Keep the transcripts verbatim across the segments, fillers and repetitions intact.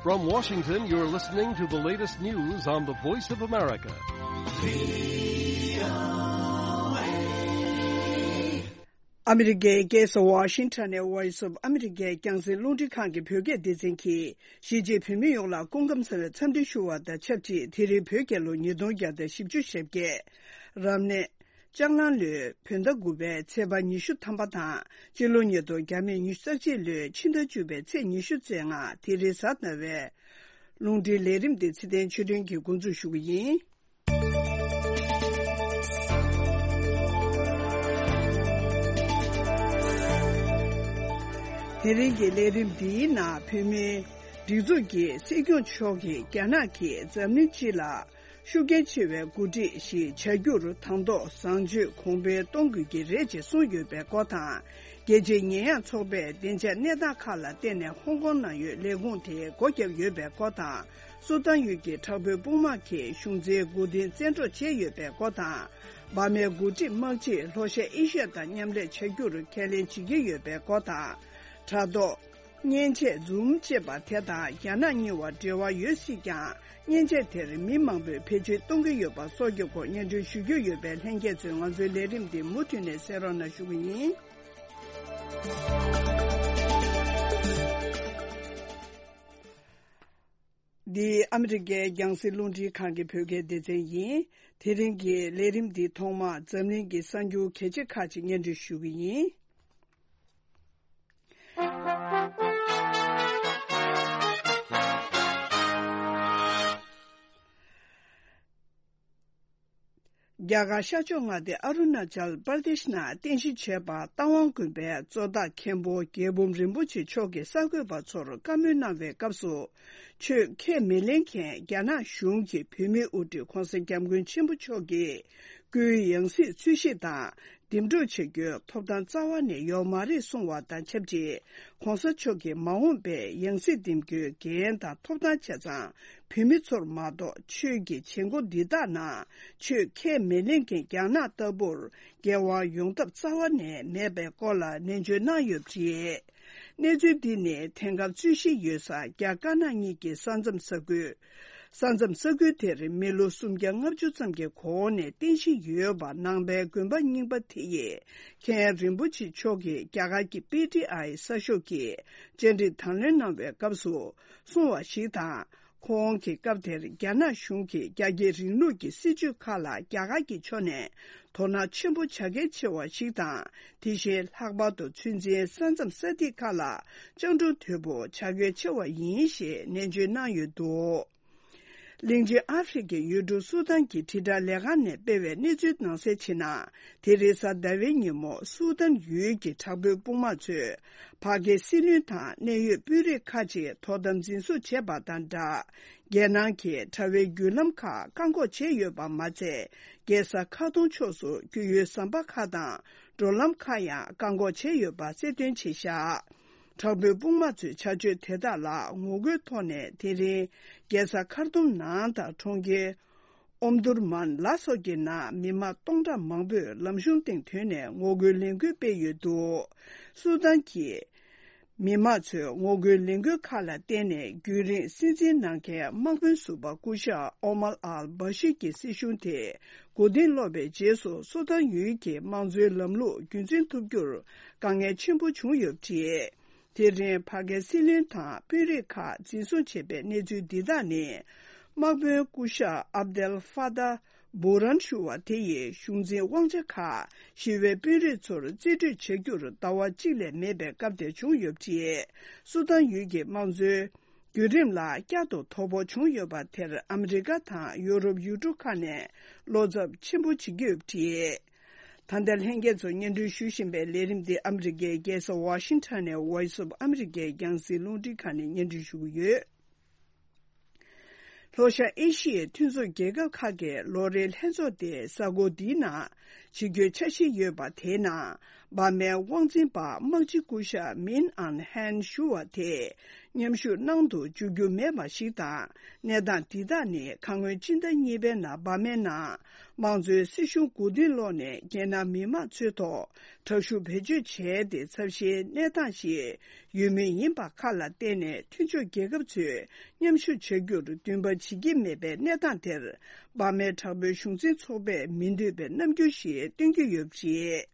From Washington, you're listening to the latest news on the Voice of America. ཨ་མི་རི་ཀའི་རྒྱལ་ས་ཝ་ཤིང་ཊོན་ནས་Voice of America རྒྱང་སྲིང་རླུང་འཕྲིན་ཁང་གི་བོད་སྐད་སྡེ་ཚན་གྱིས། གཞིས་བྱེས་བོད་མི་ཡོངས་ལ་སྐུ་ཁམས་བཟང་བའི་འཚམས་འདྲི་ཞུ་བ་དང་ཆབས་ཅིག་དེ་རིང་བོད་རྒྱལ་ལོ་ཉིས་སྟོང་བརྒྱ་དང་བཞི་བཅུ་ཞེ་བརྒྱད། རབ་གནས་ལྕགས་གླང་ལོའི་བོད་ཟླ་དགུ་པའི་ཚེས་པ་ཉི་ཤུ་ཐམ་པ་དང་། སྤྱི་ལོ་ཉིས་སྟོང་བརྒྱ་མེད་ཉི་ཤུ་རྩ་གཅིག་ལོའི་ཕྱི་ཟླ་བཅུ་པའི་ཚེས་ཉི་ཤུ་རྩ་ལྔ། དེ་རིང་གཟའ་ཟླ་བའི་རླུང་འཕྲིན་ལས་རིམ་འདི་ཚེ་བརྟན་ཆོས་སྒྲོན་གྱིས་འགོ་འཛུགས་ཞུ་གི་ཡིན། དེ་རིང་གི་ལས་རིམ་འདིའི་ནང་བོད་མིའི་སྒྲིག་འཛུགས་ཀྱི་སྲིད་སྐྱོང་མཆོག་གིས་རྒྱ་ནག་གིས་འཛམ་གླིང་སྤྱི་ལ་ཤུགས་རྐྱེན་ཆེ་བའི་འགོ་ཁྲིད་ཞིག་བྱ་རྒྱུར་དང་ཐོག་བཟང་སྤྱོད་གོང་འཕེལ་གཏོང་དགོས་ཀྱི་རེད་ཅེས་གསུངས་ཡོད་པའི་སྐོར་དང་། རྒྱལ་སྤྱིའི་ཉེས་ཡངས་ཚོགས་པས་བདེ་འཇགས་གནས་སྟངས་ཁག་ལ་བརྟེན་ནས་ཧོང་ཀོང་ནང་ཡོད་ལས་ཁུངས་དེ་སྒོ་བརྒྱབ་ཡོད་པའི་སྐོར་དང་། སུ་དཱན་ཡུལ་གྱི་དྲག་པོའི་དཔུང་དམག་གིས་གཞུང་འཛིན་མགོ་རྟིང་བཙན་འཕྲོག་བྱས་ཡོད་པའི་སྐོར་དང་། འབར་མའི་འགོ་ཁྲིད་དམག་སྤྱིས་ལྷོ་ཤར་ཨེ་ཤི་ཡ་དང་མཉམ་ལས་བྱ་རྒྱུར་ཁས་ལེན་བྱེད་ཀྱི་ཡོད་པའི་སྐོར་དང་། དྲ་ཐོག་མཉེན་ཆས་Zoom་ཅེས་པ་དེ་དང་རྒྱ་ནག་གཉིས་བར་འབྲེལ་བ་ཡོད་སྲིད་ཀྱང་། མཉེན་ཆས་དེར་མི་མང་པོས་བེད་སྤྱོད་གཏོང་གི་ཡོད་པ་སོགས་ཀྱི་སྐོར་སྙན་སྒྲོན་ཞུ་རྒྱུ་ཡོད་པས། ལྷན་རྒྱས་ཚོས་ང་ཚོའི་ལས་རིམ་འདི་མུ་མཐུད་ནས་གསན་རོགས་གནང་ཞུ་གི་ཡིན། འདི་ཨ་མི་རི་ཀའི་རྒྱང་སྲིང་རླུང་འཕྲིན་ཁང་གི་བོད་སྐད་སྡེ་ཚན་ཡིན། དེ་རིང་གི་ལས་རིམ་འདི་ཐོག་མར་འཛམ་གླིང་གི་གསར་འགྱུར་གལ་ཆེ་ཁག་ཅིག་སྙན་སྒྲོན་ཞུ་གི་ཡིན། རྒྱ་གར་ཤར་ཕྱོགས་མངའ་སྡེ་ཨ་རུ་ན་ཅལ་པར་དེཤ་ནང་རྟེན་གཞི་བྱས་པ་རྟ་དབང་དགོན་པའི་གཙོ་བདག་མཁན་པོ་རྒྱལ་འབུམ་རིན་པོ་ཆེ་མཆོག་གིས་གསར་འགོད་པ་ཚོར་བཀའ་མོལ་གནང་བའི་སྐབས་སུ། ཆོས་ཁས་མི་ལེན་མཁན་རྒྱ་ནག་གཞུང་གི་བོད་མིའི་དབུ་ཁྲིད་༧གོང་ས་༧སྐྱབས་མགོན་ཆེན་པོ་མཆོག་གིས་སྐུའི་ཡང་སྲིད་འཚོལ་ཞིབ་དང་འདེམས་སྒྲུག་བྱ་རྒྱུའི་ཐོབ་ཐང་རྩ་བ་ནས་ཡོད་མ་རེད་གསུངས་བ་དང་ཆབས་ཅིག ༧གོང་ས་མཆོག་གིས་མ་འོངས་པའི་ཡང་སྲིད་འདེམས་རྒྱུའི་འགན་དང་ཐོབ་ཐང་བྱས་ཙང་། བོད་མི་ཚོར་མ་གཏོགས་ཆོས་ཀྱི་བྱེད་སྒོ་འདི་དག་ནང་ཆོས་ཁས་མི་ལེན་མཁན་རྒྱ་ནག་ལྟ་བུར་འགན་དབང་ཡོང་ཐབས་རྩ་བ་ནས་མེད་པའི་སྐོར་ལ་ནན་བརྗོད་གནང་ཡོད་པ་རེད། གནས་ཚུལ་འདི་ནི་དེང་སྐབས་རྩོད་གཞི་ཡོད་ས་རྒྱ་དཀར་ནག་གཉིས་ཀྱི་ས་མཚམས་ས་ཁུལ། ས་མཚམས་ས་ཁུལ་དེར་མི་ལོ་སུམ་བརྒྱ་ལྔ་བཅུ་ཙམ་གྱི་གོང་ནས་རྟེན་གཞི་ཡོད་པ་ནང་པའི་དགོན་པ་རྙིང་པ་དེ་ཡི་མཁན་རིན་པོ་ཆེ་མཆོག་གིས་རྒྱ་གར་གྱི་པི་ཊི་ཨའི་གསར་ཤོག་གི་བཅར་འདྲི་དང་ལེན་གནང་བའི་སྐབས་སུ་གསུངས་བ་ཞིག་དང་། ཁོང་གི་སྐབས་དེར་རྒྱ་ནག་གཞུང་གིས་རྒྱ་སྐྱེད་རིང་ལུགས་ཀྱི་སྲིད་བྱུས་ཁག་ལ་རྒྱ་གར་གྱི་ཕྱོགས་ནས་དོ་སྣང་ཆེན་པོ་བྱ་གལ་ཆེ་བ་ཞིག་དང་། དེ་བཞིན་ལྷག་པར་དུ་ཚོད་འཛིན་ས་མཚམས་ས་ཐིག་ཁག་ལ་སྤྱང་གྲུང་དོད་པོ་བྱ་གལ་ཆེ་བ་ཡིན་ཞེས་ནན་བརྗོད་གནང་ཡོད་འདུག་གླིང་ཆེན་ཨ་ཧྥེ་རི་ཁའི་ཡུལ་གྲུ་སུ་དཱན་གྱི་དྲིལ་བསྒྲགས་ལས་ཁང་ནས་སྤེལ་བའི་གནས་ཚུལ་ནང་གསལ་ཕྱིན་ན། དེ་རིང་གཟའ་ཟླ་བའི་ཉིན་མོ་སུ་དཱན་ཡུལ་གྱི་དྲག་པོའི་དཔུང་དམག་ཚོས་བར་བརྒལ་སྲིད་བློན་དང་གནད་ཡོད་དཔོན་རིགས་ཁག་ཅིག་དོ་དམ་འཛིན་བཟུང་བྱས་པ་དང་སྦྲགས། རྒྱལ་ནང་གི་དྲ་བའི་བརྒྱུད་ལམ་ཁག་བཀག་འགོག་བྱས་ཡོད་པ་མ་ཚད། རྒྱལ་ས་ཁ་ཏུང་ཕྱོགས་སུ་རྒྱུས་ཡོད་ཟམ་པ་ཁག་དང་འགྲོ་ལམ་ཁག་ཡང་བཀག་འགོག་བྱས་ཡོད་པ་གསལ་སྟོན་བྱས་བཞག་དྲག་པོའི་དཔུང་དམག་ཚོའི་བྱ་སྤྱོད་དེ་དག་ལ་ངོ་རྒོལ་ཐོག་ནས་དེ་རིང་རྒྱལ་ས་ཁར་ཏུམ་ནང་དང་གྲོང་ཁྱེར་ཨོམ་དུར་མན་ལ་སོགས་ཀྱི་ནང་མི་མང་སྟོང་ཕྲག་མང་པོས་ལམ་གཞུང་སྟེང་ཐོན་ནས་ངོ་རྒོལ་ལས་འགུལ་སྤེལ་ཡོད་འདུག་སུ་དཱན་གྱི་མི་དམངས་ཚོས་ངོ་རྒོལ་ལས་འགུལ་ཁག་ལ་བརྟེན་ནས་རྒྱུན་རིང་སྲིད་འཛིན་གནང་མཁན་དམག་དཔོན་ཟུར་པ་སྐུ་ཞབས་ཨོ་མར་ཨལ་བྷ་ཤིར་གྱི་སྲིད་གཞུང་དེ་མགོ་རྟིང་སློག་པའི་རྗེས་སུ་སུ་དཱན་ཡུལ་གྱི་དམངས་གཙོའི་ལམ་ལུགས་རྒྱུན་འཛིན་ཐུབ་རྒྱུར་དཀའ་ངལ་ཆེན་པོ་བྱུང་ཡོད་པ་རེད། དེ་རིང་བར་བརྒལ་སྲིད་བློན་དང་དཔོན་རིགས་ཁག་འཛིན་བཟུང་བྱས་པའི་གནས་ཚུལ་འདི་དག་ནི། དམག་དཔོན་སྐུ་ཞབས་ཨབ་དེལ་ཧྥ་ཏཱ་བུ་རན་ཞུ་བ་དེ་ཡིས་གཞུང་འཛིན་དབང་ཆ་ཁག་ཞི་བའི་དཔོན་རིགས་ཚོར་རྩིས་སྤྲོད་བྱ་རྒྱུར་ཟླ་བ་གཅིག་ལས་མེད་པའི་སྐབས་དེར་བྱུང་ཡོད་པ་རེད། སུ་དཱན་ཡུལ་གྱི་དམངས་གཙོའི་བརྒྱུད་རིམ་ལ་བསྐྱར་དུ་དོ་ཕོག་བྱུང་ཡོད་པ་དེར་ཨ་མི་རི་ཀ་དང་ཡོ་རོབ་ཡུལ་གྲུ་ཁག་ནས་བློ་འཚབ་ཆེན་པོ་བྱེད་ཀྱི་ཡོད་པ་རེད། ད་ལྟ་ལྷན་རྒྱས་ཚོ་སྙན་སྒྲོན་ཞུ་བཞིན་པའི་ལས་རིམ་འདི་ཨ་མི་རི་ཀའི་རྒྱལ་ས་ཝ་ཤིང་ཊོན་ནས་Voice of America རྒྱང་སྲིང་རླུང་འཕྲིན་ཁང་ནས་སྙན་སྒྲོན་ཞུ་གི་ཡོད། ལྷོ་ཤར་ཨེ་ཤི་ཡའི་མཐུན་ཚོགས་རྒྱལ་ཁབ་ཁག་གི་ལོ་རེའི་ལྷན་ཚོགས་དེ་གཟའ་འཁོར་འདིའི་ནང་བྱེད་རྒྱུའི་འཆར་གཞི་ཡོད་པ་དེའི་ནང་ འབར་མའི་དབང་འཛིན་པ་དམག་སྤྱི་སྐུ་ཞབས་མིན་ཨན་ཧན་ཞུ་བ་དེ་མཉམ་ཞུགས་གནང་དུ་འཇུག་རྒྱུ་མེད་པ་ཞིག་དང་། གནས་སྟངས་འདི་དག་ནི་ཁ་སྔོན་སྤྱི་ཟླ་གཉིས་པའི་ནང་འབར་མའི་ནང་དམངས་གཙོའི་སྲིད་གཞུང་མགོ་རྟིང་སློག་ནས་རྒྱལ་ནང་མི་མང་ཚོའི་ཐོག་དྲག་ཤུགས་བེད་སྤྱོད་བྱས་ཏེ་ཚབས་ཆེའི་གནས་སྟངས་ཤིག་ཡོད་མུས་ཡིན་པ་ཁ་ལ་བཏེགས་ནས་མཐུན་ཕྱོགས་རྒྱལ་ཁབ་ཚོས་མཉམ་ཞུགས་བྱ་རྒྱུར་འདུན་པ་བྱེད་ཀྱི་མེད་པའི་གནས་སྟངས་དེར་འབར་མའི་དྲག་པོའི་གཞུང་འཛིན་ཚོགས་པས་མི་འདོད་པའི་རྣམ་འགྱུར་ཞིག་སྟོན་གྱི་ཡོད་པ་རེད།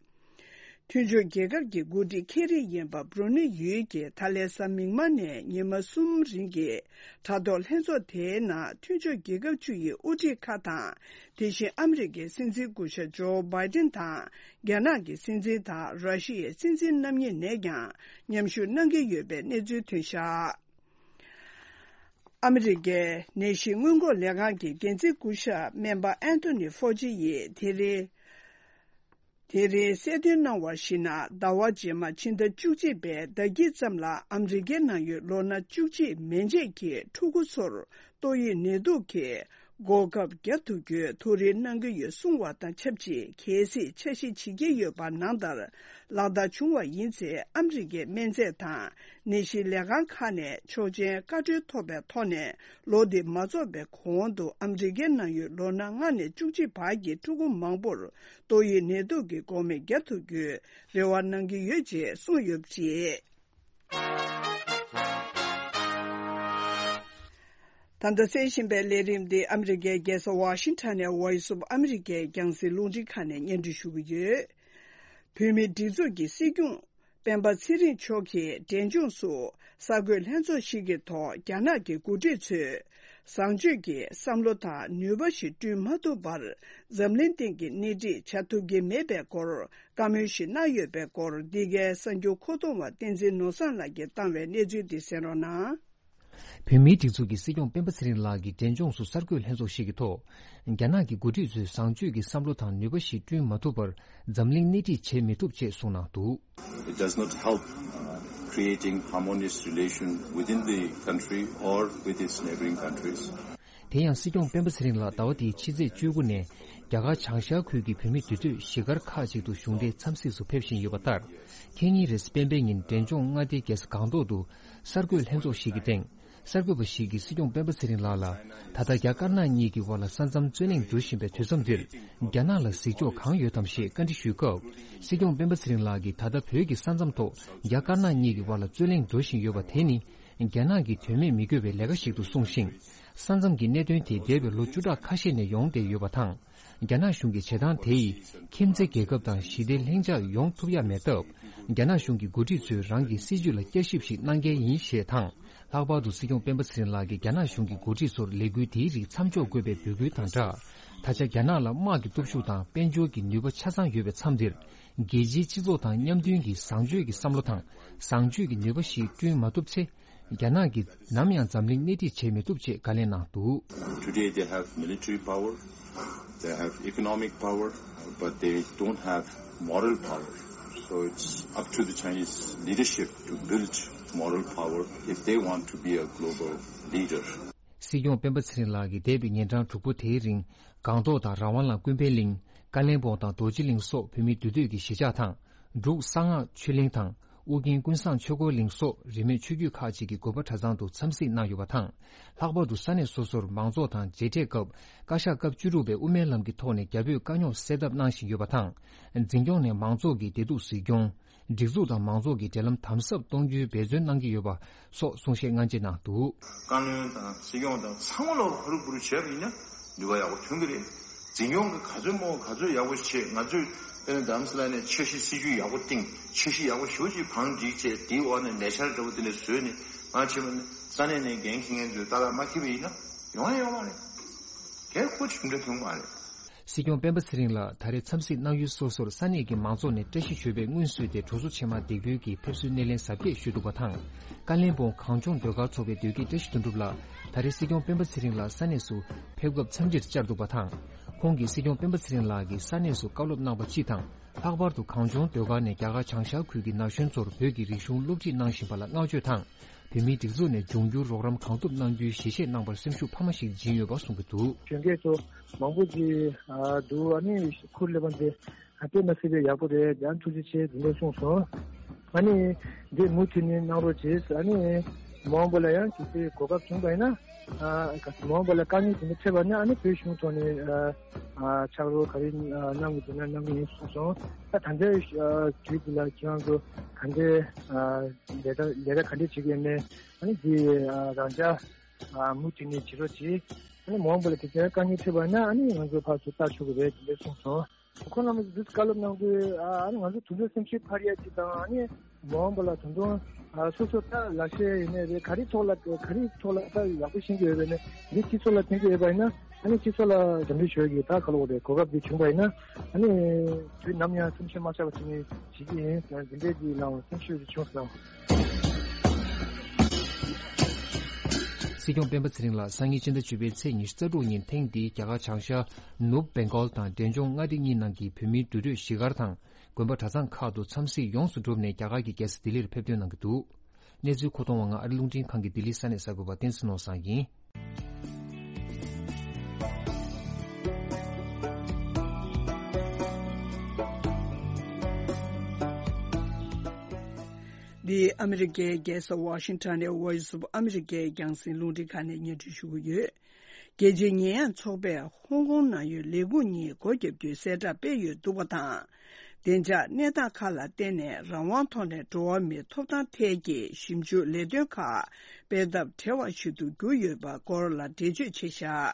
མཐུན་ཕྱོགས་རྒྱལ་ཁབ་ཀྱི་འགོ་ཁྲིད་ཁེ་རེ་ཡིན་པ་བྷུ་རུ་ནེ་ཡུལ་གྱི་ད་ལན་གཟའ་མིག་དམར་ནས་ཉི་མ་གསུམ་རིང་གི་དྲ་ཐོག་ལྷན་ཚོགས་དེའི་ནང་མཐུན་ཕྱོགས་རྒྱལ་ཁབ་བཅུ་ཡི་དབུ་ཁྲིད་ཁག་དང་། དེ་བཞིན་ཨ་མི་རི་ཀའི་སྲིད་འཛིན་སྐུ་ཞབས་ཇོ་བྷའི་ཏིན་དང་། རྒྱ་ནག་གི་སྲིད་འཛིན་དང་ར་ཤི་ཡའི་སྲིད་འཛིན་རྣམ་གཉིས་ནས་ཀྱང་མཉམ་ཞུགས་གནང་གི་ཡོད་པའི་གནས་ཚུལ་ཐོན་བཞག་ཨ་མི་རི་ཀའི་ནད་གཞི་སྔོན་འགོག་ལས་ཁང་གི་འགན་འཛིན་སྐུ་ཞབས་སྨན་པ་ཨན་ཐོ་ནི་ཧྥོ་ཅི་ཡིས་དེ་རིང་། དེ་རིང་གསལ་སྟོན་གནང་བར་གཞིགས་ན། ཟླ་བ་རྗེས་མ་ཕྱི་ཟླ་བཅུ་གཅིག་པའི་ཟླ་དཀྱིལ་ཙམ་ལ་ཨ་མི་རི་ཀའི་ནང་ཡོད་ལོ་ན་བཅུ་གཅིག་མན་ཆད་ཀྱི་ཕྲུ་གུ་ཚོར་ཏོག་དབྱིབས་ནད་དུག་གི་འགོག་ཁབ་བརྒྱབ་ཐུབ་རྒྱུའི་ཐུགས་རེ་གནང་གི་ཡོད་གསུངས་བ་དང་ཆབས་ཅིག་གལ་སྲིད་འཆར་གཞི་བྱེད་ཀྱི་ཡོད་པ་ནང་ལྟར་ལག་བསྟར་བྱུང་བ་ཡིན་ཚེ། ཨ་མི་རི་ཀའི་སྨན་རྫས་དང་ནད་གཞི་ལས་ཁང་ཁག་ནས་ཆོག་མཆན་བཀའ་འཁྲོལ་ཐོབ་པའི་ཐོག་ནས། ལོ་འདི་མ་རྫོགས་པའི་གོང་དུ་ཨ་མི་རི་ཀའི་ནང་ཡོད་ལོ་ན་ལྔ་ནས་བཅུ་གཅིག་བར་གྱི་ཕྲུ་གུ་མང་པོར་ཏོག་དབྱིབས་ནད་དུག་གི་འགོག་སྨན་བརྒྱབ་ཐུབ་རྒྱུའི་རེ་བ་གནང་གི་ཡོད་ཅེས་གསུངས་ཡོད་པ་རེད། ད་ལྟ་གསན་བཞིན་པའི་ལས་རིམ་འདི་ཨ་མི་རི་ཀའི་རྒྱལ་ས་ཝ་ཤིང་ཊོན་ནས་Voice of America རྒྱང་སྲིང་རླུང་འཕྲིན་ཁང་ནས་སྙན་སྒྲོན་ཞུ་གི་ཡོད། བོད་མིའི་སྒྲིག་འཛུགས་ཀྱི་སྲིད་སྐྱོང་སྤེན་པ་ཚེ་རིང་མཆོག་གིས་འབྲས་ལྗོངས་སུ་གསར་འགོད་ལྷན་ཚོགས་ཤིག་གི་ཐོག་རྒྱ་ནག་གི་འགོ་ཁྲིད་ཚོས་བཟང་སྤྱོད་ཀྱི་བསམ་བློ་དང་ནུས་པ་ཞིག་བསྐྲུན་མ་ཐུབ་པར་འཛམ་གླིང་སྟེང་གི་སྣེ་ཁྲིད་བྱ་ཐུབ་ཀྱི་མེད་པའི་སྐོར་བཀའ་མོལ་ཞིག་གནང་ཡོད་པའི་སྐོར། འདི་གའི་གསར་འགྱུར་མཁོ་གཏོང་བ་བསྟན་འཛིན་ནོར་བཟང་ལགས་ཀྱིས་བཏང་བའི་གནས་ཚུལ་འདི་གསན་རོགས་གནང་། བོད་མིའི་སྒྲིག་འཛུགས་ཀྱི་སྲིད་སྐྱོང་སྤེན་པ་ཚེ་རིང་ལགས་ཀྱིས་འབྲས་ལྗོངས་སུ་གསར་འགོད་ལྷན་ཚོགས་ཤིག་གི་ཐོག་རྒྱ་ནག་གི་འགོ་ཁྲིད་ཚོས་བཟང་སྤྱོད་ཀྱི་བསམ་བློ་དང་ནུས་པ་ཞིག་བསྐྲུན་མ་ཐུབ་པར་འཛམ་གླིང་སྣེ་ཁྲིད་བྱེད་མི་ཐུབ་ཅེས་གསུངས་གནང་འདུག། It does not help, uh, creating harmonious relation within the country or with its neighboring countries. དེ་ཡང་སྲིད་སྐྱོང་སྤེན་པ་ཚེ་རིང་ལགས་ཟླ་བ་འདིའི་ཕྱི་ཚེས་བཅུ་དགུ་ནས་རྒྱ་གར་བྱང་ཤར་ཁུལ་གྱི་བོད་མི་འདུས་སྡོད་གཞིས་སྒར་ཁག་ཅིག་ཏུ་གཞུང་འབྲེལ་འཚམས་གཟིགས་སུ་ཕེབས་བཞིན་ཡོད་པ་ལྟར། ཁེ་ཉིན་རེས་སྤེན་པའི་ཉིན་འབྲས་ལྗོངས་མངའ་སྡེའི་རྒྱལ་ས་སྒང་ཏོག་ཏུ་གསར་འགོད་ལྷན་ཚོགས་ཤིག་གི་སྟེང་། གསར་འགོད་པ་ཞིག་གིས་སྲིད་སྐྱོང་སྤེན་པ་ཚེ་རིང་ལགས་ལ། ད་ལྟ་རྒྱ་དཀར་ནག་གཉིས་ཀྱི་དབར་ལ་ས་མཚམས་རྩོད་གླེང་འགྲོ་བཞིན་པའི་དུས་མཚམས་འདིར། རྒྱ་ནག་ལ་གཟིགས་ཕྱོགས་གང་ཡོད་དམ་ཞེས་བཀའ་འདྲི་ཞུས་སྐབས། སྲིད་སྐྱོང་སྤེན་པ་ཚེ་རིང་ལགས་ཀྱིས་ད་ལྟ་བོད་ཀྱི་ས་མཚམས་ཐོག་རྒྱ་དཀར་ནག་གཉིས་ཀྱི་དབར་ལ་རྩོད་གླེང་འགྲོ་བཞིན་ཡོད་པ་དེ་ནི། རྒྱ་ནག་གི་དོན་མེད་མི་དགོས་པའི་ལས་ཀ་ཞིག་ཏུ་གསུངས་ཤིང་། ས་མཚམས་ཀྱི་གནད་དོན་དེ་འདས་པའི་ལོ་བཅུ་ཕྲག་ཁ་ཤས་ནས་ཡོང་བསྡད་ཡོད་པ་དང་། རྒྱ་ནག་གཞུང་གི་བྱེད་སྟངས་དེ་ཡིས་ཁྱིམ་མཚེས་རྒྱལ་ཁབ་དང་ཞི་བདེ་ལྷིང་འཇགས་ཡོང་ཐུབ་ཡ་མེད་སྟབས། རྒྱ་ནག་གཞུང་གི་འགོ་ཁྲིད་ཚོས་རང་གི་སྲིད་བྱུས་ལ་བསྐྱར་ཞིབ་ཞིག་གནང་གལ་ཡིན་ཞེས་དང་། ལྷག་པར་དུ་སྲིད་སྐྱོང་སྤེན་པ་ཚེ་རིང་ལགས་ཀྱིས་རྒྱ་ནག་གཞུང་གི་འགོ་ཁྲིད་ཚོར་ལས་འགུལ་དེའི་རིགས་མཚམས་འཇོག་དགོས་པའི་འབོད་སྐུལ་དང་སྦྲགས། ད་ཆ་རྒྱ་ནག་ལ་དམག་གི་སྟོབས་ཤུགས་དང་དཔལ་འབྱོར་གྱི་ནུས་པ་ཆ་ཚང་ཡོད་པའི་མཚམས་འདིར། རྒྱལ་སྤྱིའི་སྤྱི་ཚོགས་དང་མཉམ་མཐུན་གྱིས་བཟང་སྤྱོད་ཀྱི་བསམ་བློ་དང་བཟང་སྤྱོད་ཀྱི་ནུས་པ་ཞིག་བསྐྲུན་མ་ཐུབ་ཚེ། རྒྱ་ནག་གིས་ནམ་ཡང་འཛམ་གླིང་སྣེ་ཁྲིད་བྱེད་མི་ཐུབ་ཅེས་བཀའ་ལན་གནང་འདུག། Today they have military power, they have economic power, but they don't have moral power. So it's up to the Chinese leadership to build moral power if they want to be a global leader. སྲིད་སྐྱོང་སྤེན་པ་ཚེ་རིང་ལགས་ཀྱིས་འདས་པའི་ཉིན་གྲངས་དྲུག་པོ་དེའི་རིང་སྒང་ཏོག་དང་རང་དབང་ལམ་ཀུན་ཕན་གླིང་། ཀ་ལན་སྦོང་དང་རྡོ་རྗེ་གླིང་སོགས་བོད་མི་འདུས་སྡོད་ཀྱི་གཞིས་ཆགས་དང་། འབྲུག་གསང་སྔགས་ཆོས་གླིང་དང་། ཨོ་རྒྱན་ཀུན་བཟང་ཆོས་འཁོར་གླིང་སོགས་རིས་མེད་ཆོས་བརྒྱུད་ཁག་ཅིག་གི་དགོན་པ་གྲྭ་ཚང་དུ་འཚམས་གཟིགས་གནང་ཡོད་པ་དང་། ལྷག་པར་དུ་ས་གནས་སོ་སོར་མང་ཚོགས་དང་མཇལ་འཕྲད་སྐབས། བཀའ་ཤག་སྐབས་བཅུ་དྲུག་པས་དབུ་མའི་ལམ་གྱི་ཐོག་ནས་རྒྱ་བོད་དཀའ་རྙོག་སེལ་ཐབས་གནང་བཞིན་ཡོད་པ་དང་། འཛིན་སྐྱོང་ནས་མང་ཚོགས་ཀྱི་བདེ་སྡུག་གཟིགས་སྐྱོང་། སྒྲིག་འཛུགས་དང་མང་ཚོགས་ཀྱི་འབྲེལ་ལམ་དམ་ཟབ་གཏོང་རྒྱུའི་འབད་བརྩོན་གནང་གི་ཡོད་པ་སོགས་གསུང་བཤད་སྔ་མཇལ་གནང་འདུག། བཀའ་བློན་དང་སྲིད་སྐྱོང་དང་ཚང་མ་ལ་ཧུར་བུར་བྱས་པ་ཡིན་ན་ནུས་པ་ཡག་པོ་ཐོན་གྱི་རེད། འཛིན་སྐྱོང་གི་ག་ཚོད་མང་ག་ཚོད་ཡག་པོ་བྱེད། ང་ཚོས་དཔེར་ན་རྡ་རམ་ས་ལ་ནས་འཆར་གཞི་སྲིད་ཇུས་ཡག་པོ་བཏིང་། འཆར་གཞི་ཡག་པོ་ཞེ་པོ་ཅིག་བང་སྒྲིག་བྱས། དེའི་འོག་ནས་ལས་འཆར་འདྲ་པོ་དེ་འདྲ་བཟོས་ནས་ང་བྱས་པ་ནི་ས་གནས་ནས་འགན་འཁྱེར་མཁན་ཚོས་ཏག་ཏག་མ་འཁྱེར་བ་ཡིན་ན་ཡོང་ཡ་ཡོད་མ་རེད། གལ་ཁོ་ཅིག་འདྲ་ཐོན་གྱི་མ་རེད། སྲིད་སྐྱོང་སྤེན་པ་ཚེ་རིང་ལགས་ད་རེས་འཚམས་གཟིགས་གནང་ཡུལ་སོ་སོར་ས་གནས་ཀྱི་མང་ཚོགས་ནས་བཀྲ་ཤིས་ཞོལ་པས་སྔོན་བསུས་ཏེ་གྲོང་ཚོ་ཆེན་མ་འདེགས་འབུལ་གྱིས་ཕེབས་བསུའི་སྣེ་ལེན་གཟབ་རྒྱས་ཞུས་འདུག་པ་དང་། ཀ་ལན་སྦོང་གངས་ལྗོངས་ཟློས་གར་ཚོགས་པའི་ཟློས་དགེ་བཀྲ་ཤིས་དོན་གྲུབ་ལགས་ད་རེས་སྲིད་སྐྱོང་སྤེན་པ་ཚེ་རིང་ལགས་ས་གནས་སུ་ཕེབས་སྐབས་འཚམས་འདྲིར་བཅར་འདུག་པ་དང་། ཁོང་གིས་སྲིད་སྐྱོང་སྤེན་པ་ཚེ་རིང་ལགས་ཀྱིས་ས་གནས་སུ་བཀའ་སློབ་གནང་བ་སྤྱི་དང་། ལྷག་པར་དུ་གངས་ལྗོངས་ཟློས་གར་ནས་རྒྱ་གར་བྱང་ཤར་ཁུལ་གྱི་ན་གཞོན་ཚོར་བོད་ཀྱི་རིག་གཞུང་སློབ་ཁྲིད་གནང་བཞིན་པ་ལ་བསྔགས་བརྗོད་དང་། བོད་མིའི་སྒྲིག་འཛུགས་ནས་འབྱུང་འགྱུར་རོགས་རམ་གང་ཐུབ་གནང་རྒྱུའི་ཞལ་བཞེས་གནང་བར་སེམས་ཤུགས་འཕར་མ་ཞིག་སྦྱིན་ཡོད་པ་གསུང་གི་འདུག། གཞོན་སྐྱེས་ཚོ་མང་པོ་ཅིག་ཨ་འདུག། ཨ་ནི་ཁུར་སླེབས་པ་འདི་ ད་ལྟའི་མ་སྲིད་པའི་ཡག་པོ་རེད། ཡང་ཐུགས་རྗེ་ཆེ་འདི་འདྲ་གསུངས་སོང་། ཨ་ནི་འདི་མུ་མཐུད་ནས་གནང་རོགས་བྱེད། ཨ་ནི་མ་འོངས་པ་ལ་ཡང་གལ་སྲིད་གོ་སྐབས་བྱུང་བ་ཡིན་ན། ཨ་མ་འོངས་པ་ལ་དཀའ་ངལ་དེ་འདྲ་འཕྲད་པ་ན་ཨ་ནི་བོད་གཞུང་ཐོག་ནས་ཨ་ཨ་ཕྱག་རོགས་ག་རེ་ཨ་གནང་གི་འདུག་ན་གནང་གི་ཡིན་གསུངས་སོང་། ད་ད་ལྟའི་ཨ་དུས་འདི་ལ་ཁྱེད་རང་ཚོ་ག་འདྲའི་ཨ་ལས་ཀ་ལས་ཀ་ག་འདྲས་བྱེད་ཀྱི་ཡོད་མེད། ཨ་ནི་འདི་ཨ་རང་འཇགས་ཨ་མུ་མཐུད་ནས་བྱེད་རོགས་གྱིས། ཨ་ནི་མ་འོངས་པ་ལ་དེ་ཚོའི་དཀའ་ངལ་འཕྲད་པ་ན་ཨ་ནི་ང་ཚོ་ཕར་ཚུར་ལྟ་ཆོག་གི་རེད། དེ་འདྲ་གསུངས་སོང་། ཁོང་རྣམ་པ་འདི་བཀའ་སློབ་གནང་དུས་ཨ་ནི་ང་ཚོ་དུས་ཚོད་སེམས་ཤུགས་འཕར་ཡ་ཅིག་དང་། ཨ་ནི་མ་འོངས་པ་ལ་ད་དུང་ཨ་སོ་སོ་ལྟ་ལག་ཤེས་ཡིན་ནའི་རེད། ག་རེ་ཐོག་ལ་ག་རེ་ཐོག་ལ་ལྟ་ཡག་པོ་ཤེས་ཀྱི་ཡོད་པས་ནས་འདི་སྤྱི་ཚོགས་ལ་ཕན་གྱི་ཡོད་པ་ཡིན་ན། ཨ་ནི་སྤྱི་ཚོགས་ལ་འགྲམ་འདི་ཞུ་གི་ད་ག་ལོག་རེད། གོ་སྐབས་འདི་བྱུང་བ་ཡིན་ན། ཨ་ནི་དུས་ནམ་ཡང་སེམས་ཤུགས་མ་ཆག་པ་བྱས་ནས་བྱེད་ཀྱི་ཡིན། འདི་འདྲའི་འདི་ལའང་སེམས་ཤུགས་ཅིག་བྱུང་སོང་། སྲིད་སྐྱོང་སྤེན་པ་ཚེ་རིང་ལགས་སང་ཉིན་ཕྱི་ཟླ་བཅུ་པའི་ཚེས་ཉི་ཤུ་རྩ་དྲུག་ཉིན་ཐེངས་འདིའི་རྒྱ་གར་བྱང་ཤར་ནུབ་བེང་གོལ་དང་འབྲས་ལྗོངས་མངའ་སྡེ་གཉིས་ནང་གི་བོད་མིའི་འདུས་སྡོད་གཞིས་སྒར་དང་དགོན་པ་གྲྭ་ཚང་ཁག་ཏུ་འཚམས་གཟིགས་ཡོངས་སུ་གྲུབ་ནས་རྒྱ་གར་གྱི་རྒྱལ་ས་ལྡི་ལིར་ཕེབས་ཐོན་གནང་གི་འདུག་གནས་ཚུལ་མཁོ་གཏོང་བ་ང་ཨ་རི་རླུང་འཕྲིན་ཁང་གི་ལྡི་ལི་ས་གནས་གསར་འགོད་པ་བསྟན་འཛིན་ནོར་བཟང་ཡིན། འདི་ཨ་མི་རི་ཀའི་རྒྱལ་ས་ཝ་ཤིང་ཊོན་ནས་Voice of America་རྒྱང་སྲིང་རླུང་འཕྲིན་ཁང་ནས་སྙན་སྒྲོན་ཞུ་གི་ཡོད། རྒྱལ་སྤྱིའི་ཉེས་ཡངས་ཚོགས་པས་ཧོང་ཀོང་ནང་ཡོད་ལས་ཁུངས་གཉིས་སྒོ་བརྒྱབ་རྒྱུའི་གསལ་བསྒྲགས་སྤེལ་ཡོད་འདུག་པ་དང་། བདེ་འཇགས་གནས་སྟངས་ཁག་ལ་བརྟེན་ནས་རང་དབང་ཐོག་ནས་འགྲོ་བ་མིའི་ཐོབ་ཐང་ཐད་ཀྱི་ཞིབ་འཇུག་ལས་དོན་ཁག་སྤེལ་ཐབས་བྲེལ་བ་ཞིག་ཏུ་གྱུར་ཡོད་པ་སྐོར་ལ་འགྲེལ་བརྗོད་བྱས་བཞག་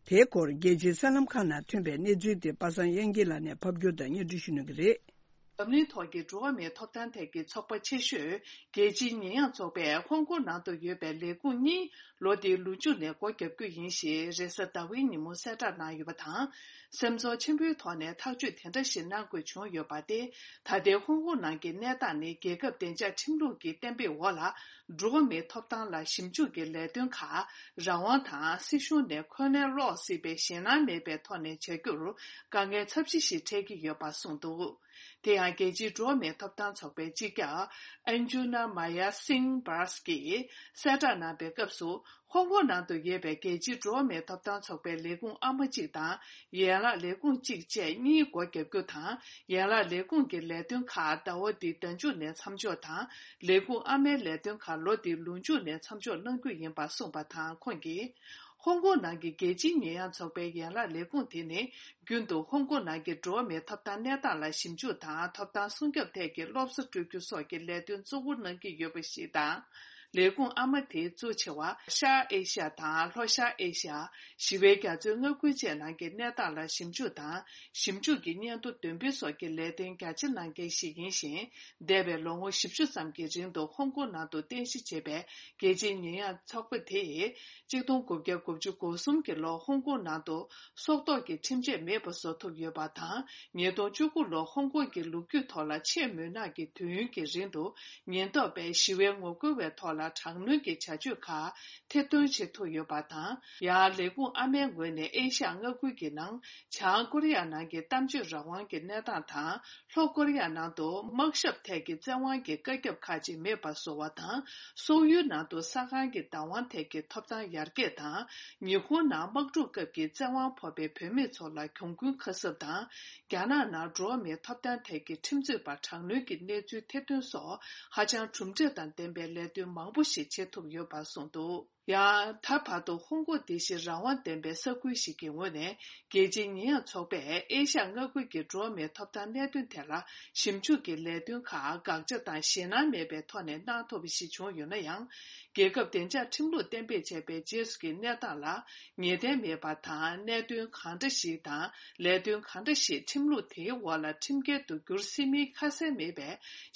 དེའི་སྐོར་རྒྱལ་སྤྱིའི་གསར་ལམ་ཁག་ནང་ཐོན་པའི་གནས་ཚུལ་དེ་པ་སངས་དབྱངས་སྐྱིད་ལགས་ནས་ཕབ་སྒྱུར་དང་སྙན་སྒྲོན་ཞུ་གནང་གི་རེད། འཛམ་གླིང་ཐོག་གི་འགྲོ་བ་མིའི་ཐོབ་ཐང་ཐད་ཀྱི་ཚོགས་པ་ཆེ་ཤོས་རྒྱལ་སྤྱིའི་ཉེས་ཡངས་ཚོགས་པས་ཧོང་ཀོང་ནང་དུ་ཡོད་པའི་ལས་ཁུངས་གཉིས་ལོ་འདིའི་ལོ་མཇུག་ནས་སྒོ་བརྒྱབ་རྒྱུ་ཡིན་ཞེས་རེས་གཟའ་ཟླ་བའི་ཉིན་མོ་གསལ་བསྒྲགས་གནང་ཡོད་པ་དང་། སེམས་ཚོར་ཆེན་པོའི་ཐོག་ནས་ཐག་གཅོད་དེ་འདྲ་ཞིག་གནང་དགོས་བྱུང་ཡོད་པ་སྟེ། ད་ལྟའི་ཧོང་ཀོང་ནང་གི་གནས་སྟངས་ནི་རྒྱལ་ཁབ་བདེ་འཇགས་ཁྲིམས་ལུགས་ཀྱི་གཏན་འབེབས་འོག་ལ་འགྲོ་བ་མིའི་ཐོབ་ཐང་ལ་ཞིབ་འཇུག་གི་ལས་དོན་ཁག་རང་དབང་དང་སྲིད་གཞུང་ནས་འཁོན་ལན་སློག་སྲིད་པའི་ཞེད་སྣང་མེད་པའི་ཐོག་ནས་བྱ་རྒྱུར་དཀའ་ངལ་ཚབས་ཆེ་ཞིག་འཕྲད་ཀྱི་ཡོད་པ་གསུངས་འདུག་དེ་ཡང་རྒྱལ་སྤྱིའི་འགྲོ་བ་མིའི་ཐོབ་ཐང་ཚོགས་པའི་སྤྱི་ཁྱབ་Anjuna Maya Singh Bas་གིས་གསལ་བསྒྲགས་གནང་པའི་སྐབས་སུ། ཧོང་ཀོང་ནང་དུ་ཡོད་པའི་རྒྱལ་སྤྱིའི་འགྲོ་བ་མིའི་ཐོབ་ཐང་ཚོགས་པའི་ལས་ཁུངས་ཨ་མ་གཅིག་དང་ཡན་ལག་ལས་ཁུངས་གཅིག་བཅས་གཉིས་སྒོ་བརྒྱབ་རྒྱུ་དང་། ཡན་ལག་ལས་ཁུངས་ཀྱི་ལས་དོན་ཁག་ཟླ་བ་འདིའི་ཟླ་མཇུག་ནས་མཚམས་འཇོག་དང་། ལས་ཁུངས་ཨ་མའི་ལས་དོན་ཁག་ལོ་འདིའི་ལོ་མཇུག་ནས་མཚམས་འཇོག་གནང་རྒྱུ་ཡིན་པ་གསུངས་པ་དང་། ཁོང་གིས། ཧོང་ཀོང་ནང་གི་རྒྱལ་སྤྱིའི་ཉེས་ཡངས་ཚོགས་པའི་ཡན་ལག་ལས་ཁུངས་དེ་ནི། རྒྱུན་དུ་ཧོང་ཀོང་ནང་གི་འགྲོ་བ་མིའི་ཐོབ་ཐང་གནས་སྟངས་ལ་ཞིབ་འཇུག་དང་། ཐོབ་ཐང་སྲུང་སྐྱོབ་ཐད་ཀྱི་སློབ་གསོ་སྤྲོད་རྒྱུ་སོགས་ཀྱི་ལས་དོན་གཙོ་བོ་གནང་གི་ཡོད་པ་ཞིག་དང་། ལས་ཁུངས་ཨ་མ་དེའི་གཙོ་ཆེ་བ་ཤར་ཨེ་ཤ་ཡ་དང་ལྷོ་ཤར་ཨེ་ཤ་ཡ། ཞི་བའི་རྒྱ་མཚོའི་མངའ་ཁུལ་བཅས་ནང་གི་གནས་སྟངས་ལ་ཞིབ་འཇུག་དང་། ཞིབ་འཇུག་གི་སྙན་ཐོ་འདོན་སྤེལ་སོགས་ཀྱི་ལས་དོན་རྒྱ་ཆེ་གནང་མཁན་ཞིག་ཡིན་ཞིང་། འདས་པའི་ལོ་ངོ་བཞི་བཅུ་ཙམ་གྱི་རིང་དུ་ཧོང་ཀོང་ནང་དུ་རྟེན་གཞི་བྱས་པའི་རྒྱལ་སྤྱིའི་ཉེས་ཡངས་ཚོགས་པ་དེས། གཅིག་སྟོང་དགུ་བརྒྱ་དགུ་བཅུ་གོ་གསུམ་གྱི་ལོར་ཧོང་ཀོང་ནང་དུ་སྲོག་ཐོག་གི་ཁྲིམས་ཆད་མེད་པ་བཟོ་ཐུབ་ཡོད་པ་དང་། ཉིས་སྟོང་བཅུ་དགུ་ལོར་ཧོང་ཀོང་གི་ལོ་རྒྱུས་ཐོག་ལ་ཆེས་མུན་ནག་གི་དུས་ཡུན་གྱི་རིང་དུ་ཉེན་རྟོག་པས་ཞི་བའི་ངོ་རྒོལ་བའི་ཐོག་ལ་དྲག་གནོན་གྱི་བྱ་སྤྱོད་ཁག་ཐེར་འདོན་བྱེད་ཐུབ་ཡོད་པ་དང་། ཡང་ལས་ཁུངས་ཨ་མའི་ངོས་ནས་ཨེ་ཤ་ཡ་མངའ་ཁུལ་གྱི་ནང་བྱང་ཀོ་རི་ཡ་ནང་གི་གཏམ་བརྗོད་རང་དབང་གི་གནས་སྟངས་དང་། ལྷོ་ཀོ་རི་ཡ་ནང་དུ་དམག་ཞབས་ཐད་ཀྱི་བཙན་དབང་གི་བཀའ་ཁྱབ་ཁག་ཅིག་མེད་པར་བཟོ་བ་དང་། སོག་ཡུལ་ནང་དུ་ས་ཁང་གི་བདག་དབང་ཐད་ཀྱི་ཐོབ་ཐང་ཡར་རྒྱས་དང་། ཉི་ཧོང་ནང་དམག་འཁྲུག་སྐབས་ཀྱི་བཙན་དབང་ཕོག་པའི་བུད་མེད་ཚོ་ལ་གྱོང་གུན་ཁ་གསབ་དང་། རྒྱ་ནག་ནང་འགྲོ་བ་མིའི་ཐོབ་ཐང་ཐད་ཀྱི་ཁྲིམས་རྩོད་པ་དྲག་གནོན་གྱི་གནས་ཚུལ་ཐེར་འདོན་སོགས་ཧ་ཅང་གྲུབ་འབྲས་དང་ལྡན་པའི་ལས་དོན་མང་པོ་ཞིག་བྱེད་ཐུབ་ཡོད་པ་གསུངས་འདུག་ཡང་ད་བར་དུ་ཧོང་ཀོང་དེ་བཞིན་རང་དབང་ལྡན་པའི་ས་ཁུལ་ཞིག་གི་ངོས་ནས་རྒྱལ་སྤྱིའི་ཉེས་ཡངས་ཚོགས་པས་ཨེ་ཤ་ཡ་མངའ་ཁུལ་གྱི་འགྲོ་བ་མིའི་ཐོབ་ཐང་གནད་དོན་ཐད་ལ་ཞིབ་འཇུག་གི་ལས་དོན་ཁག་དགག་བྱ་དང་ཞེད་སྣང་མེད་པའི་ཐོག་ནས་གནང་ཐུབ་པ་ཞིག་བྱུང་ཡོད་ན་ཡང་། རྒྱལ་ཁབ་བདེ་འཇགས་ཁྲིམས་ལུགས་གཏན་འབེབས་བྱས་པའི་རྗེས་སུ་གི་གནས་སྟངས་ལ་ངེས་གཏན་མེད་པ་དང་། གནད་དོན་གང་འདྲ་ཞིག་དང་ལས་དོན་གང་འདྲ་ཞིག་ཁྲིམས་ལུགས་དེའི་འོག་ལ་ཁྲིམས་འགལ་དུ་འགྱུར་སྲིད་མིན་ཁ་གསལ་མེད་པའི་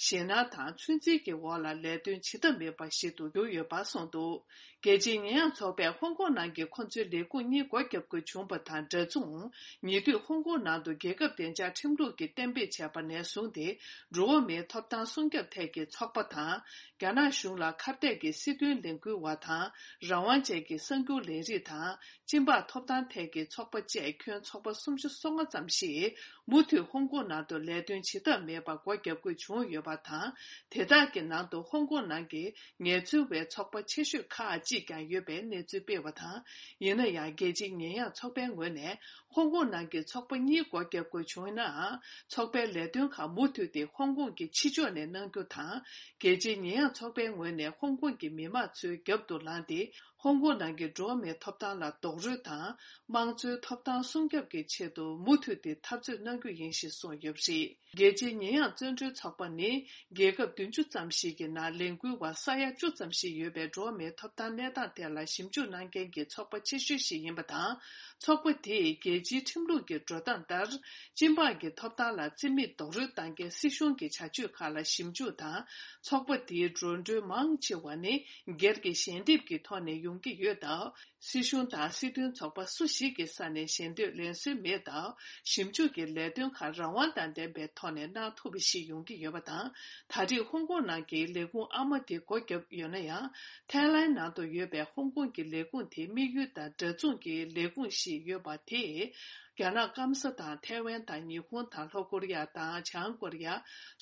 ཞེད་སྣང་དང་ཚོད་འཛིན་གྱི་འོག་ལ་ལས་དོན་བྱེད་ཐབས་མེད་པ་ཞིག་ཏུ་གྱུར་ཡོད་པ་གསུངས་འདུག་རྒྱལ་སྤྱིའི་ཉེས་ཡངས་ཚོགས་པས་ཧོང་ཀོང་ནང་གི་ཁོ་ཚོའི་ལས་ཁུངས་གཉིས་སྒོ་བརྒྱབ་དགོས་བྱུང་བ་དང་འདྲ་མཚུངས། ཉེ་དུས་ཧོང་ཀོང་ནང་དུ་རྒྱལ་ཁབ་བདེ་འཇགས་ཁྲིམས་ལུགས་ཀྱི་གཏན་འབེབས་བྱས་པ་ནས་བཟུང་སྟེ། འགྲོ་བ་མིའི་ཐོབ་ཐང་སྲུང་སྐྱོབ་ཐད་ཀྱི་ཚོགས་པ་དང་། རྒྱ་ནག་གཞུང་ལ་ཁ་གཏད་ཀྱི་སྲིད་དོན་ལས་འགུལ་བ་དང་། རང་དབང་ཅན་གྱི་གསར་འགྱུར་ལས་རིགས་དང་། སྦྱིན་པ་ཐོབ་ཐང་ཐད་ཀྱི་ཚོགས་པ་བཅས་ཁྱོན་ཚོགས་པ་སུམ་ཅུ་སོ་ལྔ་ཙམ་ཞིག་མུ་མཐུད་ཧོང་ཀོང་ནང་དུ་ལས་དོན་བྱེད་ཐབས་མེད་པར་སྒོ་བརྒྱབ་དགོས་བྱུང་ཡོད་པ་དང་། དེ་དག་གི་ནང་དུ་ཧོང་ཀོང་ནང་གི་ངལ་རྩོལ་བའི་ཚོགས་པ་ཆེ་ཤོས་ཁག་ཅིག་ཡང་ཡོད་པའི་གནས་ཚུལ་སྤེལ་བ་དང་། ཡིན་ན་ཡང་རྒྱལ་སྤྱིའི་ཉེས་ཡངས་ཚོགས་པའི་ངོས་ནས་ཧོང་ཀོང་ནང་གི་ཚོགས་པ་གཉིས་སྒོ་བརྒྱབ་དགོས་བྱུང་ནའང་། ཚོགས་པའི་ལས་དོན་ཁག་མུ་མཐུད་དེ་ཧོང་ཀོང་གི་ཕྱི་ཕྱོགས་ནས་གནང་རྒྱུ་དང་། རྒྱལ་སྤྱིའི་ཉེས་ཡངས་ཚོགས་པའི་ངོས་ནས་ཧོང་ཀོང་གི་མི་དམངས་ཚོའི་རྒྱབ་ཏུ་ལངས་ཏེ། ཧོང་ཀོང་ནང་གི་འགྲོ་བ་མིའི་ཐོབ་ཐང་ལ་རྡོག་རོལ་དང་། དམངས་གཙོའི་ཐོབ་ཐང་སྲུང་སྐྱོབ་ཀྱི་ཆེད་དུ་མུ་མཐུད་དེ་འཐབ་རྩོད་གནང་རྒྱུ་ཡིན་ཞེས་གསུངས་ཡོད་པ་རེད། རྒྱལ་སྤྱིའི་ཉེས་ཡངས་བཙོན་གྲོལ་ཚོགས་པ་ནི། རྒྱལ་ཁབ་བདུན་ཅུ་ཙམ་ཞིག་གི་ནང་ལས་འགུལ་བ་ས་ཡ་བཅུ་ཙམ་ཞིག་ཡོད་པའི་འགྲོ་བ་མིའི་ཐོབ་ཐང་གནས་སྟངས་ཐད་ལ་ཞིབ་འཇུག་གནང་མཁན་གྱི་ཚོགས་པ་ཆེ་ཤོས་ཤིག་ཡིན་པ་དང་། ཚོགས་པ་དེས་རྒྱལ་སྤྱིའི་ཁྲིམས་ལུགས་ཀྱི་འགྲོ་སྟངས་ལྟར། སྤྱི་འབངས་ཀྱི་ཐོབ་ཐང་ལ་བརྩི་མེད་རྡོག་རོལ་བཏང་མཁན་སྲིད་གཞུང་གི་བྱ་སྤྱོད་ཁག་ལ་ཞིབ་འཇུག་དང་། ཚོགས་པ་དེའི་འགྲོ་གྲོན་མང་ཆེ་བ་ནི། སྒེར་གྱི་ཞལ་འདེབས་ཀྱི་ཐོག་ནས་ཡོང་གི་ཡོད་སྟབས། སྲིད་གཞུང་དང་སྲིད་དོན་ཚོགས་པ་སུ་ཞིག་གི་ས་ནས་ཞལ་འདེབས་ལེན་སྲོལ་མེད་སྟབས། ཞིབ་འཇུག་གི་ལས་དོན་ཁག་རང་དབང་དང་ལྡན་པའི་ཐོག་ནས་གནང་ཐུབ་པ་ཞིག་ཡོང་གི་ཡོད་པ་དང་། ད་རེས་ཧོང་ཀོང་ནང་གི་ལས་ཁུངས་ཨ་མ་དེ་སྒོ་བརྒྱབ་ཡོད་ན་ཡང་། ཐའི་ལན་ནང་དུ་ཡོད་པའི་ཧོང་ཀོང་གི་ལས་ཁུངས་དེ་དམིགས་ཡུལ་དང་འདྲ་མཚུངས་ཀྱི་ལས་ཁུངས་ཤིག་ཡོད་པ་དེས། རྒྱ་ནག་སྐམ་ས་དང་ཐའེ་ཝན་དང་ཉི་ཧོང་དང་ལྷོ་ཀོ་རི་ཡ་དང་བྱང་ཀོ་རི་ཡ།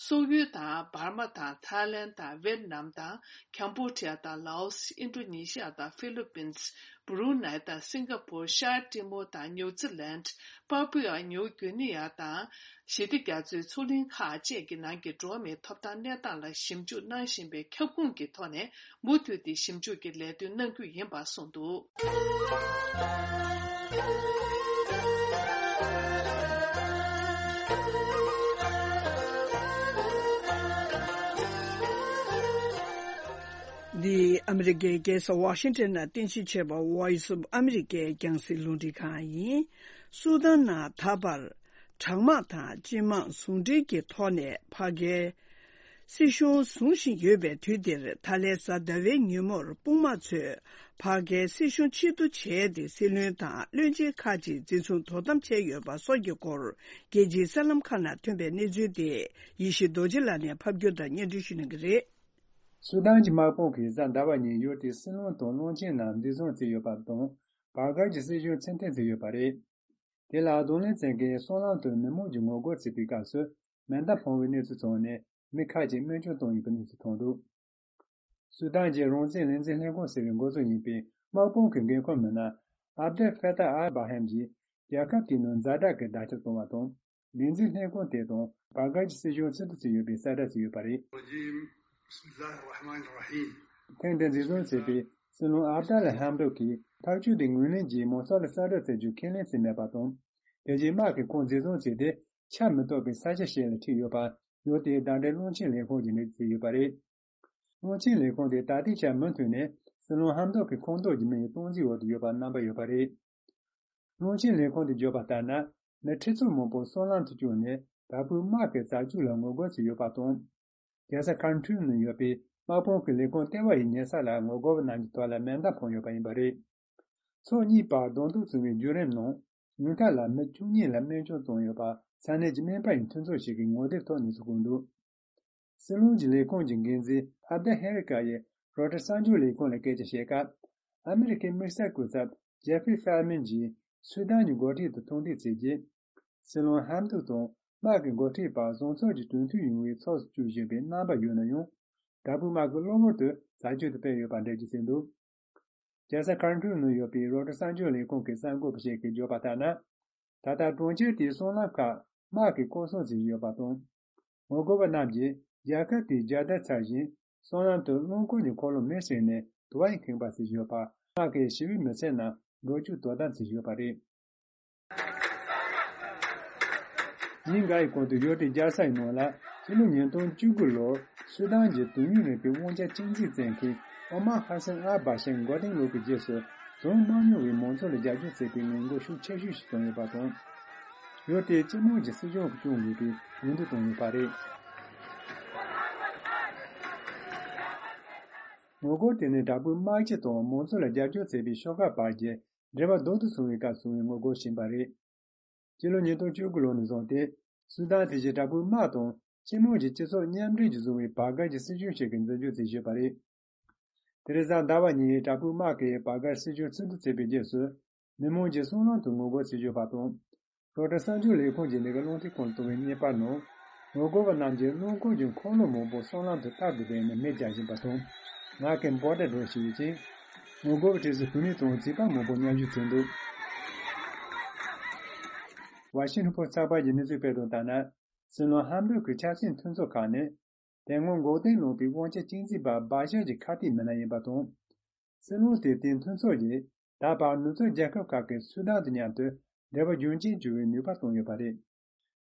སོག་ཡུལ་དང་འབར་མ་དང་ཐའི་ལན་དང་ཝེད་ནམ་དང་ཁམ་བྷོ་ཌི་ཡ་དང་ལའོ་སི། ཨིན་ཌོ་ནེ་ཤི་ཡ་དང་ཧྥི་ལི་པིན། སྦ་རུ་ནའི་དང་སིང་ག་པུར། ཤར་ཏི་མོ་དང་ནིའུ་ཛི་ལན། པ་པུ་ཨ་ནིའུ་གུ་ནི་ཡ་དང་། ཞི་བདེ་རྒྱ་མཚོའི་མཚོ་གླིང་ཁག་བཅས་ཀྱི་ནང་གི་འགྲོ་བ་མིའི་ཐོབ་ཐང་གནས་སྟངས་ལ་ཞིབ་འཇུག་གནང་བཞིན་པའི་ཁྱབ་ཁོངས་ཀྱི་ཐོག་ནས། མུ་མཐུད་དེ་ཞིབ་འཇུག་གི་ལས་དོན་གནང་རྒྱུ་ཡིན་པ་གསུངས་འདུག། འདི་ཨ་མི་རི་ཀའི་རྒྱལ་ས་ཝ་ཤིང་ཊོན་ནང་རྟེན་གཞི་བྱས་པ་Voice of America་རྒྱང་སྲིང་རླུང་འཕྲིན་ཁང་ཡིན། སུ་དཱན་ནང་ད་བར་དྲག་དམག་དང་སྤྱི་དམངས་ཟུང་འབྲེལ་གྱི་ཐོག་ནས་ཕ་གིའི་སྲིད་གཞུང་བཟུང་བཞིན་ཡོད་པའི་དུས་འདིར། ད་ལན་གཟའ་ཟླ་བའི་ཉིན་མོར་དཔུང་དམག་ཚོས་ཕ་གིའི་སྲིད་གཞུང་ཕྱིར་བསྡུ་བྱས་ཏེ། སྲིད་བློན་དང་བློན་ཆེན་ཁག་ཅིག་འཛིན་བཟུང་དོ་དམ་བྱས་ཡོད་པ་སོགས་ཀྱི་སྐོར། རྒྱལ་སྤྱིའི་གསར་ལམ་ཁག་ནང་ཐོན་པའི་གནས་ཚུལ་དེ་ཡེ་ཤེས་རྡོ་རྗེ་ལགས་ནས་ཕབ་སྒྱུར་དང་སྙན་སྒྲོན་ཞུ་གནང་གི་རེད། སུ་དཱན་གྱི་དམག་དཔུང་གིས་གཟའ་ཟླ་བ་ཉིན་ཡུལ་དེའི་སྲིད་བློན་དང་བློན་ཆེན་རྣམས་འཛིན་བཟུང་བྱས་ཡོད་པ་དང་། བར་བརྒལ་གྱི་སྲིད་གཞུང་ཕྱིར་འཐེན་བྱས་ཡོད་པ་རེད། དེ་ལ་གདོང་ལེན་བྱེད་མཁན་སྲང་ལམ་དུ་མི་མང་གིས་ངོ་རྒོལ་བྱེད་པའི་སྐབས་སུ་མེ་མདའ་འཕངས་པའི་གནས་ཚུལ་ཐོན་ནས། མི་ཁག་ཅིག་རྨས་སྐྱོན་བཏང་ཡོད་པའི་གནས་ཚུལ་ཐོན་འདུག། སུ་དཱན་གྱི་རང་བཙན་ལས་འཛིན་ལྷན་ཁང་ཟེར་བའི་འགོ་གཙོ་ཡིན་པའི་དམག་དཔུང་གི་འགན་འཁུར་མི་སྣ་ཨབ་དེལ་ཧྥེ་ཏཱ་ཨལ་བྷ་ཧེམ་གྱིས། རྒྱལ་ཁབ་དེའི་ནང་ཛ་དྲག་གི་བརྡ་ཁྱབ་བཏང་བ་དང་། ལས་འཛིན་ལྷན་ཁང་དེ་དང་བར་བརྒལ་གྱི་སྲིད་གཞུང་ཕྱིར་བསྡུ་བྱས་ཡོད་པའི་གསལ་བསྒྲགས་བྱས་ཡོད་པ་རེད། الرجيم. بسم الله الرحمن الرحيم. ཐེངས་འདིར་འཛིན་བཟུང་བྱས་པའི་སྲིད་བློན་ཨབ་ཏཱ་ལ་ཧམ་ཏོག་གིས་ཐག་གཅོད་དེ་ངོས་ལེན་གྱིས་མང་ཚོགས་ལ་གསལ་བསྒྲགས་བྱ་རྒྱུ་ཁས་ལེན་བྱས་མེད་པ་དང་། དེ་རྗེས་དམག་གིས་ཁོང་འཛིན་བཟུང་བྱས་ཏེ། ཆ་མི་གཏོགས་པའི་ས་ཆ་ཞིག་ལ་ཁྲིད་ཡོད་པ། ཡུལ་དེའི་ཟླ་འདྲེན་རླུང་འཕྲིན་ལས་ཁང་གིས་འགྲེལ་བརྗོད་བྱས་ཡོད་པ་རེད། རླུང་འཕྲིན་ལས་ཁང་དེས་ད་ལྟའི་ཆར་མུ་མཐུད་ནས་སྲིད་བློན་ཧམ་ཏོག་གི་ཁོངས་གཏོགས་ཀྱི་མི་ཡི་སྟངས་འཛིན་འོག་ཏུ་ཡོད་པ་རྣམ་པ་ཡོད་པ་རེད། རླུང་འཕྲིན་ལས་ཁང་དུ་བརྗོད་པ་ལྟར་ན། མི་ཁྲི་ཚོ་མང་པོ་སྲང་ལམ་དུ་བཅུག་ནས་དྲག་པོའི་དམག་གི་རྩ་འཛུགས་ལ་ངོ་རྒོལ་བྱས་ཡོད་པ་དང་། རྒྱལ་ས་ཁཱར་ཊུམ་ནང་ཡོད་པའི་དམག་དཔུང་གི་ལས་ཁུངས་ལྟེ་བ་ཡི་ཉེ་ས་ལ་ངོ་རྒོལ་བ་རྣམས་ཀྱི་ཐོག་ལ་མེ་མདའ་འཕངས་ཡོད་པ་ཡིན་པ་རེད། ཕྱོགས་གཉིས་བར་གདོང་ཐུག་བྱུང་བའི་བརྒྱུད་རིམ་ནང་། ཉུང་མཐའ་ལ་མི་བཅུ་གཉིས་ལ་རྨས་སྐྱོན་བཏང་ཡོད་པ། ས་གནས་ཀྱི་སྨན་པ་ཡི་མཐུན་ཚོགས་ཤིག་གིས་ངོ་དེབ་ཐོག་གནས་ཚུལ་བཀོད་འདུག། སྲིད་བློན་གྱི་ལས་ཁུངས་ཀྱི་འགན་འཛིན་ཨབ་དེ་ཧེ་རི་ཀ་ཡིས་རོའི་ཊར་གསར་འགྱུར་ལས་ཁུངས་ལ་སྐད་ཆ་བཤད་སྐབས། ཨ་མི་རི་ཀའི་དམིགས་བསལ་སྐུ་ཚབ་ཇེ་ཕི་ཧྥེ་མན་གྱིས་སུ་དཱན་གྱི་འགོ་ཁྲིད་དང་ཐུག་འཕྲད་བྱས་རྗེས། སྲིད་བློན་ཧམ་ཏུག་དང་དམག་གི་འགོ་ཁྲིད་བར་བཟང་ཕྱོགས་ཀྱི་གྲོས་མཐུན་ཡོང་བའི་ཕྱོགས་སུ་བསྐྱོད་བཞིན་པའི་རྣམ་པ་ཡོད་ན་ཡང་། དྲག་པོའི་དམག་གིས་གློ་བུར་དུ་རྩ་ཆེན་དུ་སྤེལ་ཡོད་པ་འགྲེལ་བརྗོད་བྱས་འདུག། རྒྱལ་ས་ཁཱར་ཊུམ་ནང་ཡོད་པའི་རོའི་ཊར་གསར་འགྱུར་ལས་ཁུངས་ཀྱི་གསར་འགོད་པ་ཞིག་གིས་བརྗོད་པ་ལྟར་ན། ད་ལྟ་གྲོང་ཁྱེར་དེའི་སྲང་ལམ་ཁག་དམག་གིས་སྐོར་སྲུང་བྱེད་བཞིན་ཡོད་པ་དང་། ངོ་རྒོལ་བ་རྣམས་ཀྱིས་རྒྱལ་ཁབ་དེའི་རྒྱལ་དར་འཚེར་ཞིང་། སྲང་ལམ་དུ་རླངས་འཁོར་གྱི་འཁོར་ལོ་མེར་སྲེག་ནས་དུ་བ་ཡིས་ཁེངས་པ་བྱེད་བཞིན་ཡོད་པ། དམག་གིས་ཞི་བའི་མི་ཚེ་རྣམས་འགྲོ་སྐྱོད་དོ་དམ་བྱེད་བཞིན་ཡོད་པ་རེད། ཉིན་འགའ་ཡི་གོང་དུ་ཡུལ་དེའི་རྒྱལ་ས་ཡི་ནང་ལ་ཕྱི་ལོ་ཉིས་སྟོང་བཅུ་དགུ་ལོར་སུ་དཱན་གྱི་དུས་ཡུན་རིང་པོའི་དབང་ཆ་གཅིག་འཛིན་བྱེད་མཁན་ཨོ་མར་ཧ་སན་ཨལ་བྷ་ཤར་མགོ་རྟིང་སློག་པའི་རྗེས་སུ། བྱུང་མ་མྱོང་བའི་མང་ཚོགས་ལ་རྒྱབ་སྐྱོར་བྱེད་པའི་ངན་འགྲོ་ཤུགས་ཆེ་ཤོས་ཤིག་བྱུང་ཡོད་པ་དང་། ཡུལ་དེའི་སྤྱི་དམངས་ཀྱི་སྲིད་གཞུང་གིས་སྐྱོང་དགོས་པའི་འོས་བསྡུ་བཏང་ཡོད་པ་རེད། ངོ་རྒོལ་དེ་ནི་དྲག་པོའི་དམག་སྤྱི་དང་མང་ཚོགས་ལ་རྒྱབ་སྐྱོར་བྱེད་པའི་ཤོག་ཁག་བར་གྱི་འབྲེལ་བ་རྡོག་ཏུ་སོང་བའི་སྐབས་བྱུང་བའི་ངོ་རྒོལ་ཞིག་ཡིན་པ་རེད། སྤྱི་ལོ་ཉིས་སྟོང་བཅུ་དགུ་ལོ་ནས་བཟུང་སྟེ། སུ་དཱན་དེ་བཞིན་དྲག་པོའི་དམག་དང་སྤྱི་དམངས་ཀྱི་སྤྱི་ཚོགས་མཉམ་འབྲེལ་གྱིས་བཟུང་བའི་བར་བརྒལ་གྱི་སྲིད་གཞུང་ཞིག་གི་འཛིན་སྐྱོང་བྱེད་བཞིན་པ་རེད། དེ་རིང་གཟའ་ཟླ་བ་ཉིན་དྲག་པོའི་དམག་གིས་བར་བརྒལ་སྲིད་གཞུང་ཚུར་བསྡུ་བྱས་པའི་རྗེས་སུ། མི་མང་གིས་སྲང་ལམ་དུ་ངོ་རྒོལ་བྱེད་བཞིན་པ་དང་། རོའི་ཊར་གསར་འགྱུར་ལས་ཁུངས་ཀྱིས་འདི་ག་རླུང་འཕྲིན་ཁང་ལ་བཏང་བའི་བརྙན་པར་ནང་། ངོ་རྒོལ་བ་རྣམས་ཀྱིས་རླངས་འཁོར་གྱི་འཁོར་ལོ་མང་པོ་སྲང་ལམ་དུ་རྟག་ཏུ་སྦས་ནས་མེ་རྒྱག་བཞིན་པ་དང་། ངག་གི་འབོད་སྒྲ་སྒྲོག་བཞིན་ཡོད་ཅིང་། ངོ་རྒོལ་གྱི་གྲས་སུ་བུད་མེད་དང་བྱིས་པ་མང་པོ་མཉམ་ཞུགས་བྱས་འདུག། ཝ་ཤིང་ཊོན་པོ་སི་ཚགས་པར་གྱི་གནས་ཚུལ་སྤེལ་དོན་ལྟར་ན། སྲིད་བློན་ཧམ་ཌུག་གི་ཆབ་སྲིད་མཐུན་ཚོགས་ཁག་ནི། དེ་སྔོན་འགོག་རྟེན་ལངས་པའི་དབང་ཆ་གཅིག་འཛིན་པ་སྦ་ཞར་གྱི་ཁ་གཏད་མི་སྣ་ཡིན་པ་དང་། སྲིད་བློན་དེ་དེའི་མཐུན་ཚོགས་ཀྱིས་ད་བར་ནུབ་ཕྱོགས་རྒྱལ་ཁབ་ཁག་གིས་སུ་དཱན་དང་མཉམ་དུ་འབྲེལ་བ་རྒྱུན་ཆད་བྱུང་བའི་ནུས་པ་བཏོན་ཡོད་པ་རེད།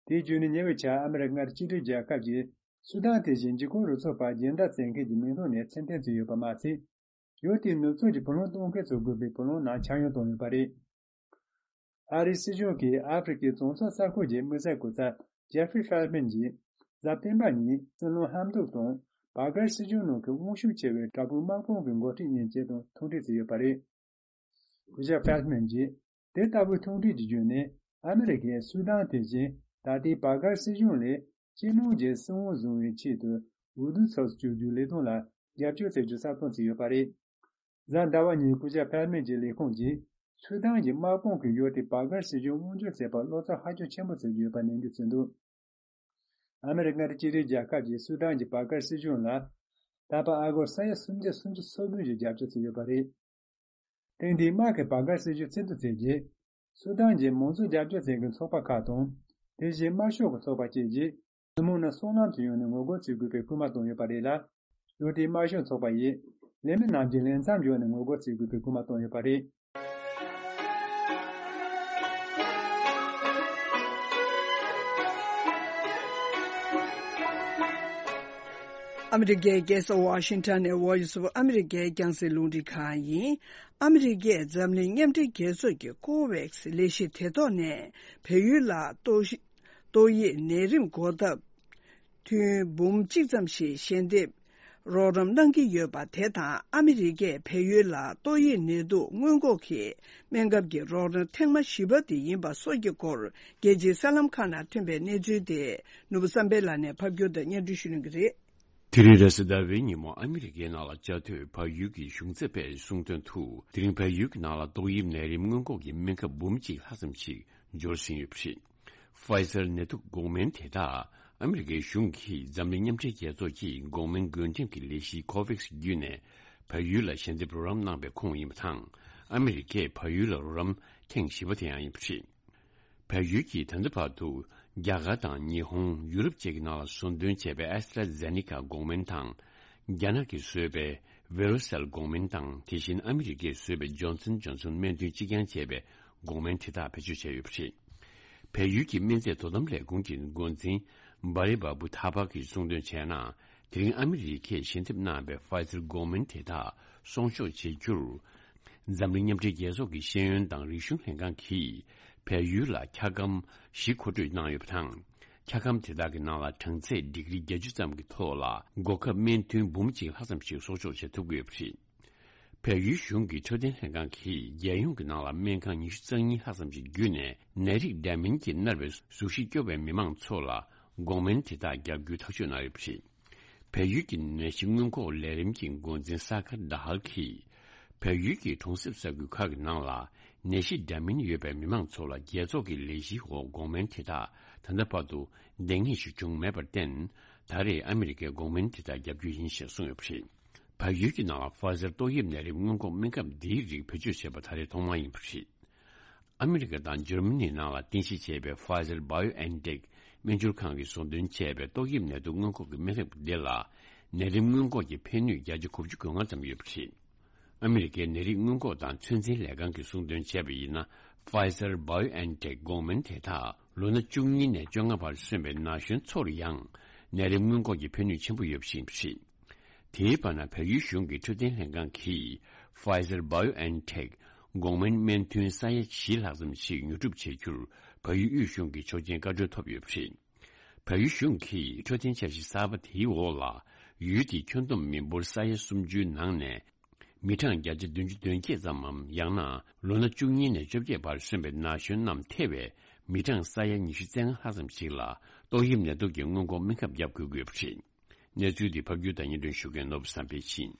དེའི་བརྒྱུད་ནས་ཉེ་བའི་ཆར་ཨ་མི་རི་ཀ་མངའ་སྡེ་གཅིག་སྒྲིལ་རྒྱལ་ཁབ་ཀྱིས་སུ་དཱན་དེ་བཞིན་འཇིགས་སྐུལ་རུ་ཚོགས་པར་སྦྱིན་བདག་བྱེད་མཁན་གྱི་མིང་ཐོག་ནས་མཚན་གཏན་བརྩིས་ཡོད་པ་མ་ཟད། ཡུལ་དེའི་ནུབ་ཕྱོགས་ཀྱི་བུ་ལོན་གཏོང་མཁན་ཚོས་དགོས་པའི་བུ་ལོན་ནང་ཆག་ཡང་བཏང་ཡོད་པ་རེད། ཨ་རིའི་སྲིད་གཞུང་གིས་ཨ་ཧྥེ་རི་ཁའི་གྲོང་ཚོ་ས་ཁུལ་གྱི་དམིགས་བསལ་སྐུ་ཚབ་ཇེ་ཧྥི་ཧྥེལ་མན་གྱིས་གཟའ་སྤེན་པ་ཉིན་སྲིད་བློན་ཧམ་ཌུག་དང་བྷ་གར་སྲིད་གཞུང་ནང་གི་དབང་ཤུགས་ཆེ་བའི་དྲག་པོའི་དམག་དཔུང་གི་འགོ་ཁྲིད་གཉིས་བཅས་དང་ཐུག་འཕྲད་བྱས་ཡོད་པ་རེད། སྐུ་ཞབས་ཧྥེལ་མན་གྱིས་དེ་ལྟ་བུའི་ཐུག་འཕྲད་ཀྱི་བརྒྱུད་ནས་ཨ་མི་རི་ཀས་སུ་དཱན་དེ་བཞིན་ད་ལྟའི་བྷ་གར་སྲིད་གཞུང་ལས་སྤྱི་ནོར་གྱི་སྲིད་དབང་བཟུང་བའི་ཆེད་དུ་འོས་བསྡུ་ཚོགས་སུ་བཅུག་རྒྱུའི་ལས་དོན་ལ་རྒྱབ་སྐྱོར་བྱེད་རྒྱུ་གསལ་སྟོན་བྱས་ཡོད་པ་རེད། གཟའ་ཟླ་བ་ཉིན་སྐུ་ཞབས་ཧྥེལ་མན་གྱི་ལས་ཁུངས་ཀྱིས་སུ་དཱན་གྱི་དམག་དཔུང་གིས་ཡུལ་དེའི་བྷ་གར་སྲིད་གཞུང་དབང་སྒྱུར་བྱེད་པར་བློ་འཚབ་ཧ་ཅང་ཆེན་པོ་བྱེད་ཀྱི་ཡོད་པ་ནན་སྐུལ་བྱས་འདུག། ཨ་མི་རི་ཀ་མངའ་སྡེ་གཅིག་སྒྲིལ་རྒྱལ་ཁབ་ཀྱིས་སུ་དཱན་གྱི་བྷ་གར་སྲིད་གཞུང་ལ་ད་བར་ཨ་སྒོར་ས་ཡ་སུམ་བརྒྱ་སུམ་ཅུ་སོ་བདུན་ཞིག་རྒྱབ་སྐྱོར་བྱས་ཡོད་པ་རེད། ཐེངས་འདིའི་དམག་གིས་བྷ་གར་སྲིད་གཞུང་བཙན་འཛུལ་བྱས་རྗེས། སུ་དཱན་གྱི་མང་གཙོ་རྒྱབ་སྐྱོར་བྱེད་མཁན་ཚོགས་པ་ཁག་དང་། དེ་བཞིན་དམར་ཤོག་གི་ཚོགས་པ་བཅས་ཀྱིས་ཐུན་མོང་ནས་སྲོག་ལམ་དུ་ཡོང་ནས་ངོ་རྒོལ་བྱེད་དགོས་པའི་སྐུལ་མ་བཏང་ཡོད་པ་རེད་ལ། ཡུལ་དེའི་དམར་ཤོག་ཚོགས་པ་ཡིས་ལས་མི་རྣམས་ཀྱིས་ལས་མཚམས་བརྒྱབ་ནས་ངོ་རྒོལ་བྱེད་དགོས་པའི་སྐུལ་མ་བཏང་ཡོད་པ་རེད། ཨ་མི་རི་ཀའི་རྒྱལ་ས་ཝ་ཤིང་ཊོན་ནས་Voice of America རྒྱང་སྲིང་རླུང་འཕྲིན་ཁང་ཡིན། ཨ་མི་རི་ཀས་འཛམ་གླིང་མཉམ་འབྲེལ་རྒྱལ་ཚོགས་ཀྱི་ཀོ་ཝེག་སི་ལས་གཞི་དེ་ཐོག་ནས་བལ་ཡུལ་ལ་ཏོག་ཏོག་དབྱིབས་ནད་རིམས་འགོག་ཐབས་ཐུན་འབུམ་གཅིག་ཙམ་ཞིག་ཞལ་འདེབས་རོགས་རམ་གནང་གི་ཡོད་པ་དེ་དང་། ཨ་མི་རི་ཀས་བལ་ཡུལ་ལ་ཏོག་དབྱིབས་ནད་དུག་སྔོན་འགོག་གི་སྨན་ཁབ་ཀྱི་རོགས་རམ་ཐེངས་མ་བཞི་པ་དེ་ཡིན་པ་སོགས་ཀྱི་སྐོར། རྒྱལ་སྤྱིའི་གསར་ལམ་ཁག་ནང་ཐོན་པའི་གནས་ཚུལ་དེ་ནོར་བུ་བསམ་འཕེལ་ལགས་ནས་ཕབ་སྒྱུར་དང་སྙན་སྒྲོན་ཞུ་གནང་གི་རེད། དེ་རིང་རེས་གཟའ་ཟླ་བའི་ཉིན་མོ་ཨ་མི་རི་ཀའི་ནང་ལ་བཅའ་སྡོད་བལ་ཡུལ་གྱི་གཞུང་ཚབ་པས་གསུངས་དོན་དུ། དེ་རིང་བལ་ཡུལ་གྱི་ནང་ལ་ཏོག་དབྱིབས་ནད་རིམས་སྔོན་འགོག་གི་སྨན་ཁབ་འབུམ་གཅིག་ལྷག་ཙམ་ཞིག་འབྱོར་ཟིན་ཡོད་པ་རེད། Pfizer ནད་དུག་འགོག་སྨན་དེ་དག་ཨ་མི་རི་ཀའི་གཞུང་གིས་འཛམ་གླིང་མཉམ་འབྲེལ་རྒྱལ་ཚོགས་ཀྱི་འགོག་སྨན་བགོ་འགྲེམས་ཀྱི་ལས་གཞི་ཀོ་ཝེག་སི་བརྒྱུད་ནས་བལ་ཡུལ་ལ་ཞལ་འདེབས་རོགས་རམ་གནང་པའི་ཁོངས་ཡིན་པ་དང་། ཨ་མི་རི་ཀས་བལ་ཡུལ་ལ་རོགས་རམ་ཐེངས་བཞི་པ་དེ་ཡང་ཡིན་པ་རེད། བལ་ཡུལ་གྱིས་ད་ལྟ་བར་དུ་རྒྱ་གར་དང་ཉི་ཧོང་། ཡུ་རོབ་བཅས་ཀྱི་ནང་ལ་ཟུར་འདོན་བྱས་པའི་ཨེ་སི་ཏྲ་ཛེ་ནི་ཀ་འགོག་སྨན་དང་། རྒྱ་ནག་གིས་བཟོས་པའི་བེ་རོ་སེལ་འགོག་སྨན་དང་། དེ་བཞིན་ཨ་མི་རི་ཀས་བཟོས་པའི་ཇོན་སན་ཇོན་སན་སྨན་ཐུན་གཅིག་རྐྱང་བཅས་པའི་འགོག་སྨན་དེ་དག་བེད་སྤྱོད་བྱས་ཡོད་པ་རེད། བལ་ཡུལ་གྱི་སྨན་རྫས་དོ་དམ་ལས་ཁུངས་ཀྱི་འགོ་འཛིན་བྷ་རི་བྷ་བུ་ཐ་པ་གིས་གསུངས་དོན་བྱས་ན། དེ་རིང་ཨ་མི་རི་ཀས་ཞལ་འདེབས་གནང་བའི་Pfizer འགོག་སྨན་དེ་དག་སྲུང་སྐྱོབ་བྱེད་རྒྱུར། འཛམ་གླིང་མཉམ་འབྲེལ་རྒྱལ་ཚོགས་ཀྱི་ཤེས་ཡོན་དང་རིག་གཞུང་ལྷན་ཁང་གིས་བལ་ཡུལ་ལ་འཁྱག་སྒམ་བཞི་མཁོ་སྤྲོད་གནང་ཡོད་པ་དང་། འཁྱག་སྒམ་དེ་དག་གི་ནང་ལ་གྲང་ཚད་ཌིག་རི་བརྒྱད་ཅུ་ཙམ་གྱི་ཐོག་ལ་འགོག་ཁབ་སྨན་ཐུན་འབུམ་གཅིག་ལྷག་ཙམ་ཞིག་གསོག་འཇོག་བྱེད་ཐུབ་ཀྱི་ཡོད་པ་རེད། བལ་ཡུལ་གཞུང་གི་འཕྲོད་བསྟེན་ལྷན་ཁང་གིས་རྒྱལ་ཡོངས་ཀྱི་ནང་ལ་སྨན་ཁང་ཉི་ཤུ་རྩ་གཉིས་ལྷག་ཙམ་ཞིག་བརྒྱུད་ནས་ནད་རིགས་འདྲ་མིན་གྱིས་མནར་བའི་གཟུགས་གཞི་སྐྱོ་བའི་མི་མང་ཚོ་ལ་འགོག་སྨན་དེ་དག་བརྒྱབ་རྒྱུའི་ཐག་གཅོད་གནང་ཡོད་པ་རེད། བལ་ཡུལ་གྱི་ནད་གཞི་སྔོན་འགོག་ལས་རིམ་གྱི་འགོ་འཛིན་ས་ཁར་ཌ་ཧལ་གྱིས། བལ་ཡུལ་གྱི་གྲོང་གསེབ་ས་ཁུལ་ཁག་གི་ནང་ལ་ནད་གཞི་འདྲ་མིན་ཡོད་པའི་མི་མང་ཚོ་ལ་རྒྱལ་ཚོགས་ཀྱི་ལས་གཞིའི་འོག་འགོག་སྨན་དེ་དག་ད་ལྟ་བར་དུ་འདང་ངེས་ཤིག་བྱུང་མེད་པར་བརྟེན། ད་རེས་ཨ་མི་རི་ཀས་འགོག་སྨན་དེ་དག་བརྒྱབ་རྒྱུ་ཡིན་ཞེས་གསུངས་ཡོད་པ་རེད། བལ་ཡུལ་གྱི་ནང་ལ་Pfizer ཏོག་དབྱིབས་ནད་རིམས་སྔོན་འགོག་སྨན་ཁབ་འདིའི་རིགས་བེད་སྤྱོད་བྱས་པ་ད་རེས་ཐོག་མ་ཡིན་པ་རེད། ཨ་མི་རི་ཀ་དང་འཇར་མ་ནིའི་ནང་ལ་རྟེན་གཞི་བྱས་པའི་Pfizer BioNTech སྨན་སྦྱོར་ཁང་གིས་ཟུར་འདོན་བྱས་པའི་ཏོག་དབྱིབས་ནད་དུག་སྔོན་འགོག་གི་སྨན་ཁབ་འདི་ལ་ནད་རིམས་སྔོན་འགོག་གི་ཕན་ནུས་བརྒྱ་ཆ་དགུ་བཅུ་གོ་ལྔ་ཙམ་ཡོད་པ་རེད། ཨ་མི་རི་ཀའི་ནད་རིགས་སྔོན་འགོག་དང་ཚོད་འཛིན་ལས་ཁང་གིས་ཟུར་འདོན་བྱས་པ་ཡིན་ན། Pfizer BioNTech འགོག་སྨན་དེ་དག་ལོ་ན་བཅུ་གཉིས་ནས་བཅོ་ལྔ་བར་སོན་པའི་ན་གཞོན་ཚོར་ཡང་ནད་རིམས་སྔོན་འགོག་གི་ཕན་ནུས་ཆེན་པོ་ཡོད་པ་ཞིག་ཡིན་པ་རེད། དེའི་བར་ན་བལ་ཡུལ་གཞུང་གི་འཕྲོད་བསྟེན་ལྷན་ཁང་གིས་Pfizer BioNTech འགོག་སྨན་སྨན་ཐུན་ས་ཡ་བཞི་ལྷག་ཙམ་ཞིག་ཉོ་སྒྲུབ་བྱེད་རྒྱུར་བལ་ཡུལ་དབུས་གཞུང་གི་ཆོག་མཆན་བཀའ་འཁྲོལ་ཐོབ་ཡོད་པ་རེད། བལ་ཡུལ་གཞུང་གིས་འཕྲོད་བསྟེན་འཆར་གཞི་གསར་པ་དེའི་འོག་ལ་ཡུལ་དེའི་ཁྱོན་བསྡོམས་མི་འབོར་ས་ཡ་སུམ་ཅུའི་ནང་ནས་མི་གྲངས་བརྒྱ་ཆ་བདུན་ཅུ་དོན་བརྒྱད་ཙམ་མམ། ཡང་ན་ལོ་ན་བཅུ་གཉིས་ནས་བཅོ་བརྒྱད་བར་སོན་པའི་ན་གཞོན་རྣམས་ཐེ་བའི་མི་གྲངས་ས་ཡ་ཉི་ཤུ་རྩ་ལྔ་ལྷག་ཙམ་ཞིག་ལ་ཏོག་དབྱིབས་ནད་དུག་གི་སྔོན་འགོག་སྨན་ཁབ་བརྒྱབ་དགོས་ཀྱི་ཡོད་པ་རེད། གནས་ཚུལ་འདི་ཕབ་སྒྱུར་དང་སྙན་སྒྲོན་ཞུ་མཁན་ནོར་བུ་བསམ་འཕེལ་ཡིན།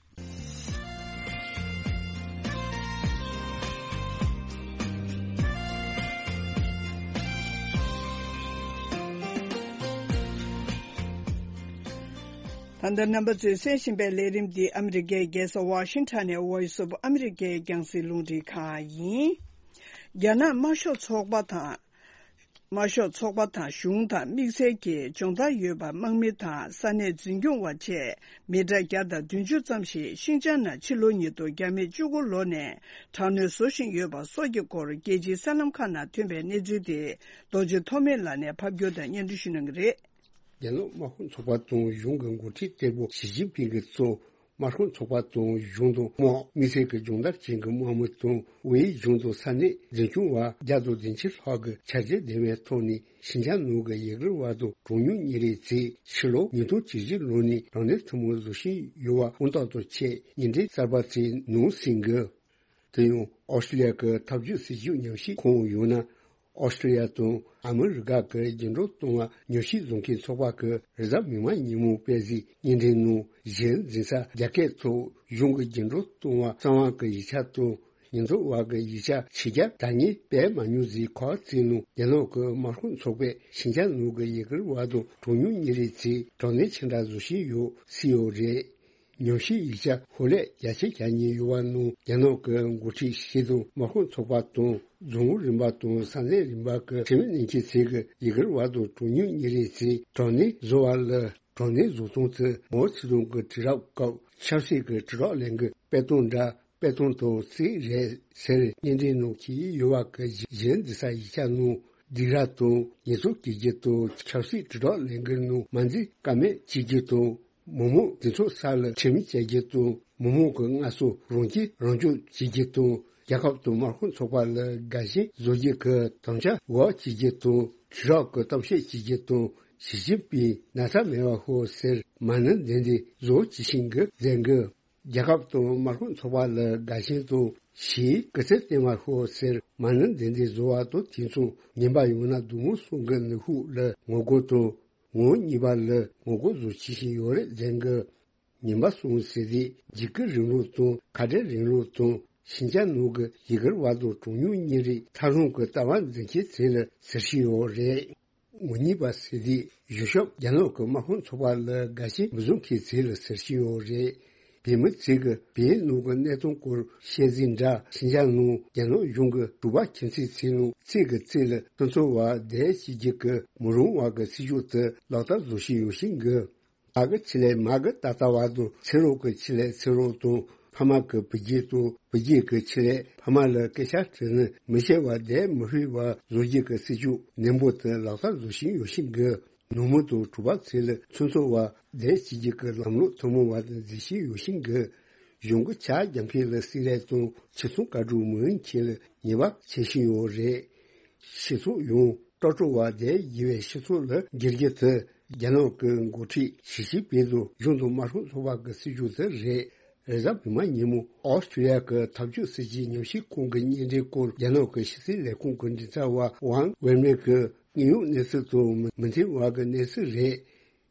ད་ལྟ་རྣམ་པ་ཚོས་གསན་བཞིན་པའི་ལས་རིམ་འདི་ཨ་མི་རི་ཀའི་རྒྱལ་ས་ཝ་ཤིང་ཊོན་ནས་Voice of America་རྒྱང་སྲིང་རླུང་འཕྲིན་ཁང་ཡིན། རྒྱ་ནག་དམར་ཤོག་ཚོགས་པ་དང་། དམར་ཤོག་ཚོགས་པ་དང་གཞུང་དང་དམིགས་བསལ་གྱི་སྦྱོང་བརྡར་ཡོད་པ་དམག་མི་དང་ས་གནས་འཛིན་སྐྱོང་བ་བཅས་མི་གྲངས་བརྒྱ་དང་བདུན་ཅུ་ཙམ་ཞིག་ཤིང་ཅང་ནང་ཕྱི་ལོ་ཉིས་སྟོང་བརྒྱ་མེད་བཅུ་དགུ་ལོ་ནས་དྲག་གནོན་བཟོ་བཞིན་ཡོད་པ་སོགས་ཀྱི་སྐོར་རྒྱལ་སྤྱིའི་གསར་ལམ་ཁག་ནང་ཐོན་པའི་གནས་ཚུལ་དེ་རྡོ་རྗེ་ཐོགས་མེད་ལགས་ནས་ཕབ་སྒྱུར་དང་སྙན་སྒྲོན་ཞུ་གནང་གི་རེད། རྒྱ་ནག་དམར་ཤོག་ཚོགས་པ་དང་གཞུང་གི་འགོ་ཁྲིད་བརྟན་པོ་ཞི་ཅིན་ཕིང་གིས་གཙོས་དམར་ཤོག་ཚོགས་པ་དང་གཞུང་དང་དམག་དམིགས་བསལ་གྱི་སྦྱོང་བརྡར་ཅན་གྱི་དམག་མི་དང་ཝེ་ཡི་གཞུང་དང་ས་གནས་འཛིན་སྐྱོང་བ་བརྒྱ་དང་བདུན་ཅུ་ལྷག་གིས་བྱས་རྗེས་ལྡན་པའི་ཐོག་ནས་ཤིན་ཅང་ནང་གི་ཡུ་གུར་བ་དང་གྲངས་ཉུང་ཉིན་རེའི་རྩིས་ཕྱི་ལོ་ཉིས་སྟོང་བཅུ་བཞི་ལོ་ནས་དྲག་གནོན་ཐུན་མོང་བཟོ་བཞིན་ཡོད་པ་དངོས་རྟགས་དང་བཅས་བརྙན་འཕྲིན་གསར་པ་ཚོའི་ནང་གསན་དགོས། དེ་ཡང་ཨོ་སི་ཀྲི་ལི་ཡ་གི་འཐབ་ཇུས་སྲིད་ཇུས་ཉམས་ཞིབ་ཁང་ཡང་ན། ཨོ་སི་ཀྲི་ལི་ཡ་དང་ཨ་མི་རི་ཀ་གི་རྒྱུན་འགྲོ་གཏོང་བ་ཉམས་ཞིབ་བཟོ་མཁན་ཚོགས་པ་གིས་རེས་གཟའ་མིག་དམར་ཉིན་མོ་སྤེལ་གཟིགས་བརྙན་འཕྲིན་ནང་གཞི་འཛིན་ས་རྒྱ་སྐད་ཐོག་གཞུང་གི་རྒྱུན་འགྲོ་གཏོང་བ་གསང་བ་གི་ཡིག་ཆ་དང་ཉེན་རྟོག་པ་གི་ཡིག་ཆ་ཕྱི་རྒྱལ་བདག་གཉེར་སྤེལ་མ་མྱོང་ཟེར་ཁག་བརྩིས་ནང་རྒྱ་ནག་གི་དམར་ཤོག་ཚོགས་པས་ཤིན་ཅང་ནང་གི་ཡུ་གུར་བ་དང་གྲངས་ཉུང་ཉིན་རེའི་རྩིས་དྲག་གནོན་ཆེ་དྲགས་བཟོ་བཞིན་ཡོད་ཟེར་ཡོད་རེད། ཉམས་ཞིབ་ཡིག་ཆ་ཧོལ་ལས་རྒྱ་ཆེ་རྒྱ་ཉེ་ཡོད་པ་ནང་རྒྱ་ནག་གི་འགོ་ཁྲིད་ཞིག་དང་དམག་དཔོན་ཚོགས་པ་དང་རྫོང་ཁག་རིམ་པ་དང་ས་གནས་རིམ་པ་གི་ཁྲིམས་ནན་གྱི་ཚིག་གི་ཡི་གེར་བར་དུ་གྲངས་ཉུང་ཉིན་རེའི་ཚེ་དྲག་གནོན་བཟོ་བ་ལ་དྲག་གནོན་བཟོ་སྟངས་དེ་མའོ་ཙེ་ཏུང་གི་དུས་རབས་སྐབས་ཆབ་སྲིད་ཀྱི་དྲིལ་སྒྲོག་ལས་འགུལ་སྤེལ་སྟངས་འདྲ་སྤེལ་སྟངས་དང་རྩིས་རེད་ཟེར་བརྙན་འཕྲིན་ནང་འཁྱེར་ཡོད་པ་གི་གཞི་འཛིན་ས་ཡིག་ཆ་ནང་སྡིགས་ར་དང་ཉེས་གསོག་བྱེད་རྒྱུ་དང་ཆབ་སྲིད་དྲིལ་སྒྲོག་ལས་འགུལ་ནང་མ་འཛེམ་ཀ་མེད་བྱེད་རྒྱུ་དང་། མི་མང་འདི་ཚོ་ས་ལ་ཁྲིམས་བཅད་རྒྱུ་དང་མི་མང་གི་སྔ་སོ་རང་སྐྱིད་རང་སྐྱོབ་བྱེད་རྒྱུ་དང་རྒྱལ་ཁབ་དང་དམག་དཔོན་ཚོགས་པ་ལ་དགའ་ཞེན་བཟོ་རྒྱུ་གི་དམ་བཅའ་འགོག་བྱེད་རྒྱུ་དང་དུས་རབས་ཀྱི་གཏམ་བཤད་བྱེད་རྒྱུ་དང་ཞི་ཅིན་ཕིང་ན་ཚ་མེད་པ་ཤོག་ཟེར་མ་ཎི་འདི་འདི་བཟོ་བྱེད་བཞིན་གི་མཛད་གི། རྒྱལ་ཁབ་དང་དམག་དཔོན་ཚོགས་པ་ལ་དགའ་ཞེན་དང་ཞེས་སྐུ་ཚེ་བརྟན་པར་ཤོག་ཟེར་མ་ཎི་འདི་འདི་བཟོ་བ་དང་དེ་མཚུངས་ཉན་པ་ཡོང་ན་སྡུག་བསྔལ་གསུམ་གི་ནུས་ཤུགས་ལ་ངོ་རྒོལ་དང་། ངོ་བོ་གཉིས་པ་ལ་ངོ་རྒོལ་བཟོ་བྱེད་བཞིན་ཡོད་རེད་ཟེར་གི། ཉིན་པ་གསུམ་ཟེར་དུས་འཇིགས་སྐུལ་རིང་ལུགས་དང་ཁ་བྲལ་རིང་ལུགས་དང་ཤིན་ཅང་ནང་གི་ཡུ་གུར་བ་དང་གྲངས་ཉུང་ཉིན་རེའི་ཐག་རིང་གི་ལྟ་བ་འཛིན་མཁན་ཚོ་ལ་ཟེར་བཞིན་ཡོད་རེད། ངོ་གཉིས་པ་ཟེར་དུས་གཞུང་ཞབས་རྒྱ་ནག་གི་དམག་དཔོན་ཚོགས་པ་ལ་དགའ་ཞེན་མི་བཟོ་མཁན་ཚོ་ལ་ཟེར་བཞིན་ཡོད་རེད། བོད་མི་ཚོས་ཀྱི་བོད་ནང་གི་གནད་དོན་སྐོར་བཤད་རྩིས་འདྲ་ཤིན་ཅང་ནང་རྒྱ་ནག་གཞུང་གི་དྲུག་པ་ཁྱིམ་མཚེས་ཚོ་ནང་ཚིག་གི་རྩིས་ལ་ཁོ་ཚོ་བ་དེ་བྱེད་རྒྱུ་གི་མི་རུང་བ་གི་སྲིད་ཇུས་དེ་ལག་བསྟར་བཟོ་བཞིན་ཡོད་བཞིན་གི། མ་གི་ཆེད་ལས་མ་གི་ད་ལྟ་བ་དང་ཚེ་རོགས་ཀྱི་ཆེད་ལས་ཚེ་རོགས་དང་ཕ་མ་གི་བུ་རྒྱུད་དང་བུ་རྒྱུད་ཀྱི་ཆེད་ལས་ཕ་མ་ལ་སྐད་ཆ་དྲིས་ན་མི་ཤེས་བ་དེ་མི་ཤེས་བ་བཟོ་རྒྱུ་གི་སྲིད་ཇུས་ནན་པོ་དེ་ལག་བསྟར་བཟོ་བཞིན་ཡོད་བཞིན་གི། ནུ་མོ་དང་གྲུ་པ་ཚོ་ལ་ཚོན་ཚོགས་པ་དེ་བྱེད་རྒྱུ་གི་ལམ་ལུགས་ཐུན་མོང་བ་དང་འཛིན་བཞིན་ཡོད་བཞིན་གི། གཞུང་གི་ཕྱག་རྒྱ་འཕེལ་ལ་སྲིད་ལས་དང་ཕྱི་སོང་བཀའ་དྲུང་མི་ཡོང་ཁྱེད་ལ་ཉེས་པ་བྱེད་བཞིན་ཡོད་རེད། སྤྱི་ཚོགས་ཡོངས་སྤྲོ་སྤྲོ་བ་དེ་ཡི་བའི་སྤྱི་ཚོགས་ལ་འགྱུར་རྒྱུ་དེ་རྒྱ་ནག་གི་འགོ་ཁྲིད་ཞི་ཅིན་ཕིང་དང་གཞུང་དང་དམར་ཤོག་ཚོགས་པ་གི་སྲིད་ཇུས་དེ་རེད། རེས་གཟའ་མིག་དམར་ཉིན་མོ་ཨོ་སི་ཀྲི་ཡ་གི་འཐབ་ཇུས་སྲིད་ཇུས་ཉམས་ཞིབ་ཁང་གི་བརྙན་འཕྲིན་སྐོར་རྒྱ་ནག་གི་ཕྱི་སྲིད་ལས་ཁུངས་ཀྱི་མགྲིན་ཚབ་པ་ཝང་ཝེ་མེ་གིས་དངོས་ཡོད་གནས་ཚུལ་དང་མི་མཐུན་པ་གི་གནས་ཚུལ་རེད།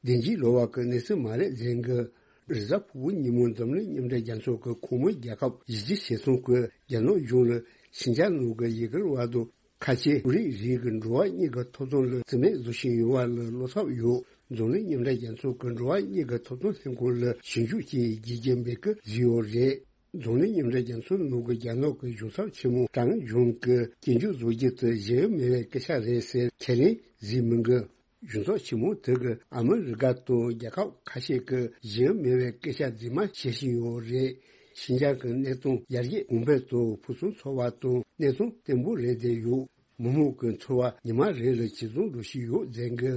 བདེན་འཇིགས་ལོག་པ་གི་གནས་ཚུལ་མ་རེད་ཟེར་གི། རེས་གཟའ་ཕུར་བུ་ཉིན་མོ་འཛམ་གླིང་མཉམ་འབྲེལ་རྒྱལ་ཚོགས་ཀྱི་ཁོངས་མི་རྒྱལ་ཁབ་བཞི་བཅུ་ཞེ་གསུམ་གྱིས་རྒྱ་ནག་གཞུང་ལ་ཤིན་ཅང་ནང་གི་ཡུ་གུར་བ་དང་ཁ་ཆེ་བོད་རིགས་རིགས་ཀྱི་འགྲོ་བ་གཉིས་ཀྱི་ཐོབ་ཐང་ལ་བརྩི་མེད་བཟོ་བཞིན་ཡོད་པ་ལ་བློ་འཚབ་ཡོད། འཛམ་གླིང་མཉམ་འབྲེལ་རྒྱལ་ཚོགས་ཀྱི་འགྲོ་བ་གཉིས་ཀྱི་ཐོབ་ཐང་ལྷན་ཁང་ལ་ཞིབ་འཇུག་ཅིག་བགྱིད་ཀྱི་འབད་ཀྱི་བཟོས་ཡོད་རེད། འཛམ་གླིང་མཉམ་འབྲེལ་རྒྱལ་ཚོགས་ནང་གི་རྒྱ་ནག་གི་གཞུང་ཚབ་ཆེན་མོ་ཀྲང་ཇུན་གྱིས་སྐྱོན་བརྗོད་བཟོ་རྒྱུ་དེ་གཞི་མེད་པའི་སྐད་ཆ་རེད་ཟེར་ཁས་ལེན་བཟོས་མི་འགི། གཞུང་ཚབ་ཆེན་མོ་དེ་གིས་ཨ་མི་རི་ཀ་དང་རྒྱལ་ཁབ་ཁ་ཤས་ཀྱིས་གཞི་མེད་པའི་སྐད་ཆ་རྫུན་མ་བཤད་བཞིན་ཡོད་རེད། ཤིན་ཅང་གི་གནད་དོན་ཡར་རྒྱས་གོང་འཕེལ་དང་ཕུན་སུམ་ཚོགས་པ་དང་གནད་དོན་བརྟན་པོ་རེད་བསྡད་ཡོད། མི་མང་གི་འཚོ་བ་ཉི་མ་རེ་ལ་ཇེ་བཟང་འགྲོ་བཞིན་ཡོད་ཟེར་གི།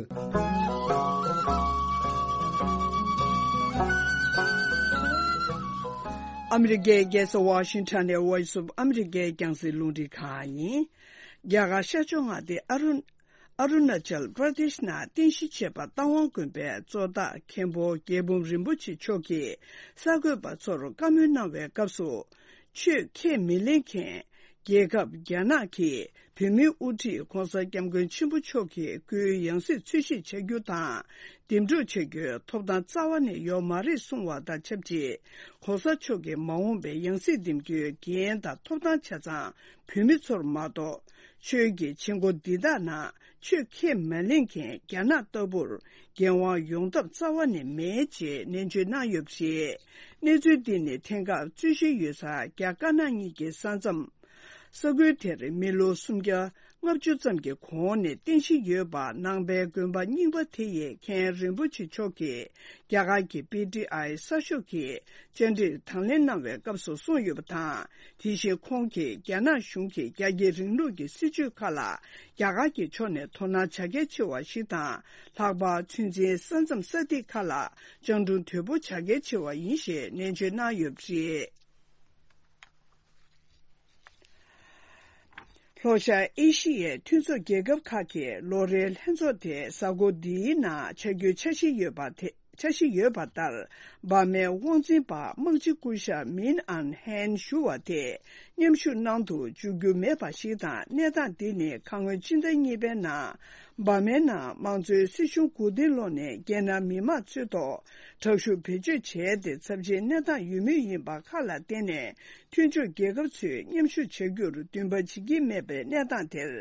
ཨ་མི་རི་ཀའི་རྒྱལ་ས་ཝ་ཤིང་ཊོན་ནས་Voice of America་རྒྱང་སྲིང་རླུང་འཕྲིན་ཁང་ཡིན། རྒྱ་གར་ཤར་ཕྱོགས་མངའ་སྡེ་ཨ་རུ། ཨ་རུ་ན་ཅལ་པྲ་དེཤ་ནང་རྟེན་གཞི་བྱས་པ་རྟ་དབང་དགོན་པའི་གཙོ་བདག་མཁན་པོ་རྒྱལ་འབུམ་རིན་པོ་ཆེ་མཆོག་གིས་གསར་འགོད་པ་ཚོར་བཀའ་མོལ་གནང་བའི་སྐབས་སུ། ཆོས་ཁས་མི་ལེན་མཁན། རྒྱལ་ཁབ་རྒྱ་ནག་གི་བོད་མིའི་དབུ་ཁྲིད་༧གོང་ས་༧སྐྱབས་མགོན་ཆེན་པོ་མཆོག་གི་སྐུའི་ཡང་སྲིད་འཚོལ་ཞིབ་བྱ་རྒྱུ་དང་། འདེམས་སྒྲུག་བྱ་རྒྱུའི་ཐོབ་ཐང་རྩ་བ་ནས་ཡོད་མ་རེད་གསུངས་པ་དང་ཆབས་ཅིག ༧གོང་ས་མཆོག་གི་མ་འོངས་པའི་ཡང་སྲིད་འདེམས་རྒྱུའི་འགན་དང་ཐོབ་ཐང་ཆ་ཚང་བོད་མི་ཚོར་མ་གཏོགས། ཆོས་ཀྱི་བྱེད་སྒོ་འདི་དག་ནང་ ཆོས་ཁས་མ་ལེན་མཁན་རྒྱ་ནག་ལྟ་བུར་འགན་དབང་ཡོང་ཐབས་རྩ་བ་ནས་མེད་ཅེས་ནན་བརྗོད་གནང་ཡོད་པ་རེད། གནས་ཚུལ་འདི་ནི་དེང་སྐབས་རྩོད་གཞི་ཡོད་ས་རྒྱ་དཀར་ནག་གཉིས་ཀྱི་ས་མཚམས། ས་ཁུལ་དེར་མི་ལོ་སུམ་བརྒྱ་ལྔ་བཅུ་ཙམ་གྱི་གོང་ནས་རྟེན་གཞི་ཡོད་པ་ནང་པའི་དགོན་པ་རྙིང་པ་དེ་ཡི་མཁན་རིན་པོ་ཆེ་མཆོག་གིས་རྒྱ་གར་གྱི་པི་ཏི་ཨའི་གསར་ཤོག་གི་བཅར་འདྲིར་དང་ལེན་གནང་བའི་སྐབས་སུ་གསུངས་ཡོད་པ་དང་། དེ་བཞིན་ཁོང་གིས་རྒྱ་ནག་གཞུང་གིས་རྒྱ་སྐྱེད་རིང་ལུགས་ཀྱི་སྲིད་བྱུས་ཁག་ལ་རྒྱ་གར་གྱི་ཕྱོགས་ནས་དོ་སྣང་བྱ་གལ་ཆེ་བ་ཞིག་དང་། ལྷག་པར་ཚོད་འཛིན་ས་མཚམས་ས་ཐིག་ཁག་ལ་སྤྱང་གྲུང་དོད་པོ་བྱ་གལ་ཆེ་བ་ཡིན་ཞེས་ནན་བརྗོད་གནང་ཡོད་པ་རེད། ལྷོ་ཤར་ཨེ་ཤི་ཡའི་མཐུན་ཚོགས་རྒྱལ་ཁབ་ཁག་གི་ལོ་རེའི་ལྷན་ཚོགས་དེ་གཟའ་འཁོར་འདིའི་ནང་ཆ་རྒྱུས་འཆར་གཞི་ཡོད་པ་དེ། འཆར་གཞི་ཡོད་པ་ལྟར། འབར་མའི་དབང་འཛིན་པ་དམག་སྤྱི་སྐུ་ཞབས་མིན་ཨན་ཧན་ཞུ་བ་དེ་མཉམ་ཞུགས་གནང་དུ་འཇུག་རྒྱུ་མེད་པ་ཞིག་དང་། གནས་སྟངས་འདི་ནི་ཁ་སྔོན་སྤྱི་ཟླ་གཉིས་པའི་ནང་། འབར་མའི་ནང་དམངས་གཙོའི་སྲིད་གཞུང་མགོ་རྟིང་སློག་ནས་རྒྱལ་ནང་མི་མང་ཚོའི་ཐོག་དྲག་ཤུགས་བེད་སྤྱོད་བྱས་ཏེ་ཚབས་ཆེའི་གནས་སྟངས་ཡོད་མུས་ཡིན་པ་ཁག་ལ་བརྟེན་ནས། མཐུན་ཕྱོགས་རྒྱལ་ཁབ་ཚོས་མཉམ་ཞུགས་བྱ་རྒྱུར་འདུན་པ་བྱེད་ཀྱི་མེད་པའི་གནས་སྟངས་དེར།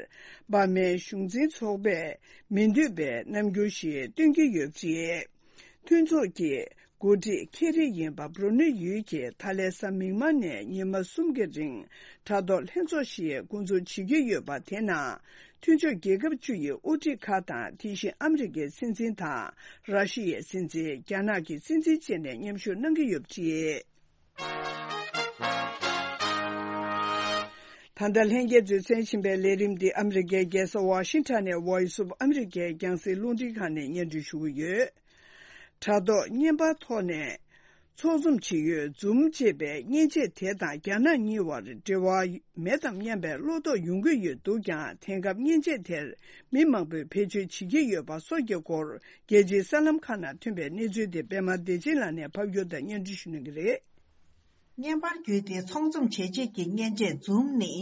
འབར་མའི་གཞུང་འཛིན་ཚོགས་པས་མི་འདོད་པའི་རྣམ་འགྱུར་ཞིག་སྟོན་གྱི་ཡོད་པ་རེད། མཐུན་ཚོགས་ཀྱི་འགོ་ཁྲིད་ཁེ་རི་ཡིན་པ་སྦྲུ་ནེ་ཡུལ་གྱིས་ད་ལན་གཟའ་མིག་དམར་ནས་ཉི་མ་གསུམ་གྱི་རིང་དྲ་ཐོག་ལྷན་ཚོགས་ཤིག་འགོ་འཛུགས་བྱེད་ཀྱི་ཡོད་པ། དེ་ནང་མཐུན་ཕྱོགས་རྒྱལ་ཁབ་བཅུ་ཡི་དབུ་ཁྲིད་ཁག་དང་། དེ་བཞིན་ཨ་མི་རི་ཀའི་སྲིད་འཛིན་དང་། ར་ཤི་ཡའི་སྲིད་འཛིན། རྒྱ་ནག་གི་སྲིད་འཛིན་བཅས་ནས་མཉམ་ཞུགས་གནང་གི་ཡོད་པ་རེད། ད་ལྟ་ལྷན་རྒྱས་ཚོས་གསན་བཞིན་པའི་ལས་རིམ་འདི་ཨ་མི་རི་ཀའི་རྒྱལ་ས་ཝ་ཤིང་ཊོན་ནས་Voice of America་རྒྱང་སྲིང་རླུང་འཕྲིན་ཁང་ནས་སྙན་སྒྲོན་ཞུ་གི་ཡོད། དྲ་ཐོག་བརྙན་པར་ཐོག་ནས་ཚོགས་འཛོམས་བྱེད་ཡུལ་ཛུམ་ཅེས་པའི་མཉེན་ཆས་དེ་དང་རྒྱ་ནག་གཉིས་བར་འབྲེལ་བ་མེད་དམ་སྙམ་པའི་བློ་དོགས་ཡོང་གི་ཡོད་འདུག་ཀྱང་། དེང་སྐབས་མཉེན་ཆས་དེར་མི་མང་པོས་བེད་སྤྱོད་བྱེད་ཀྱི་ཡོད་པ་སོགས་ཀྱི་སྐོར། རྒྱལ་སྤྱིའི་གསར་ལམ་ཁག་ནང་ཐོན་པའི་གནས་ཚུལ་དེ་པད་མ་བདེ་ཆེན་ལགས་ནས་ཕབ་སྒྱུར་དང་སྙན་སྒྲོན་ཞུ་གནང་གི་རེད། བརྙན་པར་བརྒྱུད་དེ་ཚོགས་འཛོམས་བྱས་རྗེས་ཀྱི་མཉེན་ཆས་ཛུམ་ནི།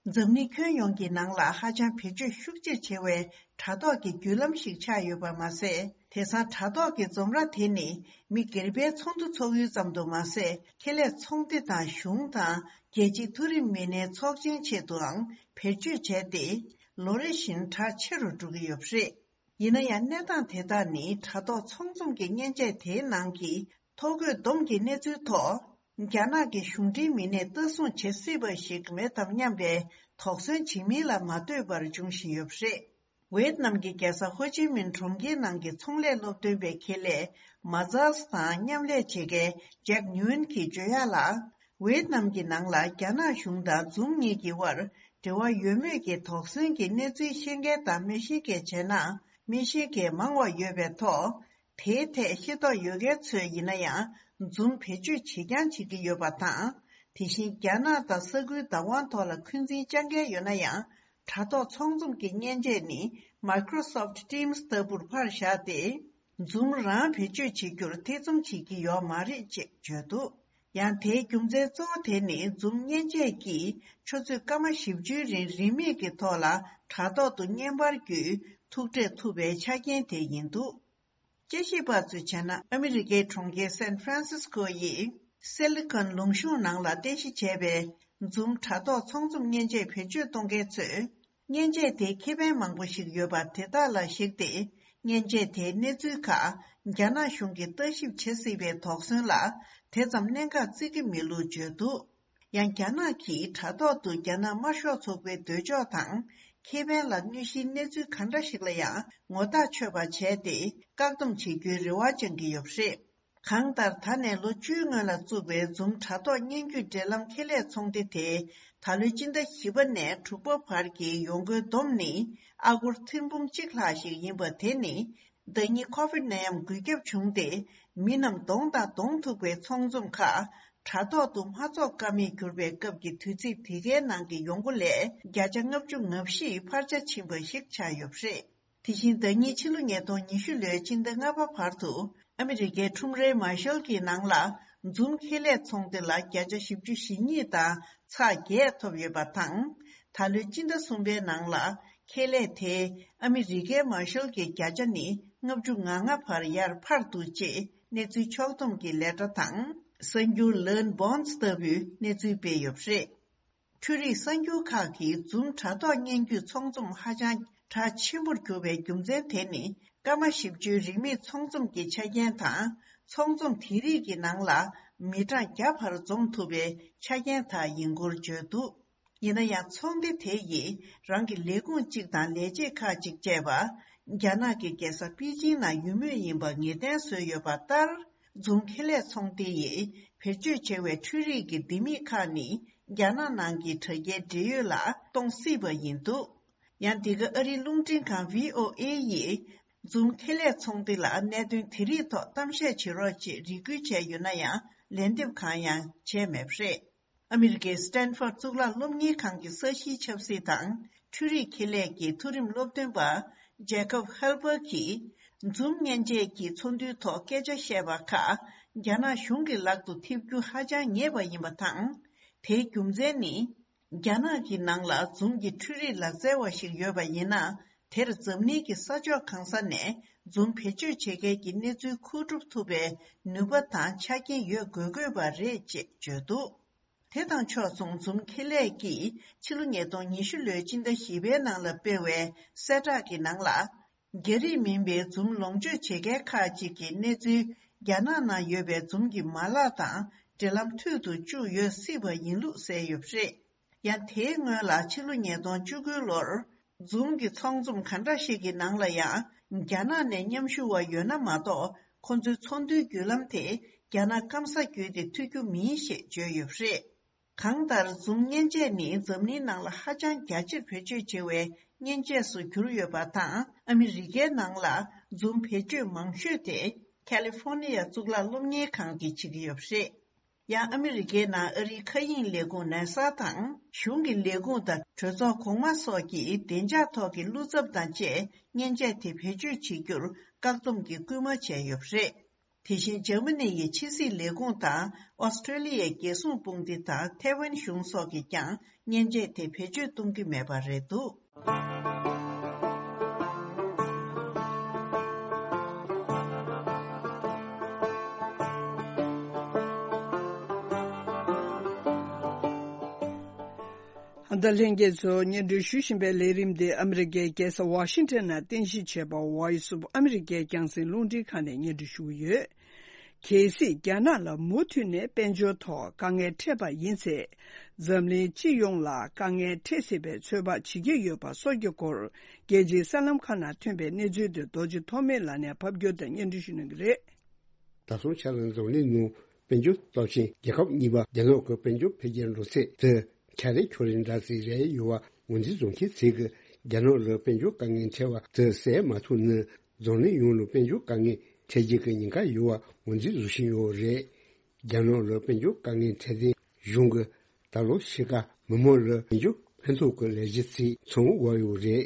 འཛམ་གླིང་ཁྱོན་ཡོངས་ཀྱི་ནང་ལ་ཧ་ཅང་བེད་སྤྱོད་ཤུགས་ཆེ་ཆེ་བའི་དྲ་ཐོག་གི་བརྒྱུད་ལམ་ཞིག་ཆགས་ཡོད་པ་མ་ཟད། དེང་སང་དྲ་ཐོག་གི་འཛོམས་ར་དེ་ནི་མི་སྒེར་པའི་ཚོགས་འདུ་འཚོགས་ཡུལ་ཙམ་དུ་མ་ཟད། ཁེ་ལས་ཚོང་སྡེ་དང་གཞུང་དང་རྒྱལ་སྤྱིའི་མཐོ་རིམ་མི་སྣའི་ཚོགས་ཆེན་ཆེད་དུའང་བེད་སྤྱོད་བྱས་ཏེ། ལོ་རེ་བཞིན་གྲགས་ཆེ་རུ་འགྲོ་གི་ཡོད་པ་རེད། ཡིན་ན་ཡང་། གནས་སྟངས་དེ་དག་ནི་དྲ་ཐོག་ཚོགས་འཛོམས་ཀྱི་མཉེན་ཆས་དེའི་ནང་གི་ཐོ་འགོད་སྡོམ་གྱི་གནས་ཚུལ་ཐོག་རྒྱ་ནག་གི་གཞུང་འབྲེལ་མི་སྣས་ལྟ་སྲུང་བྱེད་སྲིད་པ་ཞིག་མེད་དམ་སྙམ་པའི་དོགས་ཟོན་བྱེད་མིན་ལ་མ་ལྟོས་པར་འབྱུང་བཞིན་ཡོད་པ་རེད། ཝེད་ནམ་གྱི་རྒྱལ་ས་ཧོ་ཅི་མིན་གྲོང་ཁྱེར་ནང་གི་ཚོང་ལས་སློབ་སྟོན་པའི་ཁེ་ལས་མ་ཛཱས་དང་མཉམ་ལས་བྱེད་མཁན་ཇེག་ཉུན་གྱིས་བརྗོད་ཡག་ལ། ཝེད་ནམ་གྱི་ནང་ལ་རྒྱ་ནག་གཞུང་དང་ཛུམ་གཉིས་ཀྱི་དབར་འབྲེལ་བ་ཡོད་མེད་ཀྱི་དོགས་ཟོན་གྱི་གནས་ཚུལ་ཤེས་མཁན་དང་མི་ཤེས་མཁན་བྱས་ན། མི་ཤེས་མཁན་མང་བ་ཡོད་པའི་ཐོག་དེའི་ཐད་ཤེས་རྟོགས་ཡོད་མཁན་ཚོས་ཡིན་ན་ཡང་ཛུམ་བེད་སྤྱོད་བྱེད་རྐྱང་བྱེད་ཀྱི་ཡོད་པ་དང་། དེ་བཞིན་རྒྱ་ནག་དང་ས་ཁུལ་བདག་དབང་ཐོག་ལ་འཁོན་འཛིན་བཅང་མཁན་ཡོད་ན་ཡང་། དྲ་ཐོག་ཚོགས་འཛོམས་ཀྱི་མཉེན་ཆས་ནི་Microsoft Teams་ལྟ་བུར་ཕར་བཞག་སྟེ། ཛུམ་རང་བེད་སྤྱོད་བྱེད་རྒྱུར་ཐེ་ཚོམ་བྱེད་ཀྱི་ཡོད་མ་རེད་ཅེས་བརྗོད་འདུག་ཡང་དེའི་རྒྱུ་མཚན་གཙོ་བོ་དེ་ནི་ཛུམ་མཉེན་ཆས་ཀྱིས་ཆུ་ཚོད་སྐར་མ་བཞི་བཅུའི་རིང་རིན་མེད་ཀྱི་ཐོག་ལ་དྲ་ཐོག་ཏུ་བརྙན་པར་བརྒྱུད་ཐུག་འཕྲད་ཐུབ་པའི་ཆ་རྐྱེན་དེ་ཡིན་འདུག་དཔྱད་ཞིབ་པ་ཚོས་བྱས་ན། ཨ་མི་རི་ཀའི་གྲོང་ཁྱེར་སན་ཧྥ་རན་སིས་ཀོ་ཡི་སི་ལི་ཀོན་ལུང་གཤོང་ནང་ལ་རྟེན་གཞི་བྱས་པའི་ཛུམ་དྲ་ཐོག་ཚོགས་འཛོམས་མཉེན་ཆས་བེད་སྤྱོད་གཏོང་མཁན་ཚོས། མཉེན་ཆས་དེའི་ཁེ་ཕན་མང་པོ་ཞིག་ཡོད་པ་དེ་དག་ལ་གཞིགས་ཏེ། མཉེན་ཆས་དེའི་གནས་ཚུལ་ཁག་རྒྱ་ནག་གཞུང་གིས་ལྟ་ཞིབ་བྱེད་སྲིད་པའི་དོགས་ཟོན་ལ་དེ་ཙམ་གནད་འགག་བརྩི་གི་མེད་ལུགས་བརྗོད་འདུག་ཡང་རྒྱ་ནག་གིས་དྲ་ཐོག་ཏུ་རྒྱ་ནག་དམར་ཤོག་ཚོགས་པའི་འདོད་ཕྱོགས་དང་ཁེ་ཕན་ལ་གནོད་གཞིའི་གནས་ཚུལ་གང་འདྲ་ཞིག་ལ་ཡང་ངོ་ཐག་ཆོད་པ་བྱས་ཏེ་བཀག་སྡོམ་བྱེད་རྒྱུའི་རེ་བ་བཅང་གི་ཡོད་པ་རེད། གང་ལྟར། ད་ནས་ལོ་བཅུའི་སྔོན་ལ་བཙུགས་པའི་ཛུམ་དྲ་ཐོག་སྙན་བརྒྱུད་འབྲེལ་ལམ་ཁེ་ལས་ཚོང་སྡེ་དེ་ད་ལོའི་སྤྱི་ཟླ་བཞི་པ་ནས་དྲུག་པ་བར་གྱི་ཡོང་སྒོའི་བསྡོམས་ནི་ཨ་སྒོར་ཐེར་འབུམ་གཅིག་ལྷག་ཞིག་ཡིན་པ། དེ་ནི་ཟླ་ཉིན་ཁོ་ཝིད་ནད་ཡམས་འགོས་ཁྱབ་བྱུང་སྟེ། མི་རྣམས་གདོང་དང་གདོང་ཐུག་པའི་ཚོགས་འཛོམས་ཁག་དྲ་ཐོག་ཏུ་མ་འཚོགས་ཀ་མེད་གྱུར་པའི་སྐབས་ཀྱི་དུས་ཚིགས་དེ་གའི་ནང་གི་ཡོང་སྒོ་ལས་བརྒྱ་ཆ་ལྔ་བཅུ་ང་བཞི་འཕར་ཆ་ཕྱིན་པ་ཞིག་ཆགས་ཡོད་པ་རེད། དེ་བཞིན་ཟླ་ཉིན་ཕྱི་ལོ་ཉིས་སྟོང་ཉི་ཤུ་ལོའི་སྤྱི་ཟླ་ལྔ་པ་བར་དུ་ཨ་མི་རི་ཀའི་ཁྲོམ་རའི་མར་ཤལ་གྱི་ནང་ལ་ཛུམ་ཁེ་ལས་ཚོང་སྡེ་ལ་བརྒྱ་ཆ་བཞི་བཅུ་ཞེ་གཉིས་དང་ཚེག་བརྒྱད་ཐོབ་ཡོད་པ་དང་། ད་ལོའི་སྤྱི་ཟླ་གསུམ་པའི་ནང་ལ་ཁེ་ལས་དེས་ཨ་མི་རི་ཀའི་མར་ཤལ་གྱི་བརྒྱ་ཆ་ནི་ལྔ་བཅུ་ང་ལྔ་བར་ཡར་འཕར་འདུག་ཅེས་གནས་ཚུལ་ཕྱོགས་བསྡོམས་ཀྱི་ལས་གྲྭ་དང་གསར་འགྱུར་ལན་བོན་སི་ལྟ་བུས་གནས་ཚུལ་སྤེལ་ཡོད་པ་རེད། འཕྲུལ་རིག་གསར་འགྱུར་ཁག་གིས་ཛུམ་དྲ་ཐོག་སྙན་བརྒྱུད་ཚོགས་འཛོམས་ཧ་ཅང་ གྲགས་ཆེན་པོར་གྱུར་པའི་རྒྱུ་མཚན་དེ་ནི། སྐར་མ་བཞི་བཅུའི་རིན་མེད་ཚོང་ཚོམས་ཀྱི་ཆ་རྐྱེན་དང་། ཚོང་ཚོམས་དེ་རིགས་ཀྱི་ནང་ལ་མི་གྲངས་བརྒྱ་བར་འཛོམས་ཐུབ་པའི་ཆ་རྐྱེན་དག་ཡིན་སྐོར་བརྗོད་འདུག་ཡིན་ན་ཡང་། ཚོགས་སྡེ་དེ་ཡིས་རང་གི་ལས་ཁུངས་གཅིག་དང་ལས་བྱེད་ཁག་ཅིག་བཅས་པ། རྒྱ་ནག་གི་རྒྱལ་ས་པེ་ཅིང་ནང་ཡོད་མུས་ཡིན་པ་ངེས་གཏན་བཟོས་ཡོད་པ་ལྟར། འཛུམ་ཁེ་ལས་ཚོང་སྡེ་ཡིས་བེད་སྤྱོད་བྱས་པའི་འཕྲུལ་རིག་གི་ལྡེ་མིག་ཁག་ནི། རྒྱ་ནག་ནང་གི་དྲ་རྒྱའི་འབྲེལ་ཡོད་ལ་གཏོང་སྲིད་པ་ཡིན་འདུག་ཡང་། འདི་ག་ཨ་རིའི་རླུང་འཕྲིན་ཁང་བྷི་ཨོ་ཨེ་ཡིས། འཛུམ་ཁེ་ལས་ཚོང་སྡེ་ལ་གནད་དོན་དེ་རིགས་ཐོག་གཏམ་བཤད་བྱེད་རོགས་ཅེས་རེ་སྐུལ་བྱས་ཡོད་ན་ཡང་། ལན་འདེབས་གང་ཡང་བྱས་མེད་པ་རེད། ཨ་མི་རི་ཀའི་སི་ཏན་ཕོར་གཙུག་ལག་སློབ་གཉེར་ཁང་གི་ས་གཞིའི་ཆབ་སྲིད་དང་འཕྲུལ་རིག་ཁེ་ལས་ཀྱི་མཐོ་རིམ་སློབ་སྟོན་པ་ཇེ་ཀབ་ཧེལ་བར་གྱིས། འཛུམ་མཉེན་ཆས་ཀྱི་ཚོགས་འདུའི་ཐོག་སྐད་ཆ་བཤད་པ་ཁག་རྒྱ་ནག་གཞུང་གི་ལག་ཏུ་ཐེབས་རྒྱུ་ཧ་ཅང་ཉེ་བ་ཡིན་པ་དང་། དེའི་རྒྱུ་མཚན་ནི། རྒྱ་ནག་གི་ནང་ལ་འཛུམ་གྱི་འཕྲུལ་རིག་ལག་རྩལ་བ་ཞིག་ཡོད་པ་ཡིན་ན། དེར་འཛམ་གླིང་གི་ས་ཕྱོགས་གང་ས་ནས་འཛུམ་བེད་སྤྱོད་བྱེད་མཁན་གྱི་གནས་ཚུལ་མཁོ་སྒྲུབ་ཐུབ་པའི་ནུས་པ་དང་ཆ་རྐྱེན་ཡོད་དགོས་དགོས་པ་རེད་ཅེས་བརྗོད་འདུག་དེ་དང་ཕྱོགས་མཚུངས། འཛུམ་ཁེ་ལས་ཀྱིས་ཕྱི་ལོ་ཉིས་སྟོང་ཉི་ཤུ་ལོའི་སྤྱི་ཟླ་བཞི་པའི་ནང་ལ་སྤེལ་བའི་གསལ་བསྒྲགས་ཀྱི་ནང་ལ། རྒྱ་རིགས་མིན་པའི་འཛུམ་ལོངས་སྤྱོད་བྱེད་མཁན་ཁག་ཅིག་གི་གནས་ཚུལ། རྒྱ་ནག་ནང་ཡོད་པའི་འཛུམ་གྱི་མ་ལག་དང་འབྲེལ་ལམ་མཐུད་དུ་བཅུག་ཡོད་སྲིད་པ་ཡིན་ལུགས་གསལ་ཡོད་པ་རེད། ཡང་། དེའི་སྔོན་ལ་ཕྱི་ལོ་ཉིས་སྟོང་བཅུ་དགུ་ལོར། འཛུམ་གྱི་ཚོང་འཛོམས་ག་འདྲ་ཞིག་གི་ནང་ལ་ཡང་། རྒྱ་ནག་ནས་མཉམ་ཞུགས་པ་ཡོད་ན་མ་གཏོགས། ཁོ་ཚོའི་ཚོགས་འདུའི་བརྒྱུད་ལམ་དེ་རྒྱ་ནག་སྐམ་ས་བརྒྱུད་དེ་ཐུག་རྒྱུ་མིན་ཞེས་བརྗོད་ཡོད་པ་རེད། གང་ལྟར། འཛུམ་མཉེན་ཆས་ནི་འཛམ་གླིང་ནང་ལ་ཧ་ཅང་རྒྱ་ཆེར་བེད་སྤྱོད་བྱེད་པའི་མཉེན་ཆས་སུ་གྱུར་ཡོད་པ་དང་། ཨ་མི་རི་ཀའི་ནང་ལ་འཛུམ་བེད་སྤྱོད་མང་ཤོས་དེ་ཁ་ལི་ཧྥོ་ནི་ཡ་གཙུག་ལག་སློབ་གཉེར་ཁང་གིས་བྱེད་ཀྱི་ཡོད་པ་རེད། ཡང་། ཨ་མི་རི་ཀའི་ནང་ཨ་རིའི་མཁའ་དབྱིངས་ལས་ཁུངས་ནཱ་ས་དང་། གཞུང་གི་ལས་ཁུངས་དང་གྲོས་ཚོགས་གོང་མ་སོགས་ཀྱིས་བདེ་འཇགས་ཐོག་གི་བློ་འཚབ་དང་བཅས་མཉེན་ཆས་དེ་བེད་སྤྱོད་བྱེད་རྒྱུར་བཀག་སྡོམ་གྱི་སྐུལ་མ་བྱས་ཡོད་པ་རེད། དེ་བཞིན། འཇར་མ་ནི་ཡི་ཕྱི་སྲིད་ལས་ཁུངས་དང་། ཨོ་སི་ཀྲོ་ལི་ཡའི་རྒྱལ་སྲུང་དཔུང་སྡེ་དང་། ཐའེ་ཝན་གཞུང་སོགས་ཀྱིས་ཀྱང་མཉེན་ཆས་དེ་བེད་སྤྱོད་གཏོང་གི་མེད་པ་རེད་འདུག་ད་ལྷན་རྒྱས་ཚོ་སྙན་སྒྲོན་ཞུ་བཞིན་པའི་ལས་རིམ་འདི་ཨ་མི་རི་ཀའི་རྒྱལ་ས་ཝ་ཤིང་ཊོན་ནང་རྟེན་གཞི་བྱས་པ་Voice of America རྒྱང་སྲིང་རླུང་འཕྲིན་ཁང་ནས་སྙན་སྒྲོན་ཞུ་གི་ཡོད། གལ་སྲིད་རྒྱ་ནག་ལ་མུ་མཐུད་ནས་དཔལ་འབྱོར་ཐོག་དཀའ་ངལ་འཕྲད་པ་ཡིན་ཚེ། འཛམ་གླིང་སྤྱི་ཡོངས་ལ་དཀའ་ངལ་འཕྲད་སྲིད་པའི་ཚོད་དཔག་བྱེད་ཀྱི་ཡོད་པ་སོགས་ཀྱི་སྐོར། རྒྱལ་སྤྱིའི་གསར་ལམ་ཁག་ནང་ཐོན་པའི་གནས་ཚུལ་དེ་རྡོ་རྗེ་ཐོགས་མེད་ལགས་ནས་ཕབ་སྒྱུར་དང་སྙན་སྒྲོན་ཞུ་གནང་གི་རེད། ད་སོང་ཆ་ལ་འཛམ་གླིང་ནང་དཔལ་འབྱོར་སྟོབས་ཆེན་རྒྱལ་ཁབ་གཉིས་པ་རྒྱ་ནག་གི་དཔལ་འབྱོར་འཕེལ་རྒྱས་འགྲོ་ཚད་དེ་ཁྱ་རེ་ཁྱོ་རེ་འདྲ་ཟིག་རེད་ཡོད་པ་ངོས་འཛིན་བཟོ་མཁན་ཚོས་ཀྱིས་རྒྱ་ནག་ལ་དཔལ་འབྱོར་དཀའ་ངལ་འཕྲད་པ་དེ་སེལ་མ་ཐུབ་ན། འཛམ་གླིང་ཡོངས་ལ་དཔལ་འབྱོར་དཀའ་ངལ་འཕྲད་རྒྱུ་གི་ཉེན་ཁ་ཡོད་པ་ངོས་འཛིན་བཟོ་བཞིན་ཡོད་རེད། རྒྱ་ནག་ལ་དཔལ་འབྱོར་དཀའ་ངལ་འཕྲད་དེ་གཞུང་གིས་ད་ལོ་ཕྱེད་ཀ་མི་མང་ལ་དཔལ་འབྱོར་ཕན་ཐོགས་ཀྱི་ལས་གཞི་ཚིག་ཚང་བ་ཡོད་རེད།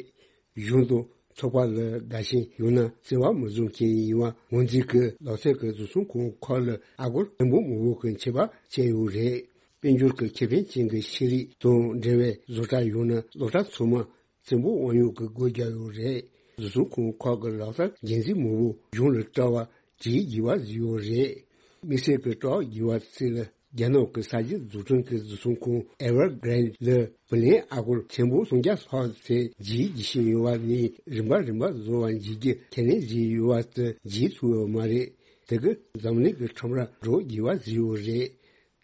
གཞུང་དང་ཚོགས་པ་ལ་དགའ་ཞེན་ཡོད་ན་བརྩེ་བ་མི་བཟུང་མཁན་ཡིན་པ་ངོས་འཛིན་གྱིས་ལག་རྩལ་གྱི་བཟོ་ཚོང་ཁང་ཁག་ལ་ཨ་སྒོར་ཆེན་པོ་མང་པོ་གི་ཆད་པ་བཅད་ཡོད་རེད། དཔལ་འབྱོར་གྱི་ཁེ་ཕན་ཅན་གྱི་ཤེས་རིག་དང་འབྲེལ་བའི་བཟོ་གྲྭ་ཡོད་ན་བཟོ་གྲྭ་ཚང་མ་བཙན་པོ་དབང་ཡོད་ཀྱི་སྒོ་རྒྱག་ཡོད་རེད། བཟོ་ཚོང་ཁང་ཁག་གི་ལག་རྩལ་འགན་འཛིན་མང་པོ་གཞུང་ལ་སྤྲད་པ་བྲིས་དགོས་པ་བཟོས་ཡོད་རེད། དམིགས་བསལ་གྱི་སྤྲད་དགོས་པ་ཚིག་ལ་རྒྱ་ནག་གི་ས་ཆ་འཛུགས་སྐྲུན་གྱི་བཟོ་ཚོང་ཁང་Evergrande ལ་བུ་ལོན་ཨ་སྒོར་ཆེན་པོ་སུམ་བརྒྱ་ལྷག་ཙམ་བརྗེ་བཞིན་ཡོད་པ་ནི་རིམ་པ་རིམ་པ་བཟོ་བ་བྱེད་རྒྱུ་ཁས་ལེན་བྱས་ཡོད་པ་དེ་བརྗེ་ཐུབ་ཡོད་མ་རེད། དེ་གིས་འཛམ་གླིང་གི་ཁྲོམ་ར་འགྲོ་དགོས་པ་བཟོས་ཡོད་རེད།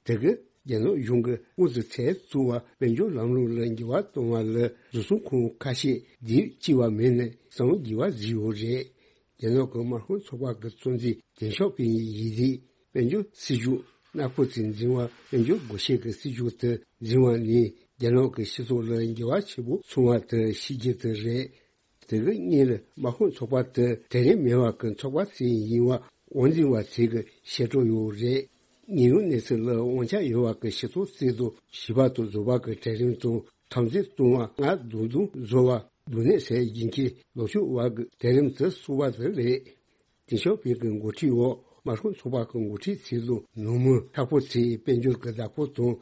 དེ་གིས་རྒྱ་ནག་གཞུང་གིས་དངུལ་རྩིས་ཚད་བཙུགས་པ་དཔལ་འབྱོར་ལམ་ལུགས་ལ་འགྱུར་བ་གཏོང་བ་ལ་བཟོ་ཚོང་ཁང་ཁ་ཤས་དེབ་གཅིག་པ་མེད་ནས་གསང་དགོས་པ་བཟོས་ཡོད་རེད། རྒྱ་ནག་གི་དམག་དཔུང་ཚོགས་པ་གི་གཙོ་འཛིན་ཏེང་ཞའོ་ཕིང་ཡིས་ཡིག་རིགས་དཔལ་འབྱོར་སྲིད་ཇུས་སྣ་ཁོག་ཅིག་འཛིན་པ་དཔལ་འབྱོར་སྒོ་ཕྱེ་གི་སྲིད་ཇུས་དེ་འཛིན་པ་ནི་རྒྱ་ནག་གི་སྤྱི་ཚོགས་ལ་འགྱུར་བ་ཆེན་པོ་སོང་བ་དེ་ཤེས་རྒྱུ་དེ་རེད། དེ་གི་སྔོན་ལ་དམག་དཔུང་ཚོགས་པ་དེ་དེ་རིང་མེད་པ་གི་ཚོགས་པ་ཞིག་ཡིན་པ་དབང་འཛིན་པ་ཞིག་གིས་བཤད་སྲོལ་ཡོད་རེད། ཉེན་གཡོལ་གནས་ཚུལ་ལ་དབང་ཆ་ཡོད་པ་གི་སྤྱི་ཚོགས་ཅིག་ཏུ་བྱིས་པ་དང་བཟོ་པ་གི་གྲལ་རིམ་དང་འཐབ་འཛིང་གཏོང་བ་སྔ་རྡུང་རྡུང་བཟོ་བ་རྡུང་ནད་སེལ་རྒྱུ་མཁན་ལོ་ཆུང་བ་གི་གྲལ་རིམ་དུ་བསུ་བ་དེ་རེད། ཏེང་ཞའོ་ཕིང་གི་འགོ་ཁྲིད་འོག་དམག་དཔུང་ཚོགས་པ་གི་འགོ་ཁྲིད་ཚོས་ལོ་ནུབ་མོ་མཁྲེགས་པོ་ཚོས་དཔལ་འབྱོར་གྱི་བདག་པོ་དང་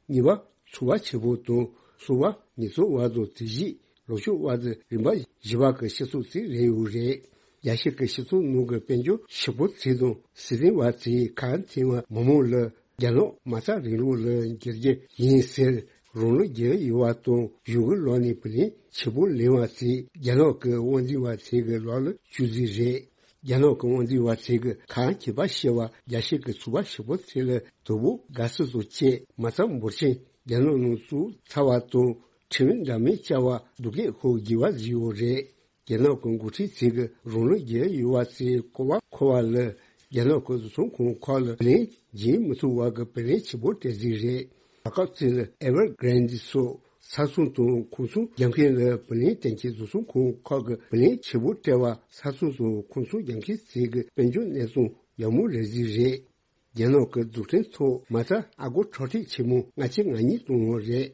གཉིས་པ་ཚོང་པ་ཆེན་པོ་དང་གསུམ་པ་ཉིས་ཚོང་བ་དང་དེ་བཞིན་ལོ་ཆུང་བ་དེ་རིམ་པ་བཞི་པ་གི་སྤྱི་ཚོགས་ཅིག་རེད་ཡོད་རེད། རྒྱལ་སྤྱི་གི་སྤྱི་ཚོགས་ནང་གི་དཔལ་འབྱོར་ཕྱུག་པོ་ཚོ་དང་སྲིད་དོན་བ་ཚོས་ཁ་འཐེན་པ་མི་མང་ལ་རྒྱ་ནག་མ་རྩ་རིང་ལུགས་ལ་འགྱུར་རྒྱུ་ཡིན་ཟེར། རང་ལོ་བརྒྱད་ཡོད་པ་དང་གཞུག་གི་ལོ་ནས་བུ་ལོན་ཆེན་པོ་ལེན་པ་ཚེ་རྒྱ་ནག་གི་དབང་འཛིན་པ་ཚོ་གི་ལག་ལ་བཅུག་རྩིས་རེད། རྒྱ་ནག་གི་དབང་འཛིན་པ་ཚོ་གི་ཁ་མཁས་པ་ཤེས་པ་རྒྱ་ཆེ་གི་ཚོང་པ་ཞིག་པོ་ཚོ་ལ་དོ་པོ་དགའ་བསུ་སོགས་བྱས། མ་རྩ་འབོར་ཆེན་རྒྱ་ནག་ནང་བཙུགས་ཚར་བ་དང་ཁྲིམས་འདྲ་མིན་བཅའ་བ་སྡུག་སྐད་ཤོར་དགོས་པ་བཟོས་ཡོད་རེད། རྒྱ་ནག་གི་འགོ་ཁྲིད་ཚོ་གི་རང་ལོ་བརྒྱད་ཡོད་པ་ཚོའི་སྐོར་བ་འཁོད་པ་ལ་རྒྱ་ནག་གི་བཟོ་ཚོང་ཁང་ཁག་ལ་བུ་ལོན་འཇལ་མི་ཐུབ་པ་གི་བུ་ལོན་ཆེན་པོ་སྤྲད་རྩིས་རེད། ད་སྐབས་ཚོ་ལ་Evergrande སོགས་ས་ཚོང་དང་ཁང་ཚོང་རྒྱག་མཁན་ལ་བུ་ལོན་སྟེར་མཁན་བཟོ་ཚོང་ཁང་ཁག་གི་བུ་ལོན་ཆེན་པོ་སྤྲད་པ་ས་ཚོང་དང་ཁང་ཚོང་རྒྱག་མཁན་ཚོ་གི་དཔལ་འབྱོར་གནས་སྟངས་ཡག་མོ་རེད་རྩིས་རེད། རྒྱ་ནག་གི་རྫོང་ཕྲན་ཐོག་མ་རྩ་ཨ་སྒོར་ཁྲག་ཁྲིག་ཆེན་མོ་ལྔ་བཅུ་ང་གཉིས་བཏང་བ་རེད།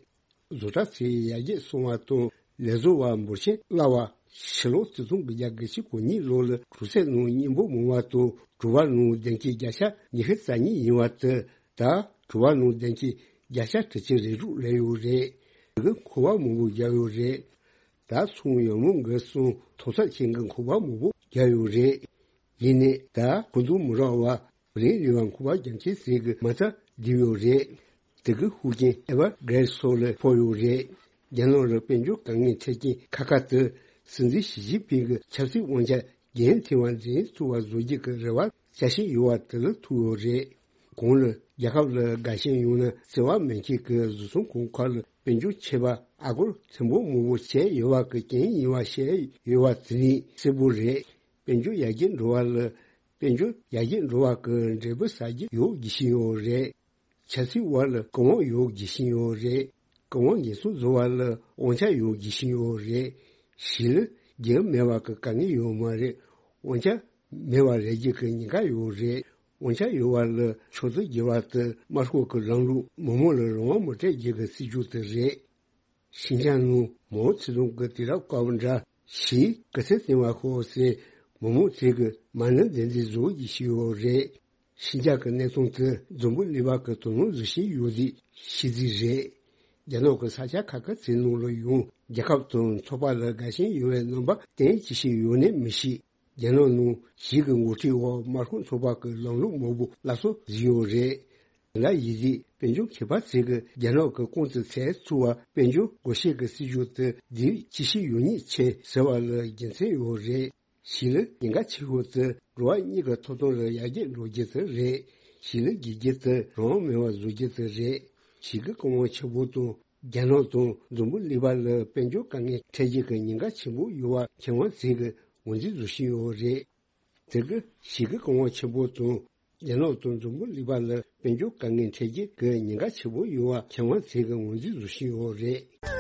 བཟོ་གྲྭ་ཚོས་ཡར་རྒྱས་སོང་བ་དང་ལས་བཟོ་བ་འབོར་ཆེན་བསླབ་པ། ཕྱི་ལོ་ཆིག་སྟོང་དགུ་བརྒྱ་དགུ་བཅུ་གོ་གཉིས་ལོ་ལ་གྲོང་གསེབ་ནང་མཉེས་པོ་མང་བ་དང་གྲོང་པ་ནང་བདེ་སྐྱིད་བརྒྱ་ཆ་ཉི་ཤུ་རྩ་གཉིས་ཡིན་པ་དེ་ད་གྲོང་པ་ནང་བདེ་སྐྱིད་བརྒྱ་ཆ་དྲུག་ཅུ་རེ་དྲུག་སླེབས་ཡོད་རེད། དེ་གི་མཁོ་བ་མང་པོ་བརྒྱབ་ཡོད་རེད། ད་ཚོང་ཡག་མོ་འགྲོ་སོང་། ཐོག་ས་ཅན་གྱི་མཁོ་བ་མང་པོ་བརྒྱབ་ཡོད་རེད། ཡིན་ནའི་ད་ཁོ་ཚོ་མི་རག་པ། བུ་ལོན་ལེན་པར་མཁོ་བ་རྒྱག་མཁན་ཚོ་གི་མ་རྩ་བསྡུས་ཡོད་རེད། དེ་གི་ཤུགས་རྐྱེན་Evergrande སོགས་ལ་ཕོག་ཡོད་རེད། རྒྱ་ནག་ལ་དཔལ་འབྱོར་དཀའ་ངལ་འཕྲད་རྐྱེན་ཁག་ཁག་དེ་སྲིད་འཛིན་ཞི་ཅིན་ཕིང་གི་ཆབ་སྲིད་དབང་ཆ་རྒྱུན་མཐུད་པ་འཛིན་ཐུབ་པ་བཟོ་རྒྱུ་གི་རེ་བ་བཅའ་བཞིན་ཡོད་པ་དེ་ལ་ཐུག་ཡོད་རེད། གོང་ལ་རྒྱལ་ཁབ་ལ་དགའ་ཞེན་ཡོད་ན་བརྩེ་བ་མེད་མཁན་གྱི་བཟོ་ཚོང་ཁང་ཁག་ལ་དཔལ་འབྱོར་ཆད་པ་ཨ་སྒོར་ཐེར་འབུམ་མང་པོ་བྱས་ཡོད་པ་གི་རྐྱེན་ཡིན་པ་བཤད་ཡོད་པ་དེ་ནི་གསལ་པོ་རེད། དཔལ་འབྱོར་ཡར་རྒྱས་འགྲོ་བ་ལ། དཔལ་འབྱོར་ཡར་རྒྱས་འགྲོ་བ་གི་འབྲས་བུ་ཟ་རྒྱུ་ཡོད་བགྱི་བཞིན་ཡོད་རེད། ཆབ་སྲིད་བར་ལ་ཀུན་དབང་ཡོད་བགྱི་བཞིན་ཡོད་རེད། ཀུན་དབང་འགན་སྲུང་བཟོ་བ་ལ་དབང་ཆ་ཡོད་བགྱི་བཞིན་ཡོད་རེད། གཞི་ལ་རྒྱུ་མེད་པ་གི་དཀའ་ངལ་ཡོད་མ་རེད། དབང་ཆ་མེད་པ་རེད་རྒྱུ་གི་ཉེན་ཁ་ཡོད་རེད། དབང་ཆ་ཡོད་པ་ལ་ཕྱོགས་བསྡུ་བགྱི་བ་དེ་དམར་ཤོག་གི་ལམ་ལུགས། མི་མང་ལ་རང་དབང་མི་སྤྲད་རྒྱུ་གི་སྲིད་ཇུས་དེ་རེད། ཤིན་ཅང་ནང་མའོ་ཙེ་ཏུང་གི་དུས་རབས་སྐབས་འདྲ་ཞིག་གི་ཚེ་བརྟན་པ་ཤོག་ཟེར་མི་མང་ཚོས་གི་མ་ཎི་འདི་འདི་བཟོ་ཡི་ཞུ་ཡོད་རེད། ཤིན་ཅང་གི་གནས་སྟངས་དེ་འཛམ་བུ་གླིང་པ་གི་དོ་སྣང་བཟོ་བཞིན་ཡོད་རེད་ཤེས་རྩིས་རེད། རྒྱ་ནག་གི་ས་ཆ་ཁག་ཁག་ཚོའི་ནང་ལ་ཡང་རྒྱལ་ཁབ་དང་ཚོགས་པ་ལ་དགའ་ཞེན་ཡོད་པའི་རྣམ་པ་བསྟན་ཅི་ཞིག་ཡོད་ནས་མི་ཤེས། རྒྱ་ནག་ནང་ཞིག་གི་འགོ་ཁྲིད་འོག་དམར་ཤོག་ཚོགས་པ་གི་ལམ་ལུགས་མང་པོ་སླར་གསོ་བཟོས་ཡོད་རེད། ལ་ཡིན་དུས་དཔལ་འབྱོར་མཁས་པ་ཚོས་གི་རྒྱ་ནག་གི་ཀོང་ཙི་ཚད་ཚུགས་པ་དཔལ་འབྱོར་སྒོ་ཕྱེ་གི་སྲིད་ཇུས་དེ་འདིར་ཅི་ཞིག་ཡོད་ཉེས་ཆེ་ཟེར་བ་ལ་རྒྱུ་མཚན་ཡོད་རེད། ཞིག་ལ་ཉེན་ཁ་ཆེ་ཤོས་དེ་འགྲོ་བ་གཉིས་ཀྱི་ཐོབ་ཐང་ལ་ཡར་རྒྱས་འགྲོ་རྒྱུ་དེ་རེད། ཞིག་ལ་དགེ་རྒྱུ་དེ་རང་དབང་མེད་པ་བཟོ་རྒྱུ་དེ་རེད། ཞིག་གི་ཀུན་དབང་ཆེན་པོ་དང་རྒྱ་ནག་དང་འཛམ་བུ་གླིང་པ་ལ་དཔལ་འབྱོར་དཀའ་ངལ་འཕྲད་རྒྱུ་གི་ཉེན་ཁ་ཆེན་པོ་ཡོད་པ་མཁས་དབང་ཚོས་གི་ངོས་འཛིན་བཟོ་བཞིན་ཡོད་རེད། དེ་གི་ཞིག་གི་ཀུན་དབང་ཆེན་པོ་དང་རྒྱ་ནག་དང་འཛམ་བུ་གླིང་པ་ལ་དཔལ་འབྱོར་དཀའ་ངལ་འཕྲད་རྒྱུ་གི་ཉེན་ཁ་ཆེན་པོ་ཡོད་པ་མཁས་དབང་ཚོས་གི་ངོས་འཛིན་བཟོ་བཞིན་ཡོད་རེད།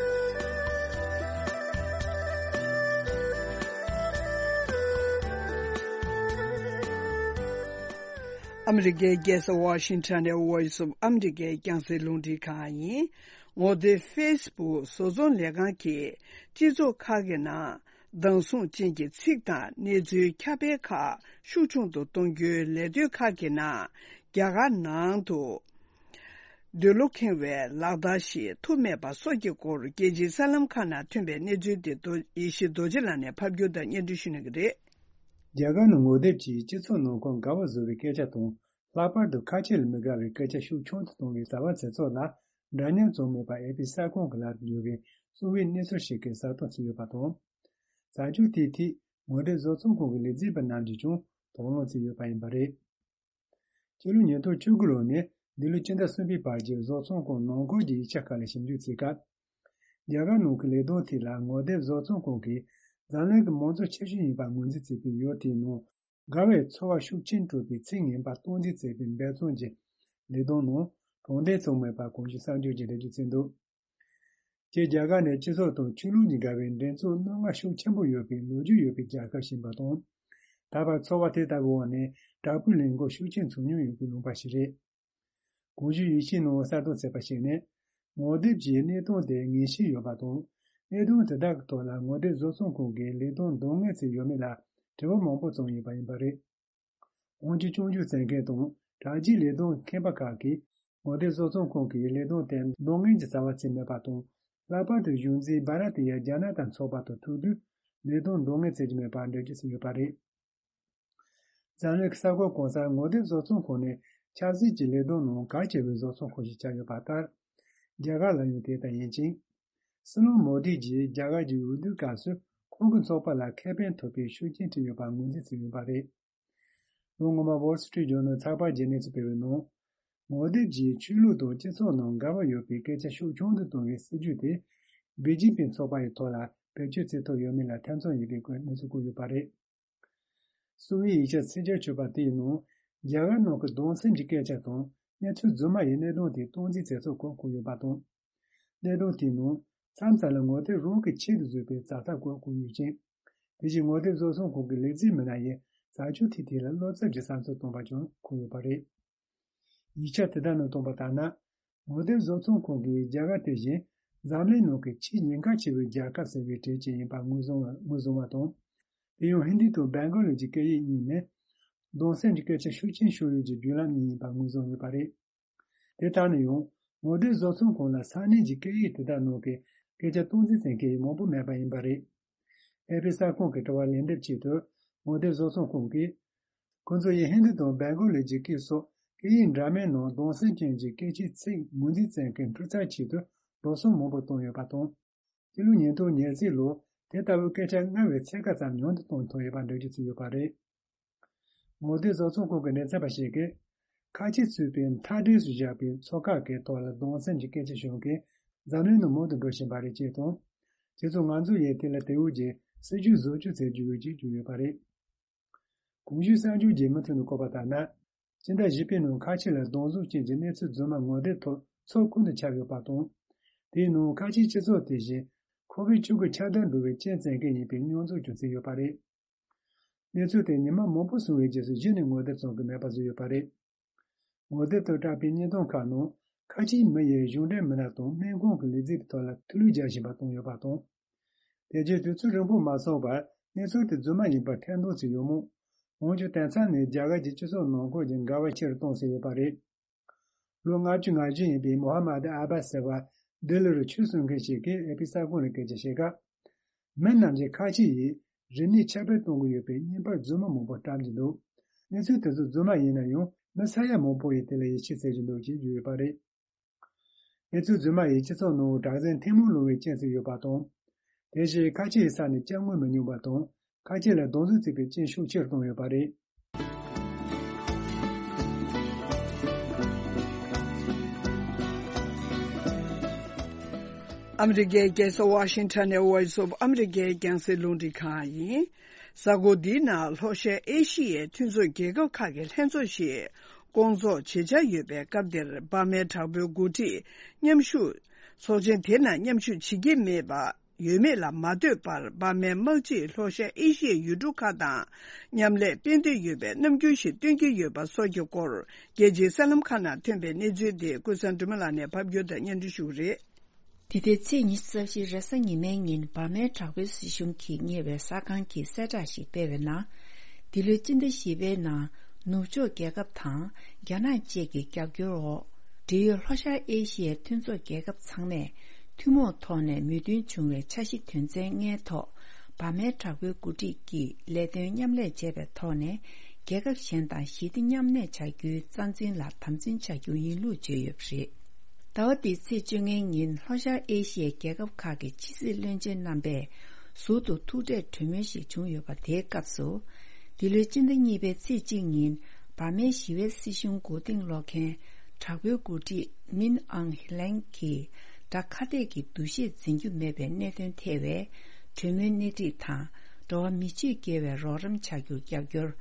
ཨ་མི་རི་ཀའི་རྒྱལ་ས་ཝ་ཤིང་ཊོན་ནས་Voice of America རྒྱང་སྲིང་རླུང་འཕྲིན་ཁང་ཡིན། ངོ་དེབ་ཕེ་སི་བུག་བཟོ་ཚོང་ལས་ཁང་གིས་སྤྱི་ཚོགས་ཁག་གི་ནང་། བདག་བཟུང་ཅན་གྱི་ཚིག་དང་གནས་ཚུལ་ཁྱབ་སྤེལ་ཁག་ཤུགས་ཆུང་དུ་གཏོང་རྒྱུའི་ལས་དོན་ཁག་གི་ནང་རྒྱ་གར་ནང་དུ་འདོད་བློ་ཁེངས་པའི་ལག་བསྟར་ཞིག་ཐུབ་མེད་པ་སོགས་ཀྱི་སྐོར་རྒྱལ་སྤྱིའི་གསར་ལམ་ཁག་ནང་ཐོན་པའི་གནས་ཚུལ་དེ་རྡོ་ཡེ་ཤེས་རྡོ་རྗེ་ལགས་ནས་ཕབ་སྒྱུར་དང་སྙན་སྒྲོན་ཞུ་གནང་གི་རེད། རྒྱ་གར་ནང་ངོ་དེབ་ཀྱིས་སྤྱི་ཚོགས་ནང་ཁོངས་དགའ་བ་བཟོ་བའི་སྐད་ཆ་དང་། ལྷག་པར་དུ་ཁ་ཆེ་ལ་མི་དགའ་བའི་སྐད་ཆ་ཤུགས་ཆུང་དུ་གཏོང་བའི་བྱ་བ་དེ་ཚོ་ལ་འདྲ་མཉམ་བྱུང་མེད་པ་ཨེ་པི་གསར་ཁང་གི་ལག་ཏུ་ཡོད་པའི་གསང་བའི་གནས་ཚུལ་ཞིག་གིས་གསལ་སྟོན་བྱས་ཡོད་པ་དང་། བྱ་སྤྱོད་དེའི་ཐད་ངོ་དེབ་བཟོ་ཚོང་ཁང་གི་ལས་བྱེད་པ་རྣམས་ཀྱིས་ཀྱང་དོགས་སློང་བྱས་ཡོད་པ་ཡིན་པ་རེད། ཕྱི་ལོ་ཉིས་སྟོང་བཅུ་དགུ་ལོ་ནས་འདི་ལོའི་སྤྱི་ཟླ་གསུམ་པའི་བར་གྱི་བཟོ་ཚོང་ཁང་ནང་ཁུལ་གྱི་ཡིག་ཆ་ཁག་ལ་ཞིབ་འཇུག་བྱེད་སྐབས། རྒྱ་གར་ནང་གི་ལས་དོན་ཐད་ལ་ངོ་དེབ་བཟོ་ཚོང་ཁང་གིས་འཛམ་གླིང་གི་མང་གཙོ་ཆེ་ཤོས་ཡིན་པ་ངོས་འཛིན་བྱས་པའི་ཡུལ་དེའི་ནང་དགའ་བའི་ཚོར་བ་ཤུགས་ཆེན་སྤྲོད་པའི་ཚིག་ངན་པ་སྟངས་འཛིན་བྱས་པའི་འབད་བརྩོན་གྱི་ལས་དོན་ནང་གྲུབ་འབྲས་བྱུང་མེད་པ་གོང་ཞུས་གསར་འགྱུར་གྱིས་འགྲེལ་བརྗོད་བྱས་འདུག། སྤྱིར་རྒྱ་གར་ནི་སྤྱི་ཚོགས་དང་ཆོས་ལུགས་གཉིས་དགའ་བའི་འགྲན་རྩོད་རྣོ་ངར་ཤུགས་ཆེན་པོ་ཡོད་པའི་ལོ་རྒྱུས་ཡོད་པའི་རྒྱལ་ཁབ་ཞིག་ཡིན་པ་དང་། ད་བར་ཚོར་བ་དེ་ལྟ་བུའི་འོག་ནས་དྲག་པོའི་ལས་འགུལ་ཤུགས་ཆེན་བྱུང་མྱོང་ཡོད་པའི་ལུང་པ་ཞིག་རེད། གོང་ཞུས་ཡིག་ཆའི་ནང་གསལ་སྟོན་བྱས་པར་གཞིགས་ནས། ངོ་དེབ་ཀྱི་གནད་དོན་དེ་ངེས་ཤེས་ཡོད་པ་དང་། གནད་དོན་དེ་དག་གི་ཐོག་ལ་ངོ་དེབ་བཟོ་ཚོང་ཁང་གིས་ལས་དོན་འདང་ངེས་བྱས་ཡོད་མེད་ལ་དྲི་བ་མང་པོ་བྱུང་ཡོད་པ་ཡིན་པ་རེད། འོན་ཀྱང་སྐྱོན་བརྗོད་བྱེད་མཁན་དང་དྲ་རྒྱའི་ལས་དོན་མཁས་པ་ཁག་གིས་ངོ་དེབ་བཟོ་ཚོང་ཁང་གིས་ལས་དོན་དེ་འདང་ངེས་ཀྱི་བྱ་བ་བྱས་མེད་པ་དང་། ལྷག་པར་དུ་གཞུང་འཛིན་བྷ་ར་ཏི་ཡ་རྒྱ་ནག་དང་ཚོགས་པ་དང་ཐུག་དུས་ལས་དོན་འདང་ངེས་བྱེད་ཀྱི་མེད་པར་འགྲེལ་བརྗོད་བྱས་ཡོད་པ་རེད། འཛམ་གླིང་གི་གསར་འགོད་གང་སར་ངོ་དེབ་བཟོ་ཚོང་ཁང་ནི་ཆབ་སྲིད་ཀྱི་ལས་དོན་ནང་གལ་ཆེ་བའི་བཟོ་ཚོང་ཁང་ཞིག་ཆགས་ཡོད་པ་ལྟར། རྒྱ་གར་ལ་ཡང་དེ་ལྟར་ཡིན་ཅིང་། སྲིད་བློན་མོ་དི་གྱིས་རྒྱ་གར་གྱི་འོས་བསྡུའི་སྐབས་སུ་ཁོང་གི་ཚོགས་པ་ལ་ཁེ་ཕན་ཐོབ་པའི་ཤུགས་རྐྱེན་བསྐྲུན་ཡོད་པར་ངོས་འཛིན་བྱས་ཡོད་པ་རེད། ལོ་སྔོན་མ་Wall Street Journal་ཚགས་པར་གྱིས་གནས་ཚུལ་སྤེལ་བའི་ནང་། ངོ་དེབ་ཀྱིས་ཆོས་ལུགས་དང་སྤྱི་ཚོགས་ནང་འགལ་བ་ཡོད་པའི་སྐད་ཆ་ཤུགས་ཆུང་དུ་གཏོང་བའི་སྲིད་ཇུས་དེ། བི་ཇེ་པི་ཚོགས་པ་ཡི་ཐོག་ལ་བེད་སྤྱོད་བྱེད་ཐུབ་ཡོད་མེད་ལ་ཐེ་ཚོམ་ཡོད་པའི་སྐོར་གནས་ཚུལ་བཀོད་ཡོད་པ་རེད། གསུང་བའི་ཡིག་ཆ་ཚིག་བརྒྱ་བཅུ་པ་དེའི་ནང་། རྒྱ་གར་ནང་གི་གདུང་སེམས་ཀྱི་སྐད་ཆ་དང་གནས་ཚུལ་རྫུན་མ་ཡི་གནད་དོན་དེ་སྟངས་འཛིན་བྱེད་ཚུལ་སྐོར་བཀོད་ཡོད་པ་དང་། གནད་དོན་དེའི་ནང་མཚམས་མཚམས་ལ་ངོ་དེབ་རང་གི་ཆེད་དུ་བཟོས་པའི་བྱ་ཐབས་སྐོར་བཀོད་ཡོད་ཅིང་། དེ་བཞིན་ངོ་དེབ་བཟོ་ཚོང་ཁང་གི་ལས་རྩིས་མི་སྣ་ཡིས་བྱ་སྤྱོད་དེའི་ཐད་ལ་བློ་འཚབ་ཀྱི་བསམ་ཚུལ་བཏོན་པ་ཀྱང་འཁོད་ཡོད་པ་རེད། ཡིག་ཆ་དེ་དག་ནང་བཏོན་པ་ལྟར་ན། ངོ་དེབ་བཟོ་ཚོང་ཁང་གིས་རྒྱ་གར་དེ་བཞིན་འཛམ་གླིང་ནང་གི་ཆེས་ཉེན་ཁ་ཆེ་བའི་རྒྱལ་ཁབ་ཟེར་བའི་གྲས་ཅིག་ཡིན་པར་ངོས་བཟུང་བ་ངོས་བཟུང་བ་དང་། དེ་ཡང་ཧིན་དི་དང་སྦེང་གོ་ལི་གྱི་སྐད་ཡིག་གཉིས་ནི། གདུང་སེམས་ཀྱི་སྐད་ཆ་ཤུགས་ཆེན་ཤོར་ཡུལ་གྱི་བརྒྱུད་ལམ་གཉིས་ཡིན་པར་ངོས་བཟུང་ཡོད་པ་རེད། དེ་ལྟར་ན་ཡང་། ངོ་དེབ་བཟོ་ཚོང་ཁང་ལ་ས་གནས་ཀྱི་སྐད་ཡིག་དེ་དག་ནང་གི་སྐད་ཆ་སྟངས་འཛིན་བྱེད་མཁན་མང་པོ་མེད་པ་ཡིན་པ་རེད། ཨེ་ཕི་གསར་ཁང་གི་དྲི་བར་ལན་འདེབས་ཆེད་དུ། ངོ་དེབ་བཟོ་ཚོང་ཁང་གིས། ཁོ་ཚོ་ཡིས་ཧིན་དི་དང་སྦེང་གོ་ལི་གྱི་སྐད་སོགས་སྐད་ཡིག་འདྲ་མིན་ནང་གདུང་སེམས་ཅན་གྱི་སྐད་ཆའི་ཚིག་ངོས་འཛིན་བྱེད་མཁན་འཕྲུལ་རྩལ་ཆེད་དུ་འགྲོ་སོང་མང་པོ་བཏང་ཡོད་པ་དང་། སྤྱི་ལོ་ཉིས་སྟོང་ཉེར་གཅིག་ལོར་དེ་ལྟ་བུའི་སྐད་ཆ་སྔར་བས་ཚད་བཀག་ཙམ་ཉུང་དུ་གཏོང་ཐུབ་ཡོད་པ་འགྲེལ་བརྗོད་བྱས་ཡོད་པ་རེད། ངོ་དེབ་བཟོ་ཚོང་ཁང་གི་ལས་ཚན་པ་ཞིག་གིས། ཁ་ཆེ་ཚུད་པའི་མཐའ་འབྲས་སུ་བཞག་པའི་ཚོགས་ཁག་གི་ཐོག་ལ་གདུང་སེམས་ཀྱི་སྐད་ཆ་ཤོད་མཁན་འཛམ་གླིང་ནང་མང་དུ་འགྲོ་བཞིན་པ་རེད་ཅེས་དང་། དེ་ཚོ་ང་ཚོ་ཡིས་དེ་ལ་དེ་འོས་ཀྱི་སྲིད་ཇུས་བཟོ་བཅོས་བྱེད་རྒྱུ་ཡོད་ཅེས་བརྗོད་ཡོད་པ་རེད། གོང་ཞུས་གསར་འགྱུར་གྱི་མུ་མཐུད་དུ་བཀོད་པ་ལྟར་ན། སྤྱི་ཟླ་བཞི་པའི་ནང་ཁ་ཆེ་ལ་གདུང་སེམས་ཅན་གྱི་གནས་ཚུལ་རྫུན་མ་ངོ་དེབ་ཐོག་ཚོགས་ཁུལ་དུ་ཁྱབ་ཡོད་པ་དང་། དེའི་ནང་ཁ་ཆེའི་སྤྱི་ཚོགས་དེ་བཞིན་ཁོ་བིཌ་བཅུ་དགུ་ཁྱབ་གདལ་འགྲོ་བའི་རྐྱེན་བྱེད་མཁན་ཡིན་པའི་མྱོང་ཚོར་ཀྱང་བྱུང་ཡོད་པ་རེད། གནས་ཚུལ་དེ་ཉི་མ་མང་པོ་སོང་བའི་རྗེས་སུ་གཞི་ནས་ངོ་དེབ་བཙོང་གི་མེད་པ་བཟོས་ཡོད་པ་རེད། ངོ་དེབ་ཏུ་བཀྲམ་པའི་བརྙན་ཐུང་ཁག་ནང་ཁ་ཆེའི་མི་ཡིས་གཞུང་འབྲེལ་མི་སྣ་དང་སྨན་ཁང་གི་ལས་བྱེད་པའི་ཐོག་ལ་ཐུགས་ལུས་རྒྱག་བཞིན་པ་བཏང་ཡོད་པ་དང་། དེ་རྗེས་དུས་ཚོད་རིང་པོ་མ་སོང་བར་གནས་ཚུལ་དེ་རྫུན་མ་ཡིན་པར་ཐེར་འདོན་བྱས་ཡོད་མོད། འོན་ཀྱང་དེང་སང་ནི་རྒྱ་གར་གྱི་སྤྱི་ཚོགས་ནང་ཁུལ་གྱི་འགལ་བ་ཆེ་རུ་གཏོང་སྲིད་ཡོད་པ་རེད། ལོ་ལྔ་བཅུ་ང་བཞི་ཡིན་པའི་མོ་ཧ་མད་ཨ་བྷ་ཟེར་བ་ལྡི་ལི་རུ་ཆོས་གསུང་མཁན་ཞིག་གིས་ཨེ་པི་གསར་ཁང་ལ་སྐད་ཆ་བཤད་སྐབས། མི་རྣམས་ཀྱིས་ཁ་ཆེ་ཡིས་རིག་གནས་ཁྱབ་སྤེལ་གཏོང་གི་ཡོད་པའི་བརྙན་པར་རྫུན་མ་མང་པོ་བཀྲམ་གྱི་འདུག་གནས་ཚུལ་དེ་ཚོ་རྫུན་མ་ཡིན་ན་ཡང་མི་ས་ཡ་མང་པོ་ཡིས་དེ་ལ་ཡིད་ཆེས་བྱེད་ཀྱི་འདུག་ཅེས་བརྗོད་ཡོད་པ་རེད། གནས་ཚུལ་རྫུན་མ་ཡིས་སྤྱི་ཚོགས་ནང་དྲག་ཟིང་ཐེངས་མང་སློང་བའི་རྐྱེན་བྱས་ཡོད་པ་དང་། དེ་བཞིན་ཁ་ཆེའི་ས་ནས་སྐྱབས་མགོན་མི་ཉུང་བ་དང་། ཁ་ཆེ་ལ་གདུང་སེམས་བརྩེགས་པའི་རྐྱེན་ཤུགས་ཆེར་བཏང་ཡོད་པ་རེད། ཨ་མི་རི་ཀའི་རྒྱལ་ས་ཝ་ཤིང་ཊོན་ནས་Voice of America་ཡི་རྒྱང་སྲིང་རླུང་འཕྲིན་ཁང་ཡིན། གཟའ་འཁོར་འདིའི་ནང་ལྷོ་ཤར་ཨེ་ཤི་ཡའི་མཐུན་ཚོགས་རྒྱལ་ཁབ་ཁག་གི་ལྷན་ཚོགས་ཤིག་སྐོང་ཚོགས་བྱེད་འཆར་ཡོད་པའི་སྐབས་འདིར་འབར་མའི་དྲག་པོའི་འགོ་ཁྲིད་མཉམ་ཞུགས། ཚོགས་ཆེན་དེ་ནང་མཉམ་ཞུགས་བྱེད་ཀྱི་མེད་པ། ཡོད་མེད་ལ་མ་ལྟོས་པར་འབར་མའི་དམག་སྤྱིས་ལྷོ་ཤར་ཨེ་ཤི་ཡའི་ཡུལ་གྲུ་ཁག་དང་མཉམ་ལས་སྤེལ་འདོད་ཡོད་པའི་རྣམ་འགྱུར་ཞིག་སྟོན་གྱི་ཡོད་པ་སོགས་ཀྱི་སྐོར། རྒྱལ་སྤྱིའི་གསར་ལམ་ཁག་ནང་ཐོན་པའི་གནས་ཚུལ་དེ་ཀུན་བཟང་སྒྲོལ་མ་ལགས་ནས་ཕབ་སྒྱུར་དང་སྙན་སྒྲོན་ཞུ་གི་རེད། འདི་ཟླའི་ཚེས་ཉི་ཤུ་རྩ་བཞི་རེས་གཟའ་ཉི་མའི་ཉིན་འབར་མའི་དྲག་པོའི་སྲིད་གཞུང་གིས་གཉེར་བའི་གསར་ཁང་གིས་གསལ་བསྒྲགས་ཤིག་སྤེལ་བའི་ནང་། འདི་ལོའི་སྤྱི་ཟླ་བཞི་པའི་ནང་ནུབ་ཕྱོགས་རྒྱལ་ཁབ་དང་རྒྱ་ནག་བཅས་ཀྱི་རྒྱབ་སྐྱོར་འོག་འབྲེལ་ཡོད་ལྷོ་ཤར་ཨེ་ཤི་ཡའི་མཐུན་ཚོགས་རྒྱལ་ཁབ་ཚང་མས་ཐུན་མོང་ཐོག་ནས་མོས་མཐུན་བྱུང་བའི་འཆར་གཞི་དོན་ཚན་ལྔའི་ཐོག་འབར་མའི་དྲག་པོའི་འགོ་ཁྲིད་ཀྱིས་ལས་དོན་མཉམ་ལས་བྱས་པའི་ཐོག་ནས་རྒྱལ་ཁབ་གཞན་དང་ཞི་བདེ་མཉམ་གནས་བྱ་རྒྱུའི་རྩ་འཛིན་ལ་དམ་འཛིན་བྱ་རྒྱུ་ཡིན་ལུགས་བརྗོད་ཡོད་པ་རེད། ཟླ་བ་འདིའི་ཚེས་བཅོ་ལྔའི་ཉིན་ལྷོ་ཤར་ཨེ་ཤི་ཡའི་རྒྱལ་ཁབ་ཁག་གི་ཕྱི་སྲིད་བློན་ཆེན་རྣམ་པས་ཟུར་དུ་ཐུག་འཕྲད་གྲོས་མོལ་ཞིག་བྱུང་ཡོད་པ་དེའི་སྐབས་སུ། འདི་ལོའི་སྤྱི་ཟླ་གཉིས་པའི་ཚེས་གཅིག་ཉིན་འབར་མའི་ཞི་བའི་སྲིད་གཞུང་མགོ་རྟིང་སློག་མཁན་དྲག་པོའི་འགོ་ཁྲིད་མིན་ཨང་ལེང་གིས་དགྲ་ཁ་གཏད་ཀྱི་འདུ་ཤེས་འཛིན་རྒྱུ་མེད་པའི་གནད་དོན་ཐེ་བའི་གྲོས་མོལ་སྣེ་ཁྲིད་དང་། འགྲོ་བ་མི་ཆོས་དགེ་བའི་རོགས་རམ་བྱ་རྒྱུར་རྒྱབ་སྐྱོར།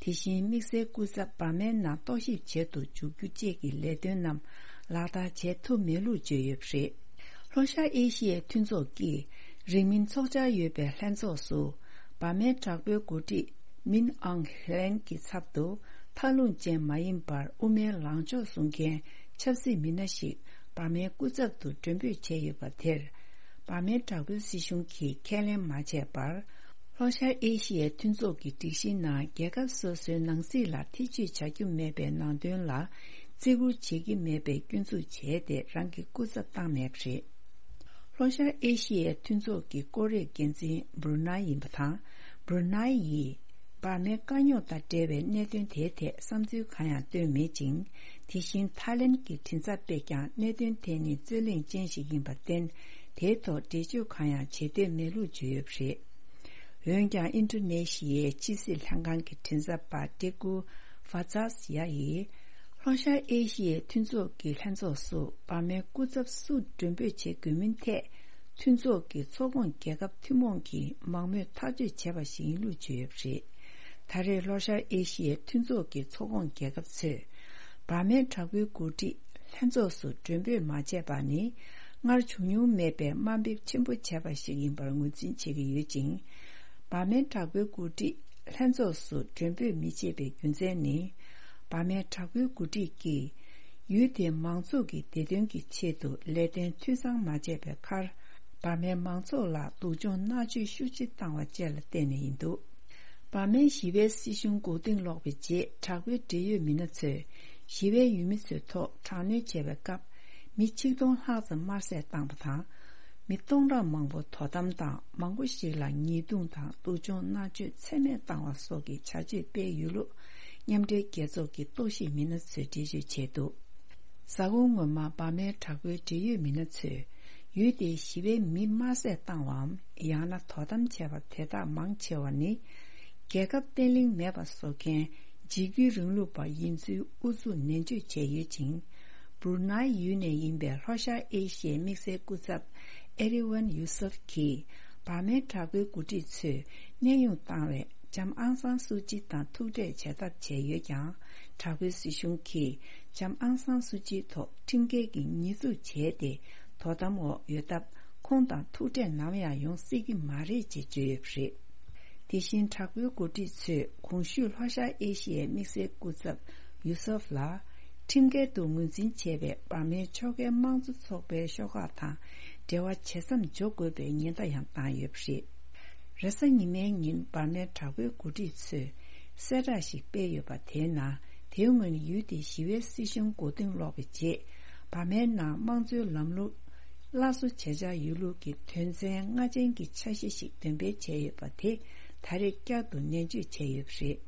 དེ་བཞིན་དམིགས་བསལ་སྐུ་ཚབ་འབར་མའི་ནང་རྟོག་ཞིབ་བྱེད་དུ་འཇུག་རྒྱུ་བཅས་ཀྱི་ལས་དོན་རྣམས་ལག་བསྟར་བྱེད་ཐུབ་མེད་ལུགས་བརྗོད་ཡོད་པ་རེད། ལྷོ་ཤར་ཨེ་ཤི་ཡའི་མཐུན་ཚོགས་ཀྱིས་རིང་མིན་འཚོགས་འཆར་ཡོད་པའི་ལྷན་ཚོགས་སུ་འབར་མའི་དྲག་པོའི་འགོ་ཁྲིད་མིན་ཨང་ལེང་གི་ཚབ་ཏུ་མཐའ་ལྷུང་ཅན་མ་ཡིན་པར་དབུ་མའི་ལངས་ཕྱོགས་བཟུང་མཁན་ཆབ་སྲིད་མི་སྣ་ཞིག་འབར་མའི་སྐུ་ཚབ་ཏུ་མགྲོན་འབོད་བྱས་ཡོད་པ་དེར། འབར་མའི་དྲག་པོའི་སྲིད་གཞུང་གིས་ཁས་ལེན་མ་བྱས་པར། ལྷོ་ཤར་ཨེ་ཤི་ཡའི་མཐུན་ཚོགས་ཀྱི་སྒྲིག་གཞིའི་ནང་རྒྱལ་ཁབ་སོ་སོའི་ནང་སྲིད་ལ་ཐེ་བྱུས་བྱ་རྒྱུ་མེད་པའི་ནང་དོན་ལ་བརྩི་བཀུར་བྱེད་ཀྱི་མེད་པའི་སྐྱོན་འཛུགས་བྱས་ཏེ་རང་གི་སྐུ་ཚབ་བཏང་མེད་པ་རེད། ལྷོ་ཤར་ཨེ་ཤི་ཡའི་མཐུན་ཚོགས་ཀྱི་སྐོར་རའི་འགན་འཛིན་སྦུ་རུ་ནའི་ཡིན་པ་དང་། སྦུ་རུ་ནའི་ཡིས། འབར་མའི་དཀའ་རྙོག་དང་འབྲེལ་བའི་གནད་དོན་དེའི་ཐད་བསམ་ཚུལ་གང་ཡང་བཏོན་མེད་ཅིང་། དེ་བཞིན་ཐའི་ལེན་གྱི་མགྲིན་ཚབ་པས་ཀྱང་གནད་དོན་དེ་ནི་རྩོད་གླེང་ཅན་ཞིག་ཡིན་པར་བརྟེན། དེའི་ཐོག་འགྲེལ་བརྗོད་གང་ཡང་བྱེད་འདོད་མེད་ལུགས་བརྗོད་ཡོད་པ་རེད། འོན་ཀྱང་ཨིན་ཌོ་ནེ་ཤི་ཡའི་ཕྱི་སྲིད་ལྷན་ཁང་གི་མགྲིན་ཚབ་པ་ཏེ་ཀུ་ཧྥ་ཛཱ་ཡ་ཡིས། ལྷོ་ཤར་ཨེ་ཤི་ཡའི་མཐུན་ཚོགས་ཀྱི་ལྷན་ཚོགས་སུ་འབར་མའི་སྐུ་ཚབ་སུ་མགྲོན་འབོད་བྱེད་དགོས་མིན་ཐད། མཐུན་ཚོགས་ཀྱི་ཚོགས་ཁོངས་རྒྱལ་ཁབ་ཐུན་མོང་གིས་མང་མོས་ཐག་གཅོད་བྱས་པ་ཞིག་ཡིན་ལུགས་བརྗོད་ཡོད་པ་རེད། ད་རེས་ལྷོ་ཤར་ཨེ་ཤི་ཡའི་མཐུན་ཚོགས་ཀྱི་ཚོགས་ཁོངས་རྒྱལ་ཁབ་ཚོས། འབར་མའི་དྲག་པོའི་འགོ་ཁྲིད་ལྷན་ཚོགས་སུ་མགྲོན་འབོད་མ་བྱས་པ་ནི། སྔར་བྱུང་མྱོང་མེད་པའི་དམའ་འབེབས་ཆེན་པོ་བྱས་པ་ཞིག་ཡིན་པར་ངོས་འཛིན་བྱེད་ཀྱི་ཡོད་ཅིང་། འབར་མའི་དྲག་པོའི་འགོ་ཁྲིད་ལྷན་ཚོགས་སུ་མགྲོན་འབོད་མི་བྱེད་པའི་རྒྱུ་མཚན་ནི། འབར་མའི་དྲག་པོའི་འགོ་ཁྲིད་ཀྱིས། ཡུལ་དེའི་མང་ཚོགས་ཀྱི་བདེ་དོན་གྱི་ཆེད་དུ་ལས་དོན་འཐུས་ཚང་མ་བྱས་པའི་ཁར། འབར་མའི་མང་ཚོགས་ལ་སྡུག་སྦྱོང་མནར་གཅོད་ཤུགས་ཆེ་བཏང་བ་བཅས་ལ་བརྟེན་ནས་ཡིན་འདུག་འབར་མའི་ཞི་བའི་སྲིད་གཞུང་མགོ་རྟིང་སློག་པའི་རྗེས། དྲག་པོའི་འབྲེལ་ཡོད་མི་སྣ་ཚོས་ཞི་བའི་ཡུལ་མི་ཚོའི་ཐོག་དྲག་གནོན་བྱས་པའི་སྐབས། མི་ཆིག་སྟོང་ལྷག་ཙམ་དམར་བསད་བཏང་བ་དང་། མི་སྟོང་ཕྲག་མང་པོ་དོ་དམ་དང་། མང་པོ་ཞིག་ལ་ཉེས་རྡུང་དང་སྡུག་སྦྱོང་མནར་གཅོད་ཚད་མེད་བཏང་བ་སོགས་ཀྱི་བྱ་སྤྱོད་སྤེལ་ཡོད་ལུགས། མཉམ་འབྲེལ་རྒྱལ་ཚོགས་ཀྱི་རྟོག་ཞིབ་མི་སྣ་ཚོས་འགྲེལ་བརྗོད་བྱས་འདུག་གཟའ་འཁོར་སྔོན་མ་འབར་མའི་དྲག་པོའི་འབྲེལ་ཡོད་མི་སྣ་ཚོས། ཡུལ་དེའི་ཞི་བའི་མི་དམར་བསད་བཏང་བའམ། ཡང་ན་དོ་དམ་བྱས་པ་དེ་དག་མང་ཆེ་བ་ནི། རྒྱལ་ཁབ་བརྟན་ལྷིང་མེད་པ་བཟོ་མཁན་འཇིགས་སྐུལ་རིང་ལུགས་པ་ཡིན་ཚུལ་ཨུ་ཚུགས་ནན་བརྗོད་བྱས་ཡོད་ཅིང་། སྦུར་ནའི་ཡུལ་ནས་ཡིན་པའི་ལྷོ་ཤར་ཨེ་ཤི་ཡའི་དམིགས་བསལ་སྐུ་ཚབ་ཨེ་རི་ཝན་ཡུ་སུབ་ཀྱིས། འབར་མའི་དྲག་པོའི་འགོ་ཁྲིད་ཚོས་གནས་དབྱུང་བཏང་བའི་ལྕམ་ཨང་སང་སུ་ཅི་དང་ཐུག་འཕྲད་བྱ་ཐབས་བྱས་ཡོད་ཀྱང་། དྲག་པོའི་སྲིད་གཞུང་གིས་ལྕམ་ཨང་སང་སུ་ཅིའི་ཐོག་ཁྲིམས་འགལ་གྱི་ཉེས་འཛུགས་བྱས་ཏེ། དོ་དམ་འོག་ཡོད་སྟབས། ཁོང་དང་ཐུག་འཕྲད་ནམ་ཡང་ཡོང་སྲིད་ཀྱི་མ་རེད་ཅེས་བརྗོད་ཡོད་པ་རེད། དེ་བཞིན་དྲག་པོའི་འགོ་ཁྲིད་ཚོས་གོང་ཞུས་ལྷོ་ཤར་ཨེ་ཤི་ཡའི་དམིགས་བསལ་སྐུ་ཚབ་ཡུ་སུབ་ལ། ཁྲིམས་འགལ་དུ་ངོས་འཛིན་བྱས་པའི་འབར་མའི་ཕྱོགས་འགལ་དམངས་གཙོ་ཚོགས་པའི་ཤོག་ཁག་དང་འབྲེལ་བ་ཇེ་མཚམས་འཇོག་དགོས་པའི་ཉེན་བརྡ་ཡང་བཏང་ཡོད་པ་རེད། རེས་གཟའ་ཉི་མའི་ཉིན་འབར་མའི་དྲག་པོའི་འགོ་ཁྲིད་ཚོས་གསལ་བསྒྲགས་ཤིག་སྤེལ་ཡོད་པ་དེའི་ནང་། དེའི་སྔོན་ཡུལ་དེའི་ཞི་བའི་སྲིད་གཞུང་མགོ་རྟིང་སློག་པའི་རྗེས། འབར་མའི་ནང་དམངས་གཙོའི་ལམ་ལུགས་སླར་གསོ་བྱེད་འཆར་ཡོད་ལུགས་ཀྱི་དོན་ཚན་ལྔ་ཅན་གྱི་འཆར་གཞི་ཞིག་འདོན་སྤེལ་བྱས་ཡོད་པ་དེ་ད་རེས་བསྐྱར་དུ་ནན་བརྗོད་བྱས་ཡོད་པ་རེད།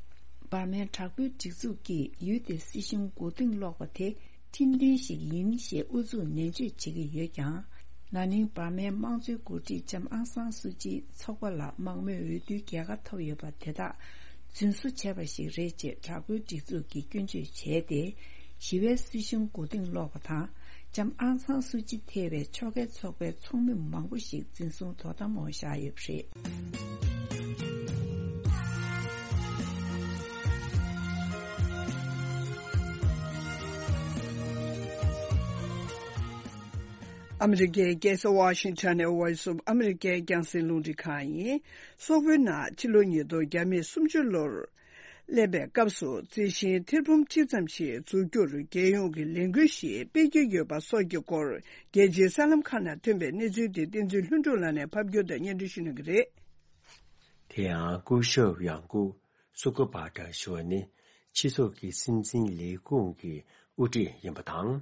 འབར་མའི་དྲག་པོའི་སྒྲིག་འཛུགས་ཀྱིས་ཡུལ་དེའི་སྲིད་གཞུང་མགོ་རྟིང་སློག་པ་དེ་ཁྲིམས་མཐུན་ཞིག་ཡིན་ཞེས་ཨུ་ཚུགས་ནན་བརྗོད་བྱེད་ཀྱི་ཡོད་ཀྱང་། ན་ནིང་འབར་མའི་དམངས་གཙོའི་འགོ་ཁྲིད་ལྕམ་ཨང་སང་སུ་ཅིའི་ཚོགས་པ་ལ་དམངས་མོས་འོས་བསྡུའི་རྒྱལ་ཁ་ཐོབ་ཡོད་པ་དེ་དག་རྫུན་བཟོ་བྱས་པ་ཞིག་རེད་ཅེས་དྲག་པོའི་སྒྲིག་འཛུགས་ཀྱིས་སྐྱོན་བརྗོད་བྱས་ཏེ། ཞི་བའི་སྲིད་གཞུང་མགོ་རྟིང་སློག་པ་དང་། ལྕམ་ཨང་སང་སུ་ཅི་ཐེ་བའི་ཕྱོགས་འགལ་ཚོགས་པའི་ཚོགས་མི་མང་པོ་ཞིག་འཛིན་བཟུང་དོ་དམ་འོག་བཞག་ཡོད་པ་རེད། ཨ་མི་རི་ཀའི་རྒྱལ་ས་ཝ་ཤིང་ཊོན་ནས་Voice of America རྒྱང་སྲིང་རླུང་འཕྲིན་ཁང་ཡིན། སོག་པོའི་ནང་ཕྱི་ལོ་ཉིས་སྟོང་ཉི་ཤུ་ལོར་སླེབས་པའི་སྐབས་སུ་རྩི་ཤིང་ཐེར་འབུམ་གཅིག་ཙམ་ཞིག་འཛུགས་རྒྱུར་རྒྱལ་ཡོངས་ཀྱི་ལས་འགུལ་ཞིག་སྤེལ་གྱི་ཡོད་པ་སོགས་ཀྱི་སྐོར། རྒྱལ་སྤྱིའི་གསར་ལམ་ཁག་ནང་ཐོན་པའི་གནས་ཚུལ་དེ་བསྟན་འཛིན་ལྷུན་གྲུབ་ལགས་ནས་ཕབ་སྒྱུར་དང་སྙན་སྒྲོན་ཞུ་གནང་གི་རེད། དེ་ཡང་སྐུ་ཞབས་ཡང་སྐུ་སུ་ཀུ་པ་ཏྲ་ཞུ་བ་ནི་སྤྱི་ཚོགས་ཀྱི་སྲིད་འཛིན་ལས་ཁུངས་ཀྱི་དབུ་ཁྲིད་ཡིན་པ་དང་།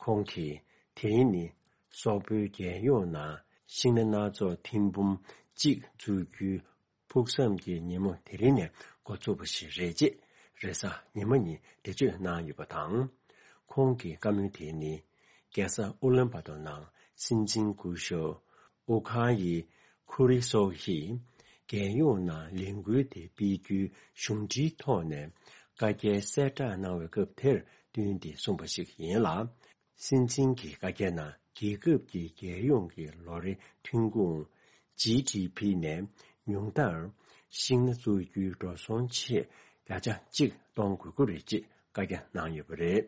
ཁོང་གིས་དེ་རིང་ནི་སོག་པོའི་རྒྱལ་ཡོངས་ནང་ཤིང་སྣ་སྣ་ཚོགས་ཐེར་འབུམ་གཅིག་འཛུགས་རྒྱུའི་ཕུགས་བསམ་གྱི་ཉིན་མོ་དེ་རིང་ནས་འགོ་ཚུགས་པ་ཞིག་རེད་ཅེས་རེས་གཟའ་ཉི་མ་ཉིན་འགྲེལ་བརྗོད་གནང་ཡོད་པ་དང་། ཁོང་གི་བཀའ་མོལ་དེ་ནི་རྒྱལ་ས་ཨུ་ལན་བ་ཏོ་ནང་སྲིད་འཛིན་སྐུ་ཞབས་ཨུ་ཁ་ཡི་ཁུ་རི་སོགས་ཀྱིས་རྒྱལ་ཡོངས་ནང་ལས་འགུལ་དེ་སྤེལ་རྒྱུའི་གཞུང་འབྲེལ་ཐོག་ནས་བཀའ་རྒྱའི་གསལ་བསྒྲགས་གནང་བའི་སྐབས་དེར་བསྟུན་ཏེ་གསུངས་པ་ཞིག་ཡིན་ལ། སྲིད་འཛིན་གྱི་བཀའ་རྒྱ་ནང་རྒྱལ་ཁབ་ཀྱི་རྒྱལ་ཡོངས་ཀྱི་ལོ་རེའི་ཐོན་ཁུངས་ཇི་ཌི་ཕི་ནས་ཉུང་མཐར་ཤིང་སྣ་བཙུགས་རྒྱུའི་འགྲོ་སོང་ཆེད་བརྒྱ་ཆ་གཅིག་གཏོང་དགོས་ཀྱི་རེད་ཅེས་བཀའ་རྒྱ་གནང་ཡོད་པ་རེད།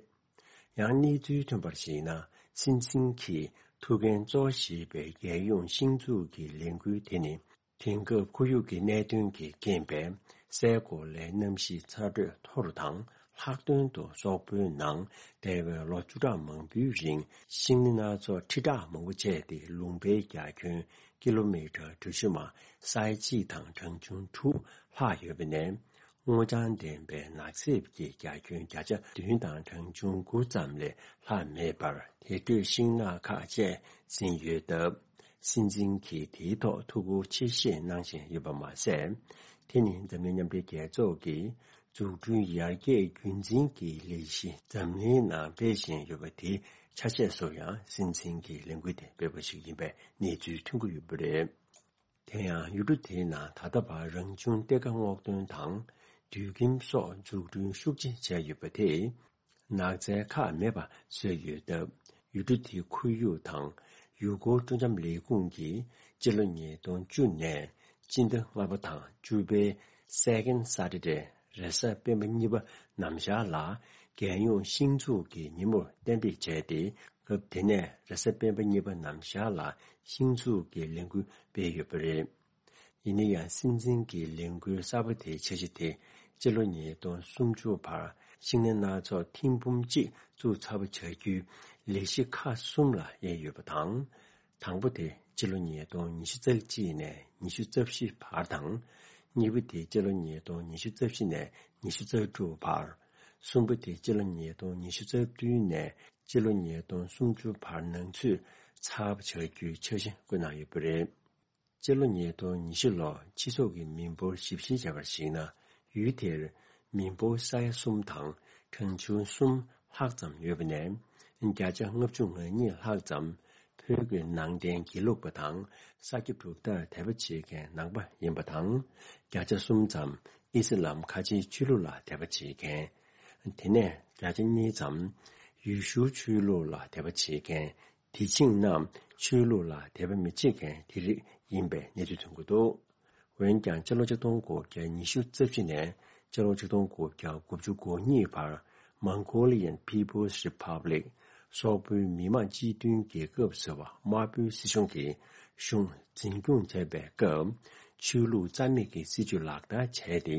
ཡང་གནས་ཚུལ་ཐོན་པར་གཞིགས་ན། སྲིད་འཛིན་གྱི་ཐུགས་འགན་གཙོ་བོ་བཞེས་པའི་རྒྱལ་ཡོངས་ཤིང་འཛུགས་ཀྱི་ལས་འགུལ་དེ་ནི། དེང་སྐབས་ཁོར་ཡུག་གི་གནད་དོན་གྱི་རྐྱེན་པས་སའི་གོ་ལའི་གནམ་གཤིས་ཚ་དྲོད་མཐོ་རུ་དང་། ལྷག་དོན་དུ་སོག་པོའི་ནང་འདས་པའི་ལོ་བཅུ་ཕྲག་མང་པོའི་རིང་ཤིང་སྣ་སྣ་ཚོགས་ཁྲི་ཕྲག་མང་པོ་བཅད་དེ་ལུང་པའི་རྒྱ་ཁྱོན་ཀི་ལོ་མི་ཊར་གྲུ་བཞི་མ་སའི་གཅིག་དང་གྲངས་ཆུང་དྲུག་ལྷག་ཡོད་པ་ནས། སྔོ་ལྗང་ལྡན་པའི་ནགས་གསེབ་ཀྱི་རྒྱ་ཁྱོན་བརྒྱ་ཆ་བདུན་དང་གྲངས་ཆུང་དགུ་ཙམ་ལས་ལྷག་མེད་པར་དེ་འཕྲོས་ཤིང་ནགས་ཁག་བཅས་ཟིན་ཡོད་སྟབས། སྲིད་འཛིན་གྱིས་དེའི་ཐོག་ཐུགས་ཁུར་ཆེ་བཞེས་གནང་བཞིན་ཡོད་པ་མ་ཟད། དེ་ནི་འཛམ་གླིང་མཉམ་འབྲེལ་རྒྱལ་ཚོགས་ཀྱི་འཛུགས་སྐྲུན་ཡར་རྒྱས་རྒྱུན་འཛིན་གྱི་ལས་གཞི་འཛམ་གླིང་ནང་སྤེལ་བཞིན་ཡོད་པ་དེའི་ཆ་ཤས་སུ་ཡང་སྲིད་འཛིན་གྱི་ལས་འགུལ་དེ་སྤེལ་བ་ཞིག་ཡིན་པའི་གནས་ཚུལ་ཐོན་གྱི་ཡོད་པ་རེད། དེ་ཡང་ཡུལ་གྲུ་དེའི་ནང་ད་ལྟ་བར་རང་བྱུང་གཏེར་ཁ་སྔོག་འདོན་དང་། དུད་ཁྱིམ་སོགས་འཛུགས་སྐྲུན་ཤུགས་ཆེ་བྱས་ཡོད་པ་དེས། ནགས་ཚལ་ཁག་མེད་པ་བཟོས་ཡོད་སྟབས། ཡུལ་གྲུ་དེའི་ཁོར་ཡུག་དང་ཡུལ་སྐོར་སྤྲོ་འཆམ་ལས་ཁུངས་ཀྱིས་སྤྱི་ལོ་ཉིས་སྟོང་བཅུ་ནས་སྤྱི་ཟླ་ལྔ་པ་དང་བཅུ་པའི་Second Saturday རེས་གཟའ་སྤེན་པ་གཉིས་པ་ནམ་ཞག་ལ་རྒྱལ་ཡོངས་ཤིང་འཛུགས་ཀྱི་ཉིན་མོར་གཏན་འབེབས་བྱས་ཏེ། སྐབས་དེ་ནས་རེས་གཟའ་སྤེན་པ་གཉིས་པ་ནམ་ཞག་ལ་ཤིང་འཛུགས་ཀྱི་ལས་འགུལ་སྤེལ་ཡོད་པ་རེད། ཡིན་ན་ཡང་སྲིད་འཛིན་གྱི་ལས་འགུལ་གསར་པ་དེའི་འཆར་གཞི་དེ་སྤྱི་ལོ་ཉིས་སྟོང་སུམ་ཅུ་བར་ཤིང་སྣ་སྣ་ཚོགས་ཐེར་འབུམ་གཅིག་བཙུགས་ཚར་བ་བྱ་རྒྱུའི་ལས་གཞི་ཁག་གསུམ་ལ་དབྱེ་ཡོད་པ་དང་། དང་པོ་དེ་སྤྱི་ལོ་ཉིས་སྟོང་ཉི་ཤུ་རྩ་གཅིག་ནས་ཉི་ཤུ་རྩ་བཞི་བར་དང་། གཉིས་པ་དེ་སྤྱི་ལོ་ཉིས་སྟོང་ཉི་ཤུ་རྩ་བཞི་ནས་ཉི་ཤུ་རྩ་དྲུག་བར། གསུམ་པ་དེ་སྤྱི་ལོ་ཉིས་སྟོང་ཉི་ཤུ་རྩ་བདུན་ནས་སྤྱི་ལོ་ཉིས་སྟོང་སུམ་ཅུ་བར་ནང་ཚུད་ཚར་བ་བྱ་རྒྱུའི་འཆར་གཞི་བཀོད་གནང་ཡོད་པ་རེད། སྤྱི་ལོ་ཉིས་སྟོང་ཉི་ཤུ་ལོར་སྤྱི་ཚོགས་ཀྱི་མི་འབོར་ཞིབ་བཤེར་བྱས་པར་གཞིགས་ན། ཡུལ་དེར་མི་འབོར་ས་ཡ་གསུམ་དང་གྲངས་ཆུང་གསུམ་ལྷག་ཙམ་ཡོད་པ་ནས། བརྒྱ་ཆ་ལྔ་བཅུ་ང་གཉིས་ལྷག་ཙམ་བོད་ཀྱི་ནང་བསྟན་དགེ་ལུགས་པ་དང་ས་སྐྱ་གྲུབ་མཐར་དད་པ་བྱེད་མཁན་ནང་པ་ཡིན་པ་དང་། བརྒྱ་ཆ་གསུམ་ཙམ་ཨི་སི་ལམ་ཁ་ཆེའི་ཆོས་ལུགས་ལ་དད་པ་བྱེད་མཁན། དེ་ནས་བརྒྱ་ཆ་གཉིས་ཙམ་ཡེ་ཤུའི་ཆོས་ལུགས་ལ་དད་པ་བྱེད་མཁན། དེ་བཞིན་ནམ་ཆོས་ལུགས་ལ་དད་པ་མི་བྱེད་མཁན་དེ་རིགས་ཡིན་པའི་གནས་ཚུལ་ཐོན་གྱི་འདུག་འོན་ཀྱང་སྤྱི་ལོ་ཆིག་སྟོང་དགུ་བརྒྱ་ཉི་ཤུ་རྩ་བཞི་ནས་སྤྱི་ལོ་ཆིག་སྟོང་དགུ་བརྒྱ་དགུ་བཅུ་གོ་གཉིས་བར་Mongolian People's Republic སོག་པོའི་མི་དམངས་སྤྱི་མཐུན་རྒྱལ་ཁབ་ཟེར་བ་དམར་པོའི་སྲིད་གཞུང་གིས་གཞུང་འཛིན་སྐྱོང་བྱས་པའི་སྐབས། ཆོས་ལུགས་རྩ་མེད་ཀྱི་སྲིད་བྱུས་ལག་བསྟར་བྱས་ཏེ།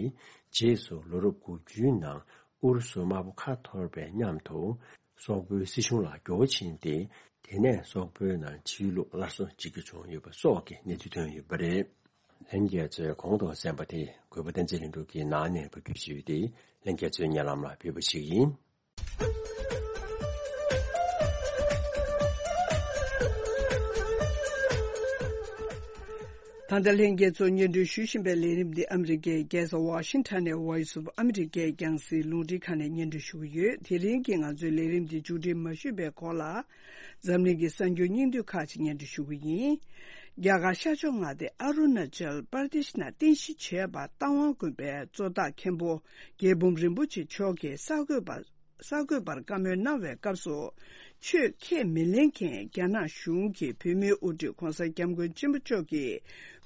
རྗེས་སུ་ལོ་རབས་དགུ་བཅུའི་ནང་ཨུ་རུ་སུ་དམར་པོ་ཁ་འཐོར་བའི་མཉམ་དུ། སོག་པོའི་སྲིད་གཞུང་ལ་འགྱུར་བ་ཕྱིན་ཏེ། དེ་ནས་སོག་པོའི་ནང་ཆོས་ལུགས་སླར་གསོ་བྱེད་རྒྱུ་བྱུང་ཡོད་པ་སོགས་ཀྱི་གནས་ཚུལ་ཐོན་ཡོད་པ་རེད། ལྷན་རྒྱས་ཚོས་གོང་དུ་གསན་པ་དེ་གུས་པ་བསྟན་འཛིན་ལྷུན་གྲུབ་ཀྱིས་ནང་ནས་ཕབ་སྒྱུར་ཞུས་ཏེ། ལྷན་རྒྱས་ཚོའི་སྙན་ལམ་ལ་ཕུལ་བ་ཞིག་ཡིན། ད་ལྟ་ལྷན་རྒྱས་ཚོ་སྙན་སྒྲོན་ཞུ་བཞིན་པའི་ལས་རིམ་འདི་ཨ་མི་རི་ཀའི་རྒྱལ་ས་ཝ་ཤིང་ཊོན་ནས་Voice of America རྒྱང་སྲིང་རླུང་འཕྲིན་ཁང་ནས་སྙན་སྒྲོན་ཞུ་གི་ཡོད། དེ་རིང་གི་ང་ཚོའི་ལས་རིམ་འདི་མཇུག་སྒྲིལ་མ་ཞུས་པའི་གོང་ལ། འཛམ་གླིང་གི་གསར་འགྱུར་སྙིང་བསྡུས་ཁག་ཅིག་སྙན་སྒྲོན་ཞུ་གི་ཡིན། རྒྱ་གར་ཤར་ཕྱོགས་མངའ་སྡེ་ཨ་རུ་ན་ཅལ་པར་དེཤ་ནང་རྟེན་གཞི་བྱས་པ་རྟ་དབང་དགོན་པའི་གཙོ་བདག་མཁན་པོ་རྒྱལ་འབུམ་རིན་པོ་ཆེ་མཆོག་གིས་གསར་འགོད་པ། གསར་འགོད་པར་བཀའ་མོལ་གནང་བའི་སྐབས་སུ། ཆོས་ཁས་མི་ལེན་མཁན་རྒྱ་ནག་གཞུང་གི་བོད་མིའི་དབུ་ཁྲིད་༧གོང་ས་༧སྐྱབས་མགོན་ཆེན་པོ་མཆོག་གི་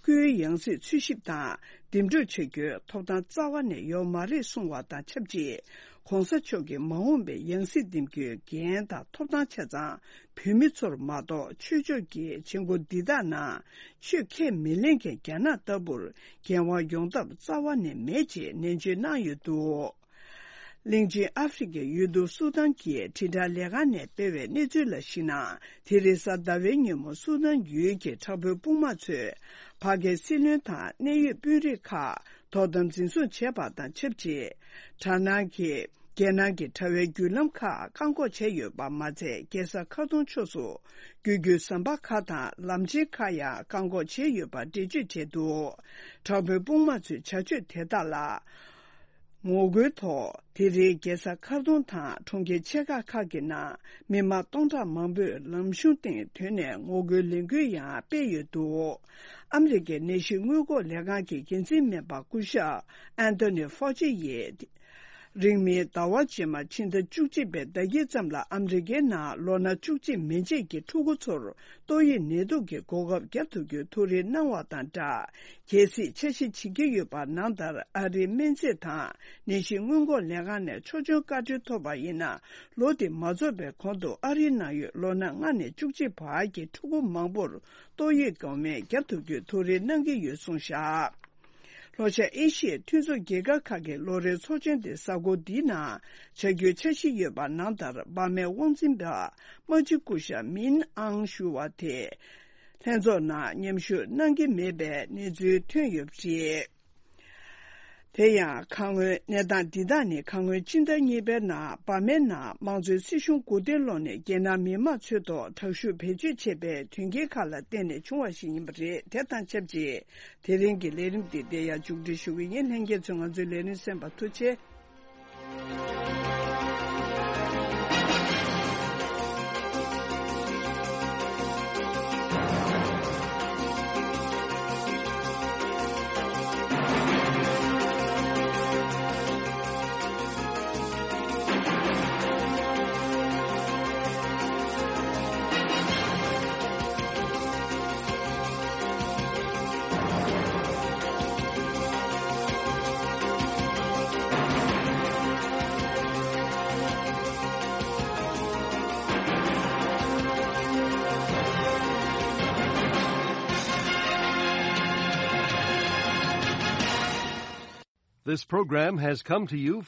སྐུའི་ཡང་སྲིད་འཚོལ་ཞིབ་དང་འདེམས་སྒྲུག་བྱ་རྒྱུའི་ཐོབ་ཐང་རྩ་བ་ནས་ཡོད་མ་རེད་གསུངས་བ་དང་ཆབས་ཅིག ༧གོང་ས་མཆོག་གི་མ་འོངས་པའི་ཡང་སྲིད་འདེམས་རྒྱུའི་འགན་དང་ཐོབ་ཐང་ཆ་ཚང་བོད་མི་ཚོར་མ་གཏོགས་ཆོས་ཕྱོགས་ཀྱི་བྱེད་སྒོ་འདི་དག་ནང་ཆོས་ཁས་མི་ལེན་མཁན་རྒྱ་ནག་ལྟ་བུར་འགན་དབང་ཡོང་ཐབས་རྩ་བ་ནས་མེད་ཅེས་ནན་བརྗོད་གནང་ཡོད་འདུག་གླིང་ཆེན་ཨ་ཧྥེ་རི་ཁའི་ཡུལ་གྲུ་སུ་དཱན་གྱི་དྲིལ་བསྒྲགས་ལས་ཁང་ནས་སྤེལ་བའི་གནས་ཚུལ་ལ་གཞིགས་ན། དེ་རིང་གཟའ་ཟླ་བའི་ཉིན་མོ་སུ་དཱན་ཡུལ་གྱི་དྲག་པོའི་དཔུང་དམག་ཚོས་ཕ་གིའི་སྲིད་བློན་དང་གནད་ཡོད་དཔོན་རིགས་ཁག་དོ་དམ་འཛིན་བཟུང་བྱས་པ་དང་ཆབས་ཅིག་དྲག་སྣང་གིས་རྒྱལ་ནང་གི་དྲ་བའི་བརྒྱུད་ལམ་ཁག་བཀག་འགོག་བྱས་ཡོད་པ་མ་ཚད། རྒྱལ་ས་ཁ་ཏུང་ཕྱོགས་སུ་རྒྱུ་རྒྱུའི་ཟམ་པ་ཁག་དང་ལམ་ཆེན་ཁག་ཡང་བཀག་འགོག་བྱས་ཡོད་པ་འགྲེལ་བརྗོད་བྱས་འདུག་དྲག་པོའི་དཔུང་དམག་ཚོའི་བྱ་སྤྱོད་དེ་དག་ལ། ངོ་རྒོལ་ཐོག་དེ་རིང་རྒྱལ་ས་ཁར་ཏུང་དང་གྲོང་ཁྱེར་ཆེ་ཁག་ཁག་གི་ནང་མི་མང་སྟོང་ཕྲག་མང་པོས་ལམ་གཞུང་སྟེང་ཐོན་ནས་ངོ་རྒོལ་ལས་འགུལ་ཡང་སྤེལ་ཡོད་འདུག་ཨ་མི་རི་ཀའི་ནད་གཞི་སྔོན་འགོག་ལས་ཁང་གི་འགན་འཛིན་སྨན་པ་སྐུ་ཞབས་ཨན་ཐོ་ནི་ཧྥོ་ཅི་ཡིས། རིང་མིན་ཟླ་བ་རྗེས་མ་ཕྱི་ཟླ་བཅུ་གཅིག་པའི་ཟླ་དཀྱིལ་ཙམ་ལ་ཨ་མི་རི་ཀའི་ནང་ལོ་ན་བཅུ་གཅིག་མན་ཆད་ཀྱི་ཕྲུ་གུ་ཚོར། ཏོག་དབྱིབས་ནད་དུག་གི་འགོག་ཁབ་བརྒྱབ་ཐུབ་རྒྱུའི་ཐུགས་རེ་གནང་བ་དང་སྦྲགས། གལ་སྲིད་འཆར་གཞི་བྱེད་ཀྱི་ཡོད་པ་ནང་ལྟར་ཨ་རིའི་སྨན་རྫས་དང་ནད་གཞི་སྔོན་འགོག་ལས་ཁང་ནས་ཆོག་མཆན་བཀའ་འཁྲོལ་ཐོབ་པ་ཡིན་ན། ལོ་འདི་མ་རྫོགས་པའི་གོང་དུ་ཨ་རིའི་ནང་ཡོད་ལོ་ན་ལྔ་ནས་བཅུ་གཅིག་བར་གྱི་ཕྲུ་གུ་མང་པོར་ཏོག་དབྱིབས་འགོག་སྨན་བརྒྱབ་ཐུབ་རྒྱུའི་ཐུགས་རེ་གནང་གི་ཡོད་གསུངས་བཞག་ལྷོ་ཤར་ཨེ་ཤི་ཡའི་མཐུན་ཚོགས་རྒྱལ་ཁབ་ཁག་གི་ལོ་རེའི་ཚོགས་ཆེན་དེ་གཟའ་འཁོར་འདིའི་ནང་བྱ་རྒྱུའི་འཆར་གཞི་ཡོད་པ་ནང་ལྟར་འབར་མའི་དབང་འཛིན་པ་དམག་སྤྱི་སྐུ་ཞབས་མིན་ཨང་ཞུ་བ་དེ་ལྷན་ཚོགས་ནང་མཉམ་ཞུགས་གནང་གི་མེད་པའི་གནས་ཚུལ་ཐོན་ཡོད་པ་རེད། དེ་ཡང་ཁ་སྔོན་གནས་སྟངས་འདི་དག་ནི་ཁ་སྔོན་ཕྱི་ཟླ་གཉིས་པའི་ནང་འབར་མའི་ནང་དམངས་གཙོའི་སྲིད་གཞུང་མགོ་རྟིང་སློག་ནས་རྒྱལ་ནང་མི་མང་ཚོའི་ཐོག་དྲག་ཤུགས་བེད་སྤྱོད་བྱས་པའི་དོན་རྐྱེན་ཁག་ལ་བརྟེན་ནས་བྱུང་བ་ཞིག་ཡིན་པ་རེད། དེ་དང་ཆབས་ཅིག་དེ་རིང་གི་ལས་རིམ་འདི་འདིར་ཡང་མཇུག་སྒྲིལ་ཞུ་གི་ཡིན། ལྷན་རྒྱས་ཚོས་ང་ཚོའི་ལས་རིམ་གསན་པར་ཐུགས་རྗེ་ཆེ། This program has come to you